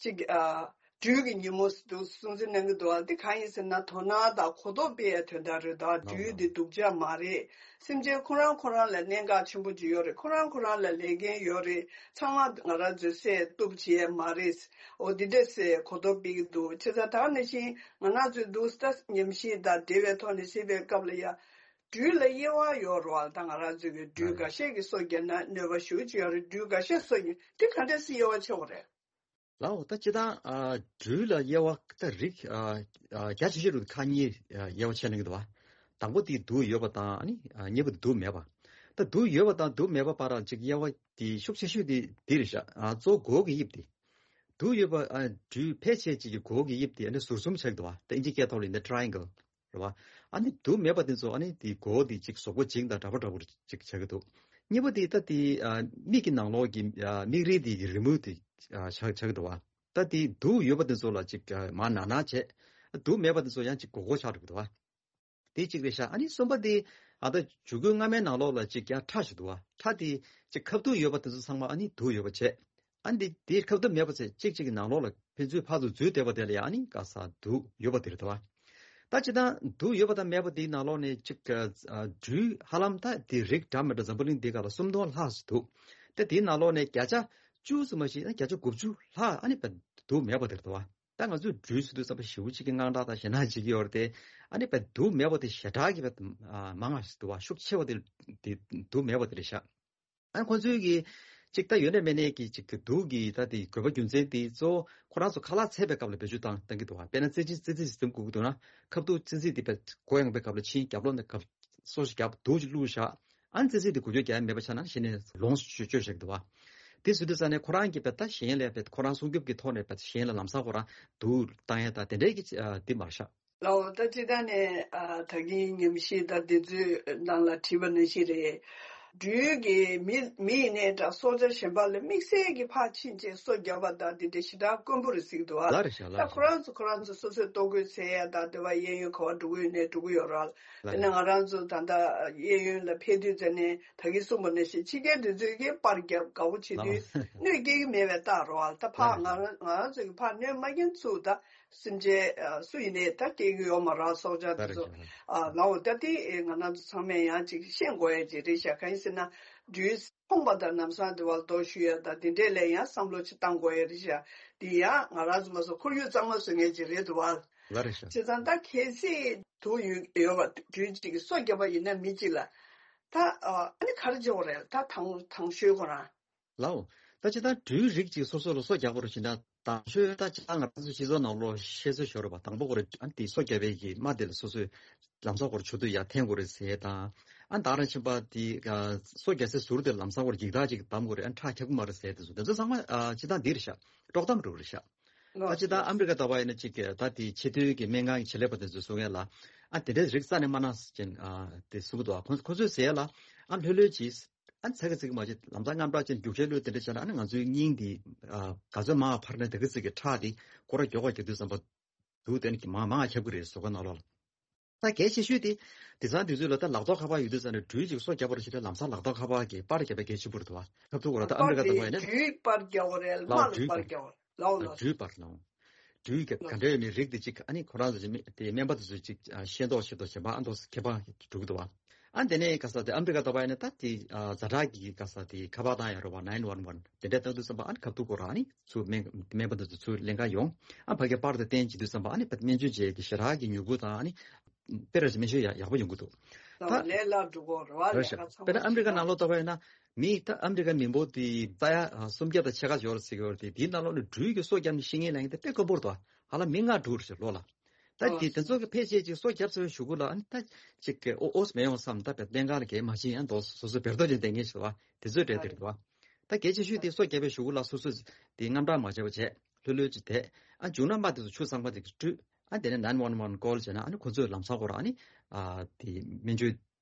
ཅིག་ཨ། སྦྲུལ་གྱི་ཉིན་མོ་ཟེར་འདུག་སྲུང་བརྩི་གནང་གི་འདུག་ཨ་འདི་གང་ཡིན་ཟེར་ན། དོ་སྣང་དང་གོ་རྟོགས་སྤེལ་ཡའི་དོན་དག་རེད། ད་སྦྲུལ་འདི་སྡུག་ཅག་མ་རེད། སེམས་ཅན་ཁོ་རང་ཁོ་རང་ལ་གནད་འགག་ཆེན་པོ་ཅིག་ཡོད་རེད། ཁོ་རང་ཁོ་རང་ལ་ལས་འགན་ཡོད་རེད། ཚང་མ་ང་རང་ཚོས་བསད་གཏུབ་བྱེད་ཡས་མ་རེད། འོ་འདི་འདྲས་ཟེར་གོ་རྟོགས་སྤེལ་གྱི་འདུག་བྱས་ཙང་ད་ག་ནང་བཞིན་ང་རང་ཚོས་འདུག་ད་ཉམས་ཞིབ་དང་འབྲེལ་བའི་ཐོག་ནས་བཤད་པའི་སྐབས་ལ་ཡ། སྦྲུལ་ལ་དབྱེ་བ་ཡོད་རེད་བ། ད་ང་རང་ཚོས་ཀྱི་སྦྲུལ་འགའ་ཤས་ཀྱིས་སོ་བརྒྱབ་ན་གནོད་པ་ཞེ་པོ་ཅིག་ཡོད་རེད། སྦྲུལ་འགའ་ཤས་སོ་བརྒྱབ། དེ་ག་འདྲས་སེ་དབྱེ་བ་ཕྱེ་དགོས་རེད། ལའོ། ད་སྤྱིར་བཏང་ཨ་སྦྲུལ་ལ་དབྱེ་བ་ད་རིགས་ཨ་ཨ་རྒྱ་ཆེ་ཤོས་རུ་ཁག་གཉིས་ཨ་དབྱེ་བ་ཕྱེ་གནང་གི་འདུག་བ། དང་པོ་དེ་དུག་ཡོད་པ་དང་ཨ་ནི་ཨ་གཉིས་པ་དུག་མེད་པ། ད་དུག་ཡོད་པ་དང་དུག་མེད་པ་བར་ལ་ཅིག་དབྱེ་བ་དེ་ཤུགས་ཆེ་ཤོས་དེ་འདི་རེད་ཤག་ཨ་གཙོ་བོ་མགོ་གི་དབྱིབས་དེ། དུག་ཡོད་པ་ཨ་སྦྲུལ་ཕལ་ཆེར་ཅིག་གི་མགོ་གི་དབྱིབས་དེ་ཨ་ནི་ཟུར་གསུམ་ཆགས་ཀྱི་འདུག་བ། ད་ཨིན་ཇི་སྐད་ཐོག་ལ་ཡིན་ན་ཊ་རའེ་ཨེང་གལ། རེད་བ། ཨ་ནི་དུག་མེད་པ་དེ་ཚོ་ཨ་ནི་དེ་མགོ་བོ་དེ་གཅིག་གཟུགས་པོ་བྱིངས་དང་འདྲ་པོ་འདྲ་པོ་གཅིག་བྱེད་ཀྱི་འདུག་གཉིས་པ་དེ་ད་དེ་ཨ་མིག་གི་ནང་ལོགས་ཀྱི་ཨ་མིག་རིལ་དེ་གི་རི་མོ་དེ་ཨ་ཆགས་ཆགས་ཀྱི་འདུག་བ། ད་དེ་དུག་ཡོད་པ་དེ་ཚོ་ལ་གཅིག་ཨ་མར་ན་ན་བྱས། དུག་མེད་པ་དེ་ཚོ་ཡང་གཅིག་སྒོར་སྒོར་ཆགས་འགྲོ་གི་འདུག་བ། དེ་གཅིག་རེད་ཤག་ཨ་ནི་གསུམ་པ་དེ་ཨ་ད་བྱུ་གུ་མངར་མོའི་ནང་ལོགས་ལ་གཅིག་ཡང་ཁྲག་ཞིག་འདུག་བ། ཁྲག་དེ་གཅིག་ཁ་བཏུག་ཡོད་པ་དེ་ཚོ་ཚང་མ་ཨ་ནི་དུག་ཡོད་པ་བྱས། ཨ་ནི་དེ་ཁ་བཏུབ་མེད་པ་ཚེ་གཅིག་གཅིག་གི་ནང་ལོགས་ལ་ཕན་ཚུན་ཕར་ཚུར་འཛུལ་བསྡད་པ་དེ་ལ་ཡང་ཨ་ནི་ག་ས་དུག་ཡོད་པ་དེ་རེད་དོ། ད་སྤྱིར་བཏང་དུག་ཡོད་པ་དང་མེད་པ་དེའི་ནང་ལོགས་ནས་གཅིག་ཨ་སྦྲུལ་ཧ་ལམ་ད་དེ་རིགས་འདྲ་མི་འདྲ་འཛམ་བུ་གླིང་འདི་ག་ལ་སུམ་སྟོང་ལྷག་ཙམ་འདུག་དེ་དེའི་ནང་ལོགས་ནས་བརྒྱ་ཆ་བཅུ་ཙམ་མ་ཞིག་ན་བརྒྱ་ཆ་དགུ་བཅུ་ལྷག་ཨ་ནི་བས་དུག་མེད་པ་དེ་རེད་དོ། ད་ང་ཚོས་སྦྲུལ་ཟེར་དུས་ཙམ་པ་ཞེ་པོ་ཅིག་གི་དངངས་སྐྲག་དང་ཞེད་སྣང་བྱེད་ཀྱི་ཡོད་རེད་དེ། ཨ་ནི་བས་དུག་མེད་པ་དེ་ཞེ་དྲག་གི་བས་མང་ང་ཞིག་འདུག་བ། ཤུགས་ཆེ་བ་དེ་དེ་དུག་མེད་པ་དེ་རེད་ཤག་ཨ་ཁོ་ཚོའི་གི་ཅིག་ད་ཡོད་ན་མེད་ན་གི་ཅིག་གི་དུག་གི་ད་དེ་དགོས་པ་རྒྱུ་མཚན་དེ་གཙོ་བོ་ཁོ་རང་ཚོ་ཁ་ལག་འཚོལ་བའི་སྐབས་ལ་བེད་སྤྱོད་བཏང་བཏང་གི་འདུག་བ། དཔེར་ན་ཙི་ཙི་ཙི་ཙི་ཟིན་དགོས་ཀྱི་འདུག་ན་ཁ་བཏུག་ཙི་ཙི་དེ་བས་མགོ་ཡངས་པའི་སྐབས་ལ་ཕྱིན། རྒྱབ་ལོགས་ནས་གབ་སོ་ཞིག་རྒྱབ་དུག་ཅིག་བླུགས་བཞག་ཨ་ནི་ཙི་ཙི་དེ་འགུལ་སྐྱོད་རྒྱག་ཡ་མེད་པ་ཆགས་ན་གཞི་ནས་ལོངས་སུ་སྤྱོད་སྤྱོད་བཞག་གི་འདུག་བ། དེ་ཟེར་དུས་ཙ་ནས་ཁོ་རང་གི་བས་ད་གཞན་ལས་བས་ཁོ་རང་སྲུང་སྐྱོབ་ཀྱི་ཐོག་ནས་བས་གཞན་ལ་ལམ་སང་ཁོ་རང་དུག་བཏང་ཡ་ད་དེ་འདྲའི་གི་ཨ་དེ་མ་རེད་ཤག་ལའོ། ད་སྤྱིར་བཏང་ནས་ཨ་ད་གིན་ཉམས་ཞིབ་དང་དེ་ཚོའི་ནང་ལ་བྲིས་པ་ནང་བཞིན་རེད། སྦྲུལ་གྱིས་མི་མི་ཡིན་ནའི་འདྲ་སྲོག་ཆགས་གཞན་པ་ལ་དམིགས་བསལ་གྱི་ཕར་ཕྱིན་བྱས་སོ་བརྒྱབ་པ་དང་དེ་འདྲ་ཞེ་དྲག་དཀོན་པོ་རེད་ཟེར་གྱི་འདུག་ཨ། ལགས་རེད་ཤག་ལགས་རེད་ཤག་ད་ཁོ་རང་ཚོ་ཁོ་རང་ཚོ་སོ་སོའི་ལྟོ་གོས་འཚོལ་ཡ་དང་དེ་བ་གཡས་གཡོན་ག་པར་འགྲོ་གི་ཡོད་ནའི་འགྲོ་གི་ཡོད་རེད། ལགས་དེ་ནས་རེད། ང་རང་ཚོ་ད་ལྟ་གཡས་གཡོན་ལ་ཕེབས་དུས་ཙ་ནས་ད་གིན་གསུངས་པ་ནང་བཞིན་ཕྱི་རྒྱལ་དེ་ཚོས་ཀྱི་པར་བརྒྱབ་དགའ་པོ་བྱེད་དུས་ལགས་གནོད་སྐྱེལ་གྱི་མེད་པའི་རྟགས་རེད་བ། ད་ཕར་ལགས་རེད། ང་རང་ང་རང་ཚོ་གི་ཕར་གནོད་མ་སྐྱེལ་ཚུལ་ད། སེམས་ཅན་ཨ་སུ་ཡིན་ནའི་ད་སྐྱེ་གི་ཡོད་མ་རེད། སྲོག་ཆགས་དེ་ཚོ་ཨ་ལའོ་ད་དེ་ང་རང་ཚོ་ཚང་མས་ཡང་ཅིག་ཤེས་དགོས་ཡ་ཅིག་རེད་ཤག་གང་ཡིན་ཟེར་ན་སྦྲུལ་མཐོང་པ་དང་ལམ་སང་དེ་བར་དོ་ཞུ་ཡ་ད་དེ་འདྲས་ལ་ཡང་བསམ་བློ་ཅིག་བཏང་དགོས་ཡ་རེད་ཤག་དེ་ཡང་ང་རང་ཚོ་མ་སོ་ཁོར་ཡུག་གཙང་མ་བཟོ་མཁན་ཅིག་རེད་འདུག་བ། ལ་རེད་ཤག་བྱས་ཙང་ད་གལ་སྲིད་དུག་ཡོད་ཡོད་པ་སྦྲུལ་ཅིག་གིས་སོ་བརྒྱབ་པ་ཡིན་ན་མི་གཅིག་ལ་ད་ཨ་ནི་ག་རེ་བྱེད་དགོས་རེད། ད་དང་དང་ཤོས་ཁོ་རང་། ལའོ། ད་ཅི་ད་སྦྲུལ་རིགས་ཅིག་སོ་སོ་ལ་སོ་རྒྱག་པ་རུ་ཕྱིན་ན་དང་ཤོས་ད་ཅི་ད་ང་རང་ཚོ་སྤྱི་ཚོགས་ནང་ལོགས་བཤད་སྲོལ་ཤོར་བ་དང་པོ་ཁོ་རེ་ཨ་དེ་སོ་རྒྱག་པའི་གི་རྨ་དེ་ལ་སོ་སོའི་ལམ་སང་ཁོ་རེ་ཆུ་ཐིགས་ཡར་འཐེན་དགོས་རེད་ཟེར་དང་ཨ་ད་རང་ཕྱིན་པ་དེ་སོ་རྒྱག་སའི་ཟུར་དེ་ལམ་སང་ཁོ་རེ་འགྱིག་ཐག་ཅིག་བསྡམ་དགོས་རེད། ཨ་ཁྲག་ཁྱབ་ཀྱི་མ་རེད་ཟེར་དེ་ཚོ་དེ་ཚོ་ཚང་མ་ཨ་ཅི་ད་འདི་རེད་ཤག་དཀྲོག་གཏམ་རེད་རེད་ཤག་ད་ཅི་ད་ཨ་མི་རི་ཀ་ད་བ་ཡིན་ན་ཅིག་ད་དེ་ཆེས་མཐོའི་གི་སྨན་ཁང་གི་ཆེད་ལས་པ་དེ་ཚོས་གསུང་ཡ་ལ་ཨ་དེ་འདྲའི་རིགས་རྩ་ནས་མ་གནང་ཟེར་ཅན་ཨ་དེ་གསུང་གི་འདུག་ཁོ་ཁོ་ཚོས་ཟེར་ཡ་ལ་ཨ་ལྷོད་ལྷོད་ཅིག་ཨ་ཚ་གི་ཚིག་མ་བྱེད། ལམ་སང་རྔམ་སྐྲག་ཅན་རྒྱུག་ཆས་བློས་དེ་འདྲ་བྱས་ན་ཨ་ནི་ང་ཚོའི་སྙིང་འདི་ཨ་ག་ཚོད་མང་བ་འཕར་ན་དེ་གི་ཚིག་གི་ཁྲག་འདི་ཁོ་ར་མགྱོགས་པ་རྒྱག་དུས་ཙམ་པ་འདུག་དེ་ནི་མང་མང་ཁྱབ་གི་རེད་ཟོ་ཁ་ནང་ལོགས་ལ། ད་གལ་ཆེ་ཤོས་དེ་དེང་སང་དུས་ཚོད་ལ་ད་ལག་ཐོག་ཁ་པར་ཡོད་དུས་ཙམ་ནས་སྦྲུལ་ཅིག་སོ་བརྒྱབ་པར་བྱེད་ད་ལམ་སང་ལག་ཐོག་ཁ་པར་གྱི་པར་བརྒྱབ་པའི་གལ་ཆེན་པོ་རེད་དོ། ཁབ་ཐུག་གོ་ར་ད་ཨ་མི་རི་ཀ་ད་བ་ཡིན་ན་སྦྲུལ་པར་རྒྱག་པ་རེད། ལག་རྨ་ལ་སྦྲུལ་པར་པར་རྒྱག་པ་རེད། ལའོ་ལ་སྦྲུལ་པར་ལའོ། སྦྲུལ་གྱི་ག་འདྲ་ཡོད་མེད་རིགས་དེ་གཅིག་ཨ་ནི་ཁོ་རང་ཚོ་དེ་སྨན་པ་དེ་ཚོས་གཅིག་ཤེས་མདོག་ཤེས་མདོག་བྱེད་པ་ཨ་མདོག་ཁྱད་པར་འགྲོ་གི་འདུག་བ། ཨ་དེ་ནས་ག་ས་དེ་ཨ་མི་རི་ཀ་ད་བ་ཡིན་ན་ད་དེ་ཛ་དྲག་གི་ག་ས་དེ་ཁ་པར་བཏང་ཡ་རོ་བ་nine one one དེ་འདྲ་བཏང་དུས་ཙམ་པ་ཨ་ནི་ཁ་ཐུག་གོ་ར་ཨ་ནི་ཚུར་སྨན་སྨན་པ་དེ་ཚོ་ཚུར་ལེན་ག་ཡོང་ཨ་ཕ་གི་པར་དེ་བསྟན་བྱེད་དུས་ཙམ་པ་ཨ་ནི་སྨན་བཅོས་བྱེད་ཀྱི་ཞེ་དྲག་གི་མྱུ་གུ་དང་ཨ་ནི་དཔེ་ར་ཞིག་སྨན་བཅོས་ཡག་ཡག་པོ་ཡོང་གི་འདུག་ད་ལས་སླ་འགྲོ་གོ་ར་བ་རེད་ལས་ཤག་ཀ་ཚང་དཔེར་ན་ཨ་མི་རི་ཀ་ནང་ལོགས་ད་བ་ཡིན་ན། མི་ད་ཨ་མི་རི་ཀ་མི་འབོར་དེ་ད་ཡ་སུམ་བརྒྱ་དང་ཕྱེད་ཀ་ཡོད་རེད་ཟེར་གྱི་ཡོད་རེད་དེ་དེའི་ནང་ལོགས་ནས་སྦྲུལ་གྱི་སོ་བརྒྱབ་ནས་ཤི་མཁན་ལ་ཡིན་ཏེ་དཔེ་དཀོན་པོ་རེད་དོ། ཧ་ལམ་མི་ལྔ་འགྲོ་རེད་ལོ་ལ། ད་དེ་དེ་ཚོ་གི་ཕལ་ཆེར་ཅིག་སོ་བརྒྱབ་ཚར་བའི་གཞུག་གུ་ལ་ཨ་ནི་ད་ཅིག་གི་ཨོ་ཨོས་མེད་ཡོང་བསམ་ད་བེད་ལྡན་གང་ལ་གས་མ་ཤེས་ཡང་དོ་སོ་སོ་བེར་ཏོ་ཅན་བསྡད་མཁན་ཞིག་བ་དེ་ཚོའི་གྲས་དེ་རེད་དོ། ད་གལ་ཆེ་ཤོས་དེ་སོ་བརྒྱབ་པའི་གཞུག་གུ་ལ་སོ་སོ་དེ་རྔམ་སྐྲག་མ་བྱས་པ་བྱས་ལྷོད་ལྷོད་ཅིག་བསྡད་ཨ་མཇུག་ན་མ་དེ་ཚོ་ཆུ་གཙང་མ་དེ་ཚོ་བཀྲུས། ཨ་དེ་ནས་nine one one call བྱས་ན་ཨ་ནི་ཁོ་ཚོས་ལམ་སང་ཁོ་རང་ཨ་ནི་ཨ་དེ་སྨན་བཅོས་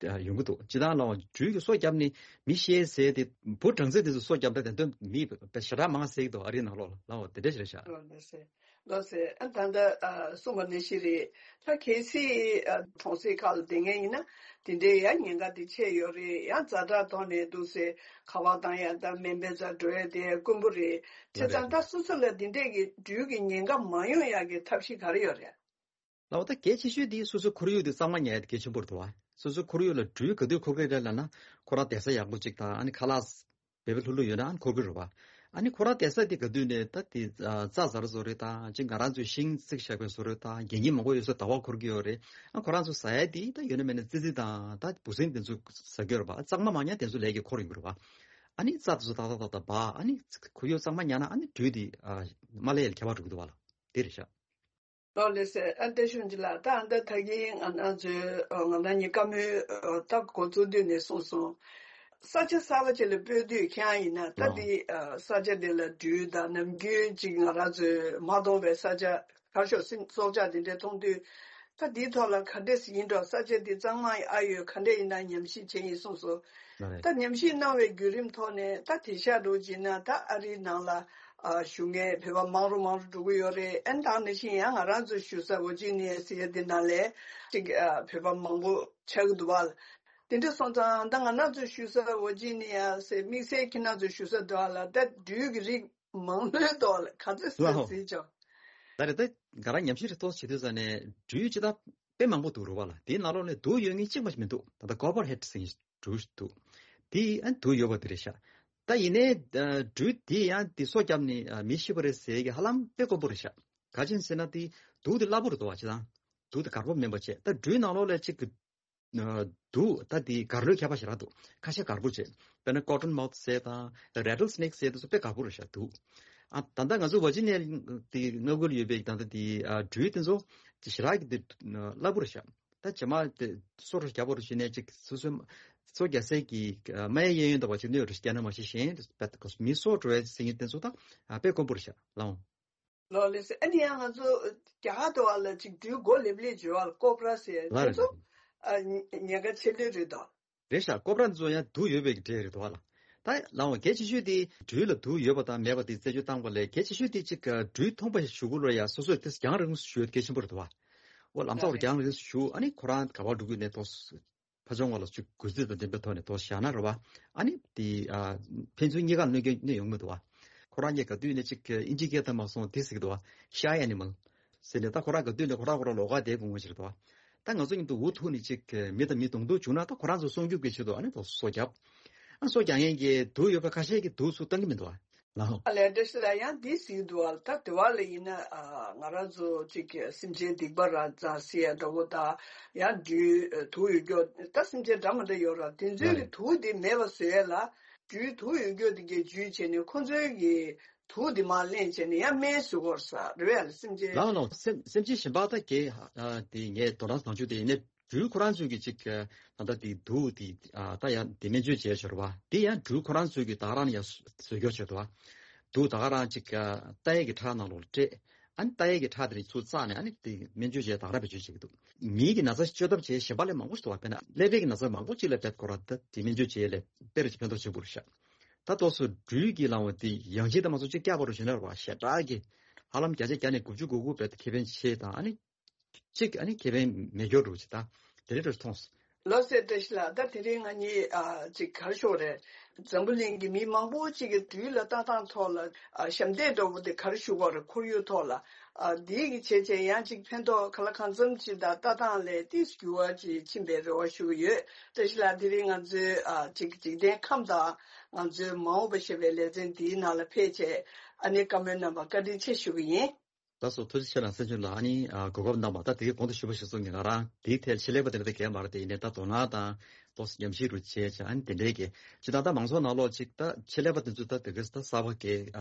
ཡོང་གི་འདུག་སྤྱི་བཏང་ལ་སྦྲུལ་གྱི་སོ་བརྒྱབ་ནས་མི་ཤི་ཟེར་དེ་བུ་སྦྲང་རྩི་དེ་ཚོ་སོ་བརྒྱབ་ད་དེ་དོན་མི་ཞེ་དྲག་མང་ཟེར་གི་འདུག་ཨ་རིའི་ནང་ལོགས་ལ་ལའོ་དེ་འདྲ་ཞིག་རེད་ཤག་ལགས་སེ། ལགས་སེ། ཨ་ད་ལྟ་ཨ་གསུངས་པ་ནང་བཞིན་རེད། ད་གལ་སྲིད་ཨ་གྲོང་གསེབ་ཁག་ལ་བསྡད་མཁན་ཡིན་ན་དེ་འདྲའི་ཡང་ཉེན་ཁ་དེ་ཆེ་ཡོད་རེད། ཡང་ཛ་དྲག་ཐོག་ནས་འདུག་སེ་ཁ་པར་བཏང་ཡ་དང་སྨན་པའི་རྩར་འགྲོ་ཡ་དེ་དཀོན་པོ་རེད། བྱས་ཙང་ད་སོ་སོ་ལ་དེ་འདྲས་ཀྱི་སྦྲུལ་གྱི་ཉེན་ཁ་མ་ཡོང་ཡག་གི་ཐབས་ཤེས་ག་རེ་ཡོད་རེད། ལའོ་ད་གལ་ཆེ་ཤོས་དེ་སོ་སོའི་ཁོར་ཡུག་དེ་གཙང་མ་ཉར་ཡ་དེ་གལ་ཆེན་པོ་རེད་དོ། སོ་སོའི་ཁོར་ཡུག་ལ་སྦྲུལ་ག་དུས་འཁོར་གི་རེད་ལབ་ན་ཁོ་རང་བསྡད་ས་ཡག་པོ་ཅིག་དང་ཨ་ནི་ཁ་ལག་བེ་བེ་ལྷུག་ལྷུག་ཡོད་ན་ཨ་ནི་འཁོར་གི་རེད་བ། ཨ་ནི་ཁོ་རང་བསྡད་ས་དེ་ག་དུས་ནས་ད་དེ་རྩྭ་ཟ་ར་བཟོ་རེད་དང་ཅིག་ང་རང་ཚོའི་ཤིང་བརྩིགས་བཞག་པའི་བཟོ་རེད་དང་རྒྱལ་ཉིན་མང་པོ་ཡོད་ས་ཟླ་བ་འཁོར་གི་ཡོད་རེད། ཨ་ཁོ་རང་ཚོ་ཟ་ཡ་དེ་ད་ཡོད་ན་མེད་ན་ཙི་ཙི་དང་ད་འབུ་སྲིན་དེ་ཚོ་ཟ་གི་ཡོད་རེད་བ། གཙང་མ་མ་ཉར་དེ་ཚོ་ལས་ཀྱི་འཁོར་ཡོང་གི་རེད་བ། ཨ་ནི་རྩྭ་དེ་ཚོ་ཏག་ཏག་ཏག་ཏག་འབག་ཨ་ནི་ཁོར་ཡུག་གཙང་མ་ཉར་ན་ཨ་ནི་སྦྲུལ་དེ་མ་སླེབས་ཡ་ལ་ཁྱད་པར་འགྲོ་གི་འདུག་བ་ལ་དེ་རེད་ཤག་ལགས་ལགས་སེ། ཨ་བཀྲ་ཤིས་ལགས། ད་ཨ་ད་ད་གིན་ང་རང་ཚོའི་ང་རང་གཉིས་བཀའ་མོལ་ད་འགོ་བཙུགས་དུས་ནས་གསུངས་སོང་། ས་ཆ་གསར་པ་ཅིག་ལ་སྤོས་དུས་ཁྱེད་རང་ཡིན་ན་ད་འདི་ས་ཆ་འདི་ལ་སྦྲུལ་དང་ནམ་རྒྱུན་ཅིག་ང་རང་ཚོའི་མ་མཐོང་བའི་ས་ཆ་གར་ཤོག་སྲིན་སྲོག་ཆགས་འདི་འདྲ་མཐོང་དུས་ད་འདིའི་ཐོག་ལ་ག་འདྲས་ཡིན་འགྲོ། ས་ཆ་འདི་གཙང་མ་ཨ་ཡོད་ག་འདྲས་ཡིན་ན་ཉམས་ཞིབ་བྱས་ཡིན་གསུངས་སོང་། ད་ཉམས་ཞིབ་གནང་བའི་བརྒྱུད་རིམ་ཐོག་ནས་ད་དེང་སང་འདྲ་བོ་བྱས་ན་ད་ཨ་རིའི་ནང་ལ། ཨ་བཞུགས་མཁན་བོད་པ་མང་རུ་མང་རུ་འགྲོ་གི་ཡོད་རེད། ཨ་ནི་ད་ནང་བཞིན་ཡང་ང་རང་ཚོ་བཞུགས་ས་ཝར་ཇི་ནི་ཡ་ཟེར་ཡ་དེ་ནང་ལ་ཅིག་ཨ་བོད་པ་མང་པོ་ཆགས་ཀྱི་འདུག་བ། དེ་འདྲ་སོང་ཙང་ད་ང་རང་ཚོ་བཞུགས་ས་ཝར་ཇི་ནི་ཡ་ཟེར་དམིགས་བསལ་ཁྱེད་རང་ཚོ་བཞུགས་ས་འདྲ་བ་ལ་ད་སྦྲུལ་གྱི་རིགས་མང་པོའི་ཐོག་ལ་ག་ཚོད་ཟེར་ལའོ་ཟེར་ཅོག་ད་རེད་ད་ང་རང་ཉམས་ཞིབ་རེ་ཏོག་བྱེད་དུས་ཙ་ནས་སྦྲུལ་ཅི་ད་དཔེ་མང་པོ་འདུག་རུ་བ་ལ་དེའི་ནང་ལོགས་ནས་དུག་ཡོད་མཁན་གཅིག་མ་ཞིག་མི་འདུག་ད་ལྟ་ཀོ་པར་ཧེད་ཟེར་མཁན་ཞིག་འདུག་འདུག་དེ་ཨ་དུག་ཡོད་པ་དེ་རེད་ཤག་ད་ཡིན་ནའི་ཨ་སྦྲུལ་དེ་ཡང་དེ་སོ་བརྒྱབ་ནས་ཨ་མི་ཤི་བ་རེད་ཟེར་གི་ཧ་ལམ་དཔེ་དཀོན་པོ་རེད་ཤག་ག་ཅི་ཡིན་ཟེར་ན་དེ་དུག་དེ་སླ་པོ་རེད་འདུག་བ་ཅི་དང་དུག་དེ་དཀར་པོ་མིན་པ་བྱས་ད་སྦྲུལ་ནང་ལོགས་ལ་གཅིག་གི་ཨ་དུག་ད་དེ་གར་ལོས་ཁྱད་པར་ཞེ་དྲག་འདུག་ཁ་ཤས་དཀར་པོ་བྱས་དཔེར་ན་ཀོ་ཊོན་མའུ་ཐི་ཟེར་དང་རེ་ཊལ་སི་ནེག་ཟེར་དེ་ཚོ་དཔེ་དཀར་པོ་རེད་ཤག་དུག་ཨ་ད་ལྟ་ང་ཚོ་ཝར་ཇི་ནི་ཡ་དེ་མངའ་ཁུལ་ཡོད་པའི་ད་ལྟ་དེ་ཨ་སྦྲུལ་དེ་ཚོ་དེ་ཞེ་དྲག་གི་དེ་སླ་པོ་རེད་ཤག་ད་ཇེ་མ་དེ་སོ་རུ་རྒྱབ་པར་ཞུས་ནས་ཅིག་སོ་སོའི་སོ་རྒྱག་སའི་གི་སྨན་གཡས་གཡོན་དང་བ་ཅིག་གནོད་རུ་རྒྱག་ན་མ་ཤེས་གཞན་མི་སོ་འགྲོ་བའི་སེང་གེ་དེ་ཚོ་ད་དཔེ་དཀོན་པོ་རེད་ཤག་ལའོ། ལོ་ལེ་སེ་ཨ་ནི་ཡང་ང་ཚོ་རྒྱ་གར་དུ་བ་ལ་ཅིག་སྦྲུལ་མགོ་ལེབ་ལེབ་བྱེད་བ་ལ་ཀོབ་ར་ཟེར་དེ་ཚོ་ཉེན་ཁ་ཆེ་ལོས་རེད་དོ། རེད་ཤག་ཀོབ་ར་འདི་ཚོ་ཡང་དུག་ཡོད་པའི་གི་འདྲེ་རེད་དོ་བ་ལ། ད་ལའོ་གལ་ཆེ་ཤོས་དེ་སྦྲུལ་ལ་དུག་ཡོད་པ་དང་མེད་པ་དེ་རྩད་གཅོད་བཏང་པ་ལས་གལ་ཆེ་ཤོས་དེ་ཅིག་སྦྲུལ་མཐོང་པ་ཞིག་ཞུ་གུ་ལ་ཡ་སོ་སོས་དེ་རྒྱང་རིང་ཞུ་གལ་ཆེན་པོ་རེད་དོ་བ། འོ་ལམ་སང་རྒྱང་རིང་ཞུ་ཨ་ནི་ཁོ་རང་ག་པར་འགྲོ་གི་ཡོད་ནས་ཏོག་ཕ་ཆུང་བ་ལ་ཅིག་གུས་བརྩི་དང་ལྡན་པའི་ཐོག་ནས་ཏོག་བཞག་ན་རེད་བ། ཨ་ནི་དེ་ཕན་ཚུན་གཉིས་ཀ་གནོད་སྐྱོན་གནོད་ཡོང་མི་འདུག་བ། ཁོ་རང་གཉིས་ག་དུས་ནས་ཅིག་ཨིན་ཇི་སྐད་དུ་མ་སོང་དེ་ཟེར་གི་འདུག་བ། ཤའི་ཨེ་ནི་མལ། ཟེར་ནས་ད་ཁོ་རང་གི་མདུན་ནས་ཁོ་རང་ཁོ་རང་ལོགས་ཀ་བསྡད་དགོས་ངོ་ཞིག་རེད་དོ། ད་ང་ཚོ་མཉམ་དུ་འུ་ཐུག་ནས་ཅིག་མི་དང་མི་གདོང་ཐུག་བྱུང་ན་ད་ཁོ་རང་ཚོ་སྲུང་སྐྱོབ་ཀྱི་ཆེད་དུ་ཨ་ནི་ད་སོ་བརྒྱབ། ཨ་སོ་རྒྱག་མཁན་གྱི་དུག་ཡོད་པ་ཁ་ཤས་ཀྱིས་དུག་ཚུར་བཏང་གི་མི་འདུག་ཨ། ལའོ། ཨ་ལས་བཀྲ་ཤིས་ལགས་ཡང་འདི་ཟེར་གྱི་འདུག་ཨ། ད་དེ་བ་ལ་ཡིན་ན་ཨ་ང་རང་ཚོ་ཅིག་སེམས་ཅན་སྡིག་པ་ར་ཙང་ཟེར་ཡ་འདྲ་བོ་དང་ཡང་སྦྲུལ་དུག་ཡོད་རྒྱུ་ད་སེམས་ཅན་འདྲ་མི་འདྲ་ཡོད་ར། དེ་ཚོའི་གི་དུག་དེ་མེད་པ་བཟོ་ཡ་ལ་སྦྲུལ་དུག་ཡོད་རྒྱུ་དེ་གའི་འཇུས་བྱས་ནས་ཁོ་ཚོའི་གི་དུག་དེ་མར་ལེན་བྱས་ནས་ཡང་སྨན་བཟོ་དགོས་ས་རེད་ཡ་ལ་སེམས་ཅན། ལའོ་ལའོ། སེམས་སེམས་ཅན་གཞན་པ་ད་གའི་ཨ་དེ་ངས་དོ་སྣང་བཏང་རྒྱུ་དེ་ཡིན་ནའི། སྦྲུལ་ཁོ་རང་ཚོས་ཀྱི་ཅིག་ཨ་ད་ལྟ་དེ་དུག་དེ་ཨ་ད་ཡང་དེ་སྨན་བཅོས་བྱས་ཤོར་བ་དེ་ཡང་སྦྲུལ་ཁོ་རང་ཚོས་ཀྱི་ད་རང་ཡང་བཟོས་སྐྱོར་བྱས་འདུག་བ། དུག་ད་ག་རང་ཅིག་ཨ་ཏ་ཡའི་གི་ཁྲག་ནང་ལོགས་ལ་སྤྲད། ཨ་ནི་ཏ་ཡའི་གི་ཁྲག་དེ་རིགས་ཚུར་བཙགས་ནས་ཨ་ནི་དེ་སྨན་བཅོས་བྱས་ད་ག་རང་བེད་སྤྱོད་བྱེད་ཀྱི་འདུག་མིའི་གི་ན་ཚ་བཅོས་ཐབས་བྱས་གཞན་པ་ལས་མང་པོ་ཞིག་འདུག་བ། དཔེར་ན་ཀླད་པའི་གི་ན་ཚ་མང་པོ་ཅིག་ལ་བེད་ཁོ་རང་ད་དེ་སྨན་བཅོས་བྱས་ལས་དཔེ་རུ་ཅིག་ཕན་ཐོགས་བྱེད་དགོས་རེད་ཤག་ད་ཏོག་སོ་སྦྲུལ་གྱི་ལང་བ་དེ་ཡང་ཅིག་ད་མ་སོང་ཅིག་སྐྱག་པ་རུ་བྱས་ན་ར་བ་ཞེ་དྲག་གི་ཧ་ལམ་བརྒྱ་ཆ་བརྒྱ་ནས་དགུ་བཅུ་གོ་དགུ་བེད་ཁེ་ཕན་ཆེ་དང་ཨ་ནི། གཅིག་ཨ་ནི་ཁེ་ཕན་མེད་སྐྱོར་འགྲོ་ཅིག་ད་དེ་རེད་འགྲོ་མཐོང་སོང་། ལགས་སོ་བཀྲ་ཤིས་ལགས། ད་དེ་རིང་ང་གཉིས་ཨ་ཅིག་ག་རེ་ཞུ་དགོས་རེད། འཛམ་བུ་གླིང་གི་མི་མང་པོ་ཅིག་གི་སྦྲུལ་ལ་ལྟ་སྟངས་ཐོག་ལ་ཨ་ཞབས་འདེགས་འདྲ་བོ་དེ་ག་རེ་ཞུ་དགོས་རེད། ཁོར་ཡུག་ཐོག་ལ་ཨ་འདིའི་གི་བྱས་བྱས་ཡང་ཅིག་ཕན་ཐོགས་ག་ལ་གང་འཚམ་ཅིག་དང་ལྟ་སྟངས་ལས་ཏིས་འགྱུར་བ་ཅིག་ཕྱིན་པའི་རེ་བ་ཞུ་གི་ཡོད། བཀྲ་ཤིས་ལགས་དེ་རིང་ང་ཚོའི་ཨ་ཅིག་འཇིག་རྟེན་ཁམས་དང་ང་ཚོའི་མ་འོངས་པ་ཞེས་པའི་ལེ་ཚན་འདིའི་ནང་ལ་ཕེབས་བྱས་ཨ་ནེ་བཀའ་མོལ་གནང་བར་བཀའ་དྲིན་ཆེ་ཞུ་གི་ཡིན། ད་སོ་ཐུགས་རྗེ་ཆེ་ལ་སེམས་ཆུང་ལ་ཨ་ནི་གོ་སྐབས་གནང་བ་ད་དེ་གའི་གོང་དུ་ཞུས་པ་ཞིག་སོང་ངས་ང་རང་དེའི་ཐད་ཆེད་ལས་པ་དེ་འདྲ་དེ་གས་མ་རེད་དེ་ཡིན་ནའི་ད་དོ་སྣང་དང་ཏོག་ཙམ་ཉམས་ཞིབ་རུ་བྱས་བྱས་ཨ་ནི་དེ་འདྲའི་གི་ཅི་ད་ལྟ་མང་ཚོགས་ནང་ལོགས་ཅིག་ད་ཆེད་ལས་པ་དེ་ཚོ་ད་དེ་གས་ད་གསར་པ་གས་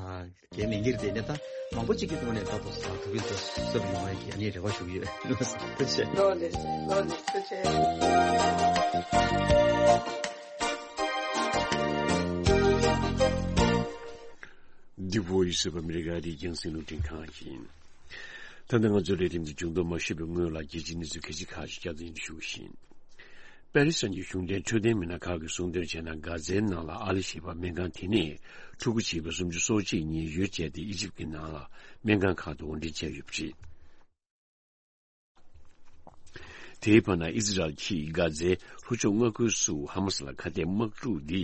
གས་མི་འགྱུར་དེ་ནས་ད་མང་པོ་ཅིག་གི་ཐོག་ནས་ད་ཏོག་ཙམ་ཐུགས་ཕན་ཚོགས་སོབ་ཡོང་བ་གི་ཨ་ནི་རེ་བ་ཞུ་གི་ཡོད། ཐུགས་རྗེ་ཆེ། ལོ་ལེགས་ལོ་ལེགས་ཐུགས་རྗེ་ཆེ། The Voice of America རིགས་རྒྱང་སྲིང་རླུང་འཕྲིན་ཁང་ཡིན། ད་ལྟ་ང་ཚོའི་ལས་རིམ་འདི་མཇུག་བསྡོམས་མ་ཞུས་པའི་སྔོན་ལ་རྒྱལ་སྤྱིའི་གནས་ཚུལ་ཁག་ཅིག་བསྐྱར་དུ་སྙན་སྒྲོན་ཞུ་བཞིན། པེ་རི་སི་གཞུང་འབྲེལ་འཕྲོད་བསྟེན་མི་སྣ་ཁག་གིས་གསུང་དོན་བྱས་ན། གྷ་ཛའི་ནང་ལ་ཨ་ལི་ཞེས་པ་སྨན་ཁང་དེ་ནས་ཕྲུ་གུ་བྱིས་པ་སུམ་ཅུ་སོ་གཅིག་གཉིས་གཡུལ་བྱས་ཏེ་ཨི་ཇིབ་ཀྱི་ནང་ལ་སྨན་ཁང་ཁག་ཏུ་དབོར་འདྲེན་བྱས་ཡོད་པ་རེད། དེའི་བར་ན་ཨི་ཟི་རལ་གྱིས་གྷ་ཛའི་ལྷོ་ཕྱོགས་མངའ་ཁུལ་སུ་ཧ་མ་སི་ལ་ཁ་གཏད་དམག་འཁྲུག་འདི་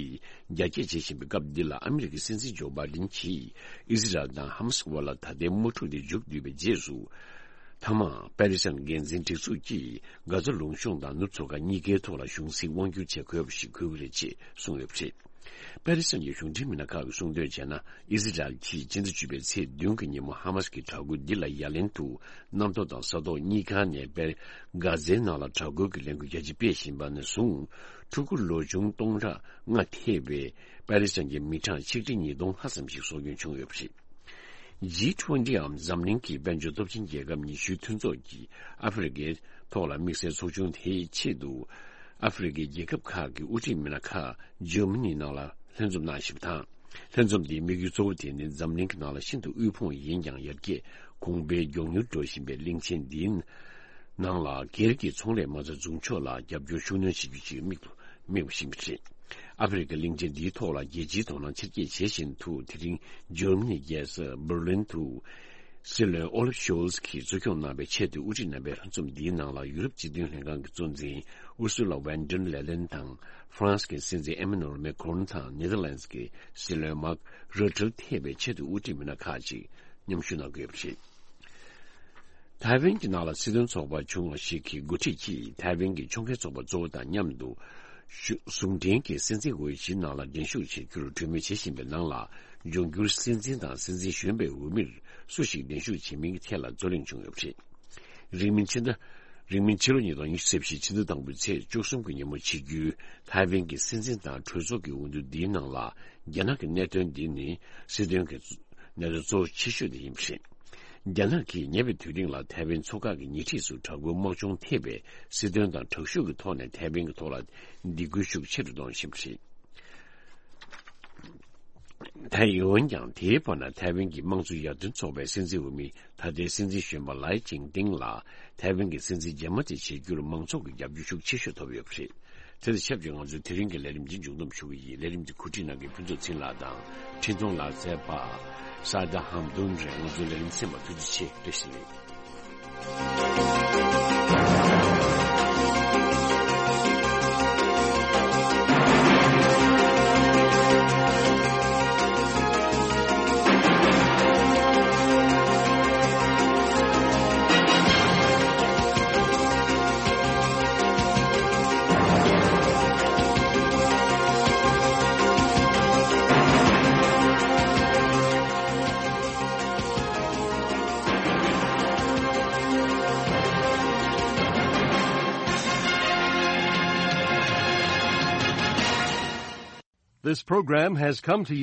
རྒྱ་སྐྱེད་བྱེད་བཞིན་པའི་སྐབས་འདི་ལ། ཨ་མི་རི་ཀའི་སྲིད་འཛིན་ཇོ་བྷའི་ཌེན་གྱིས་ཨི་ཟི་རལ་དང་ཧ་མ་སི་དབར་ལ་ད་ལྟའི་དམག་འཁྲུག་འདི་མཇུག་བསྡུས་པའི་རྗེས་སུ། མཐའ་མར་པེ་ལེ་སི་ཐན་འགན་འཛིན་སྒྲིག་འཛུགས་ཀྱིས་གྷ་ཛ་ལུང་གཤོང་དང་ནུབ་མཚོ་ཁ་གཉིས་ཀའི་ཐོག་ལ་གཞུང་སྲིད་དབང་བསྒྱུར་བྱེད་དགོས་པ་ཞིག་དགོས་ཀྱི་རེད་ཅེས་གསུངས་ཡོད་པ་རེད། པེ་ལེ་སི་ཐན་གྱི་གཞུང་འབྲེལ་མི་སྣ་ཁག་གིས་གསུངས་དོན་བྱས་ན། ཨི་ཟི་རལ་གྱིས་ཕྱི་ཟླ་བཅུ་པའི་ཚེས་བདུན་གྱི་ཉིན་མོ་ཧ་མ་སི་ཀྱི་དྲག་རྒོལ་འདི་ལ་ཡ་ལན་དུ། གནམ་ཐོག་དང་ས་ཐོག་གཉིས་ཀ་ནས་པེ་གྷ་ཛའི་ནང་ལ་དྲག་རྒོལ་གྱི་ལས་འགུལ་རྒྱ་ཆེ་སྤེལ་བཞིན་པ་ནས་བཟུང་། ཕྲུ་གུ་ལོ་ཆུང་སྟོང་ཕྲག་ལྔ་ཐེ་བའི་པེ་ལེ་སི་ཐན་གྱི་མི་གྲངས་ཆིག་ཁྲི་ཉིས་སྟོང་ལྷག་ཙམ་ཞིག་སྲོག་སྐྱོན་བྱུང་ཡོད་པ་རེད། ཇི་ཊུ་ཝེན་ཊི་འམ་འཛམ་གླིང་གི་དཔལ་འབྱོར་སྟོབས་ཆེན་རྒྱལ་ཁབ་ཉི་ཤུའི་མཐུན་ཚོགས་ཀྱིས་ཨ་ཧྥེ་རི་ཁའི་ཐོག་ལ་དམིགས་བསལ་ཚོགས་ཆུང་དེའི་ཆེད་དུ། ཨ་ཧྥེ་རི་ཁའི་རྒྱལ་ཁབ་ཁག་གི་དབུ་ཁྲིད་མི་སྣ་ཁག་འཇར་མ་ནི་ནང་ལ་ལྷན་འཛོམས་གནང་བཞིན་པ་དང་། ལྷན་འཛོམས་འདིའི་དམིགས་ཡུལ་གཙོ་བོ་དེ་ནི་འཛམ་གླིང་གི་ནང་ལ་ཤིན་ཏུ་དབུལ་ཕོངས་ཡིན་ཀྱང་། ཡར་རྒྱས་གོང་འཕེལ་མགྱོགས་མྱུར་འགྲོ་བཞིན་པའི་གླིང་ཆེན་འདིའི་ནང་ལ་སྒེར་གྱི་ཚོང་ལས་མ་རྩ་འཛུགས་ཕྱོགས་ལ་རྒྱབ་སྐྱོར་ཤུགས་སྣོན་བྱེད་རྒྱུ་ཅིག་དམིགས་དམིགས་པ་ཞིག་ཡིན་པ་རེད། ཨ་ཧྥེ་རི་ཁའི་གླིང་ཆེན་འདིའི་ཐོག་ལ་རྒྱལ་སྤྱིའི་དོ་སྣང་ཆེར་སྐྱེད་བྱེད་བཞིན་དུ། དེ་རིང་འཇར་མ་ནིའི་རྒྱལ་ས་འབར་ལིན་དུ་སྲིད་བློན་ཨོ་ལབ་ཤོལ་ཛ་གིས་གཙོ་སྐྱོང་གནང་བའི་ཆེས་མཐོའི་དབུ་ཁྲིད་རྣམ་པའི་ལྷན་འཛོམས་འདིའི་ནང་ལ། ཡུ་རོབ་སྤྱི་མཐུན་ལྷན་ཁང་གི་གཙོ་འཛིན་ཨུར་སུ་ལ་ཝན་ཌར་ལེ་ལེན་དང་། ཧྥ་རན་སི་གི་སྲིད་འཛིན་ཨེ་མ་ནུ་ཨེལ་མེ་ཁོ་རོན་དང་། ནེ་དར་ལན་སི་གི་སྲིད་བློན་མཱག་རུ་ཏེ་ཐེ་བའི་ཆེས་མཐོའི་དབུ་ཁྲིད་མི་སྣ་ཁག་ཅིག་མཉམ་ཞུགས་གནང་གི་ཡོད་པ་རེད། ཐའེ་ཝན་གྱི་ནང་ལ་སྲིད་དོན་ཚོགས་པ་ཆུང་བ་ཞིག་གི་འགོ་ཁྲིད་ཀྱིས་ཐའེ་ཝན་གྱི་ཕྱོགས་འགལ་ཚོགས་པ་གཙོ་བོ་དང་མཉམ་དུ་ཞུ་ཟུང་འབྲེལ་གྱི་སྲིད་འཛིན་འོས་གཞིའི་ནང་ལ་འགྲན་ཞུགས་བྱེད་རྒྱུར་གྲོས་མོལ་བྱེད་བཞིན་པའི་ནང་ལ། འབྱུང་འགྱུར་སྲིད་འཛིན་དང་སྲིད་འཛིན་གཞོན་པའི་འོས་མིར་སུ་ཞིག་འགྲན་ཞུགས་བྱེད་མིན་གྱི་ཐད་ལ་རྩོད་གླེང་བྱུང་ཡོད་པ་རེད། རིང་མིན་ཕྱི་ཟླ། རིང་མིན་ཕྱི་ལོ་ཉིས་སྟོང་ཉི་ཤུ་རྩ་བཞི་ཕྱི་ཟླ་དང་པོའི་ཚེས་བཅུ་གསུམ་གྱི་ཉིན་མོ་ཆིག་སྒྱུར་ཐའེ་ཝན་གྱི་སྲིད་འཛིན་དང་གྲོས་ཚོགས་ཀྱི་འོས་བསྡུ་འདིའི་ནང་ལ། རྒྱ་ནག་གི་གནད་དོན་འདི་ནི་སྲིད་དོན་གྱི་གནད་དོན་གཙོ་ཆེ་ཤོས་དེ་ཡིན་པ་རེད། རྒྱ་ནག་གིས་ཉེ་བའི་དུས་རིང་ལ་ཐའེ་ཝན་མཚོ་འགག་གི་ཉེ་འཁྲིས་སུ་དྲག་རྒོལ་དམག་སྦྱོང་ཐེབས་པའི་སྲིད་དོན་དང་དྲག་ཤུགས་ཀྱི་ཐོག་ནས་ཐའེ་ཝན་གྱི་ཐོག་ལ་སྡིགས་སྐུལ་ཤུགས་ཆེ་རུ་གཏོང་བཞིན་པ་རེད། ད་འོན་ཀྱང་དེའི་བར་ན་ཐའེ་ཝན་གྱི་དམངས་གཙོ་ཡར་ཐོན་ཚོགས་པའི་སྲིད་འཛིན་འོས་མི་ད་ལྟའི་སྲིད་འཛིན་གཞོན་པ་ལའེ་ཅིང་ཏིང་ལ་ཐའེ་ཝན་གྱི་སྲིད་འཛིན་རྗེས་མ་དེ་བྱེད་རྒྱུར་མང་ཚོགས་ཀྱི་རྒྱབ་སྐྱོར་ཤུགས་ཆེ་ཤོས་ཐོབ་ཡོད་པ་རེད། དེ་དང་ཆབས་ཅིག་ང་ཚོས་དེ་རིང་གི་ལས་རིམ་འདི་མཇུག་བསྡོམས་ཞུ་གི་ཡིན། ལས་རིམ་འདི་གོ་སྒྲིག་གནང་མཁན་ཕུན་ཚོགས་ཚེ་རིང་ལགས་དང་འཕྲིན་གཏོང་ལག་རྩལ་པ་ས་ད་ཧམ་དུན་རེད། ང་ཚོའི་ལས་རིམ་གསན་པར་ཐུགས་རྗེ་ཆེ། བཀྲ་ཤིས་བདེ་ལེགས། This program has come to you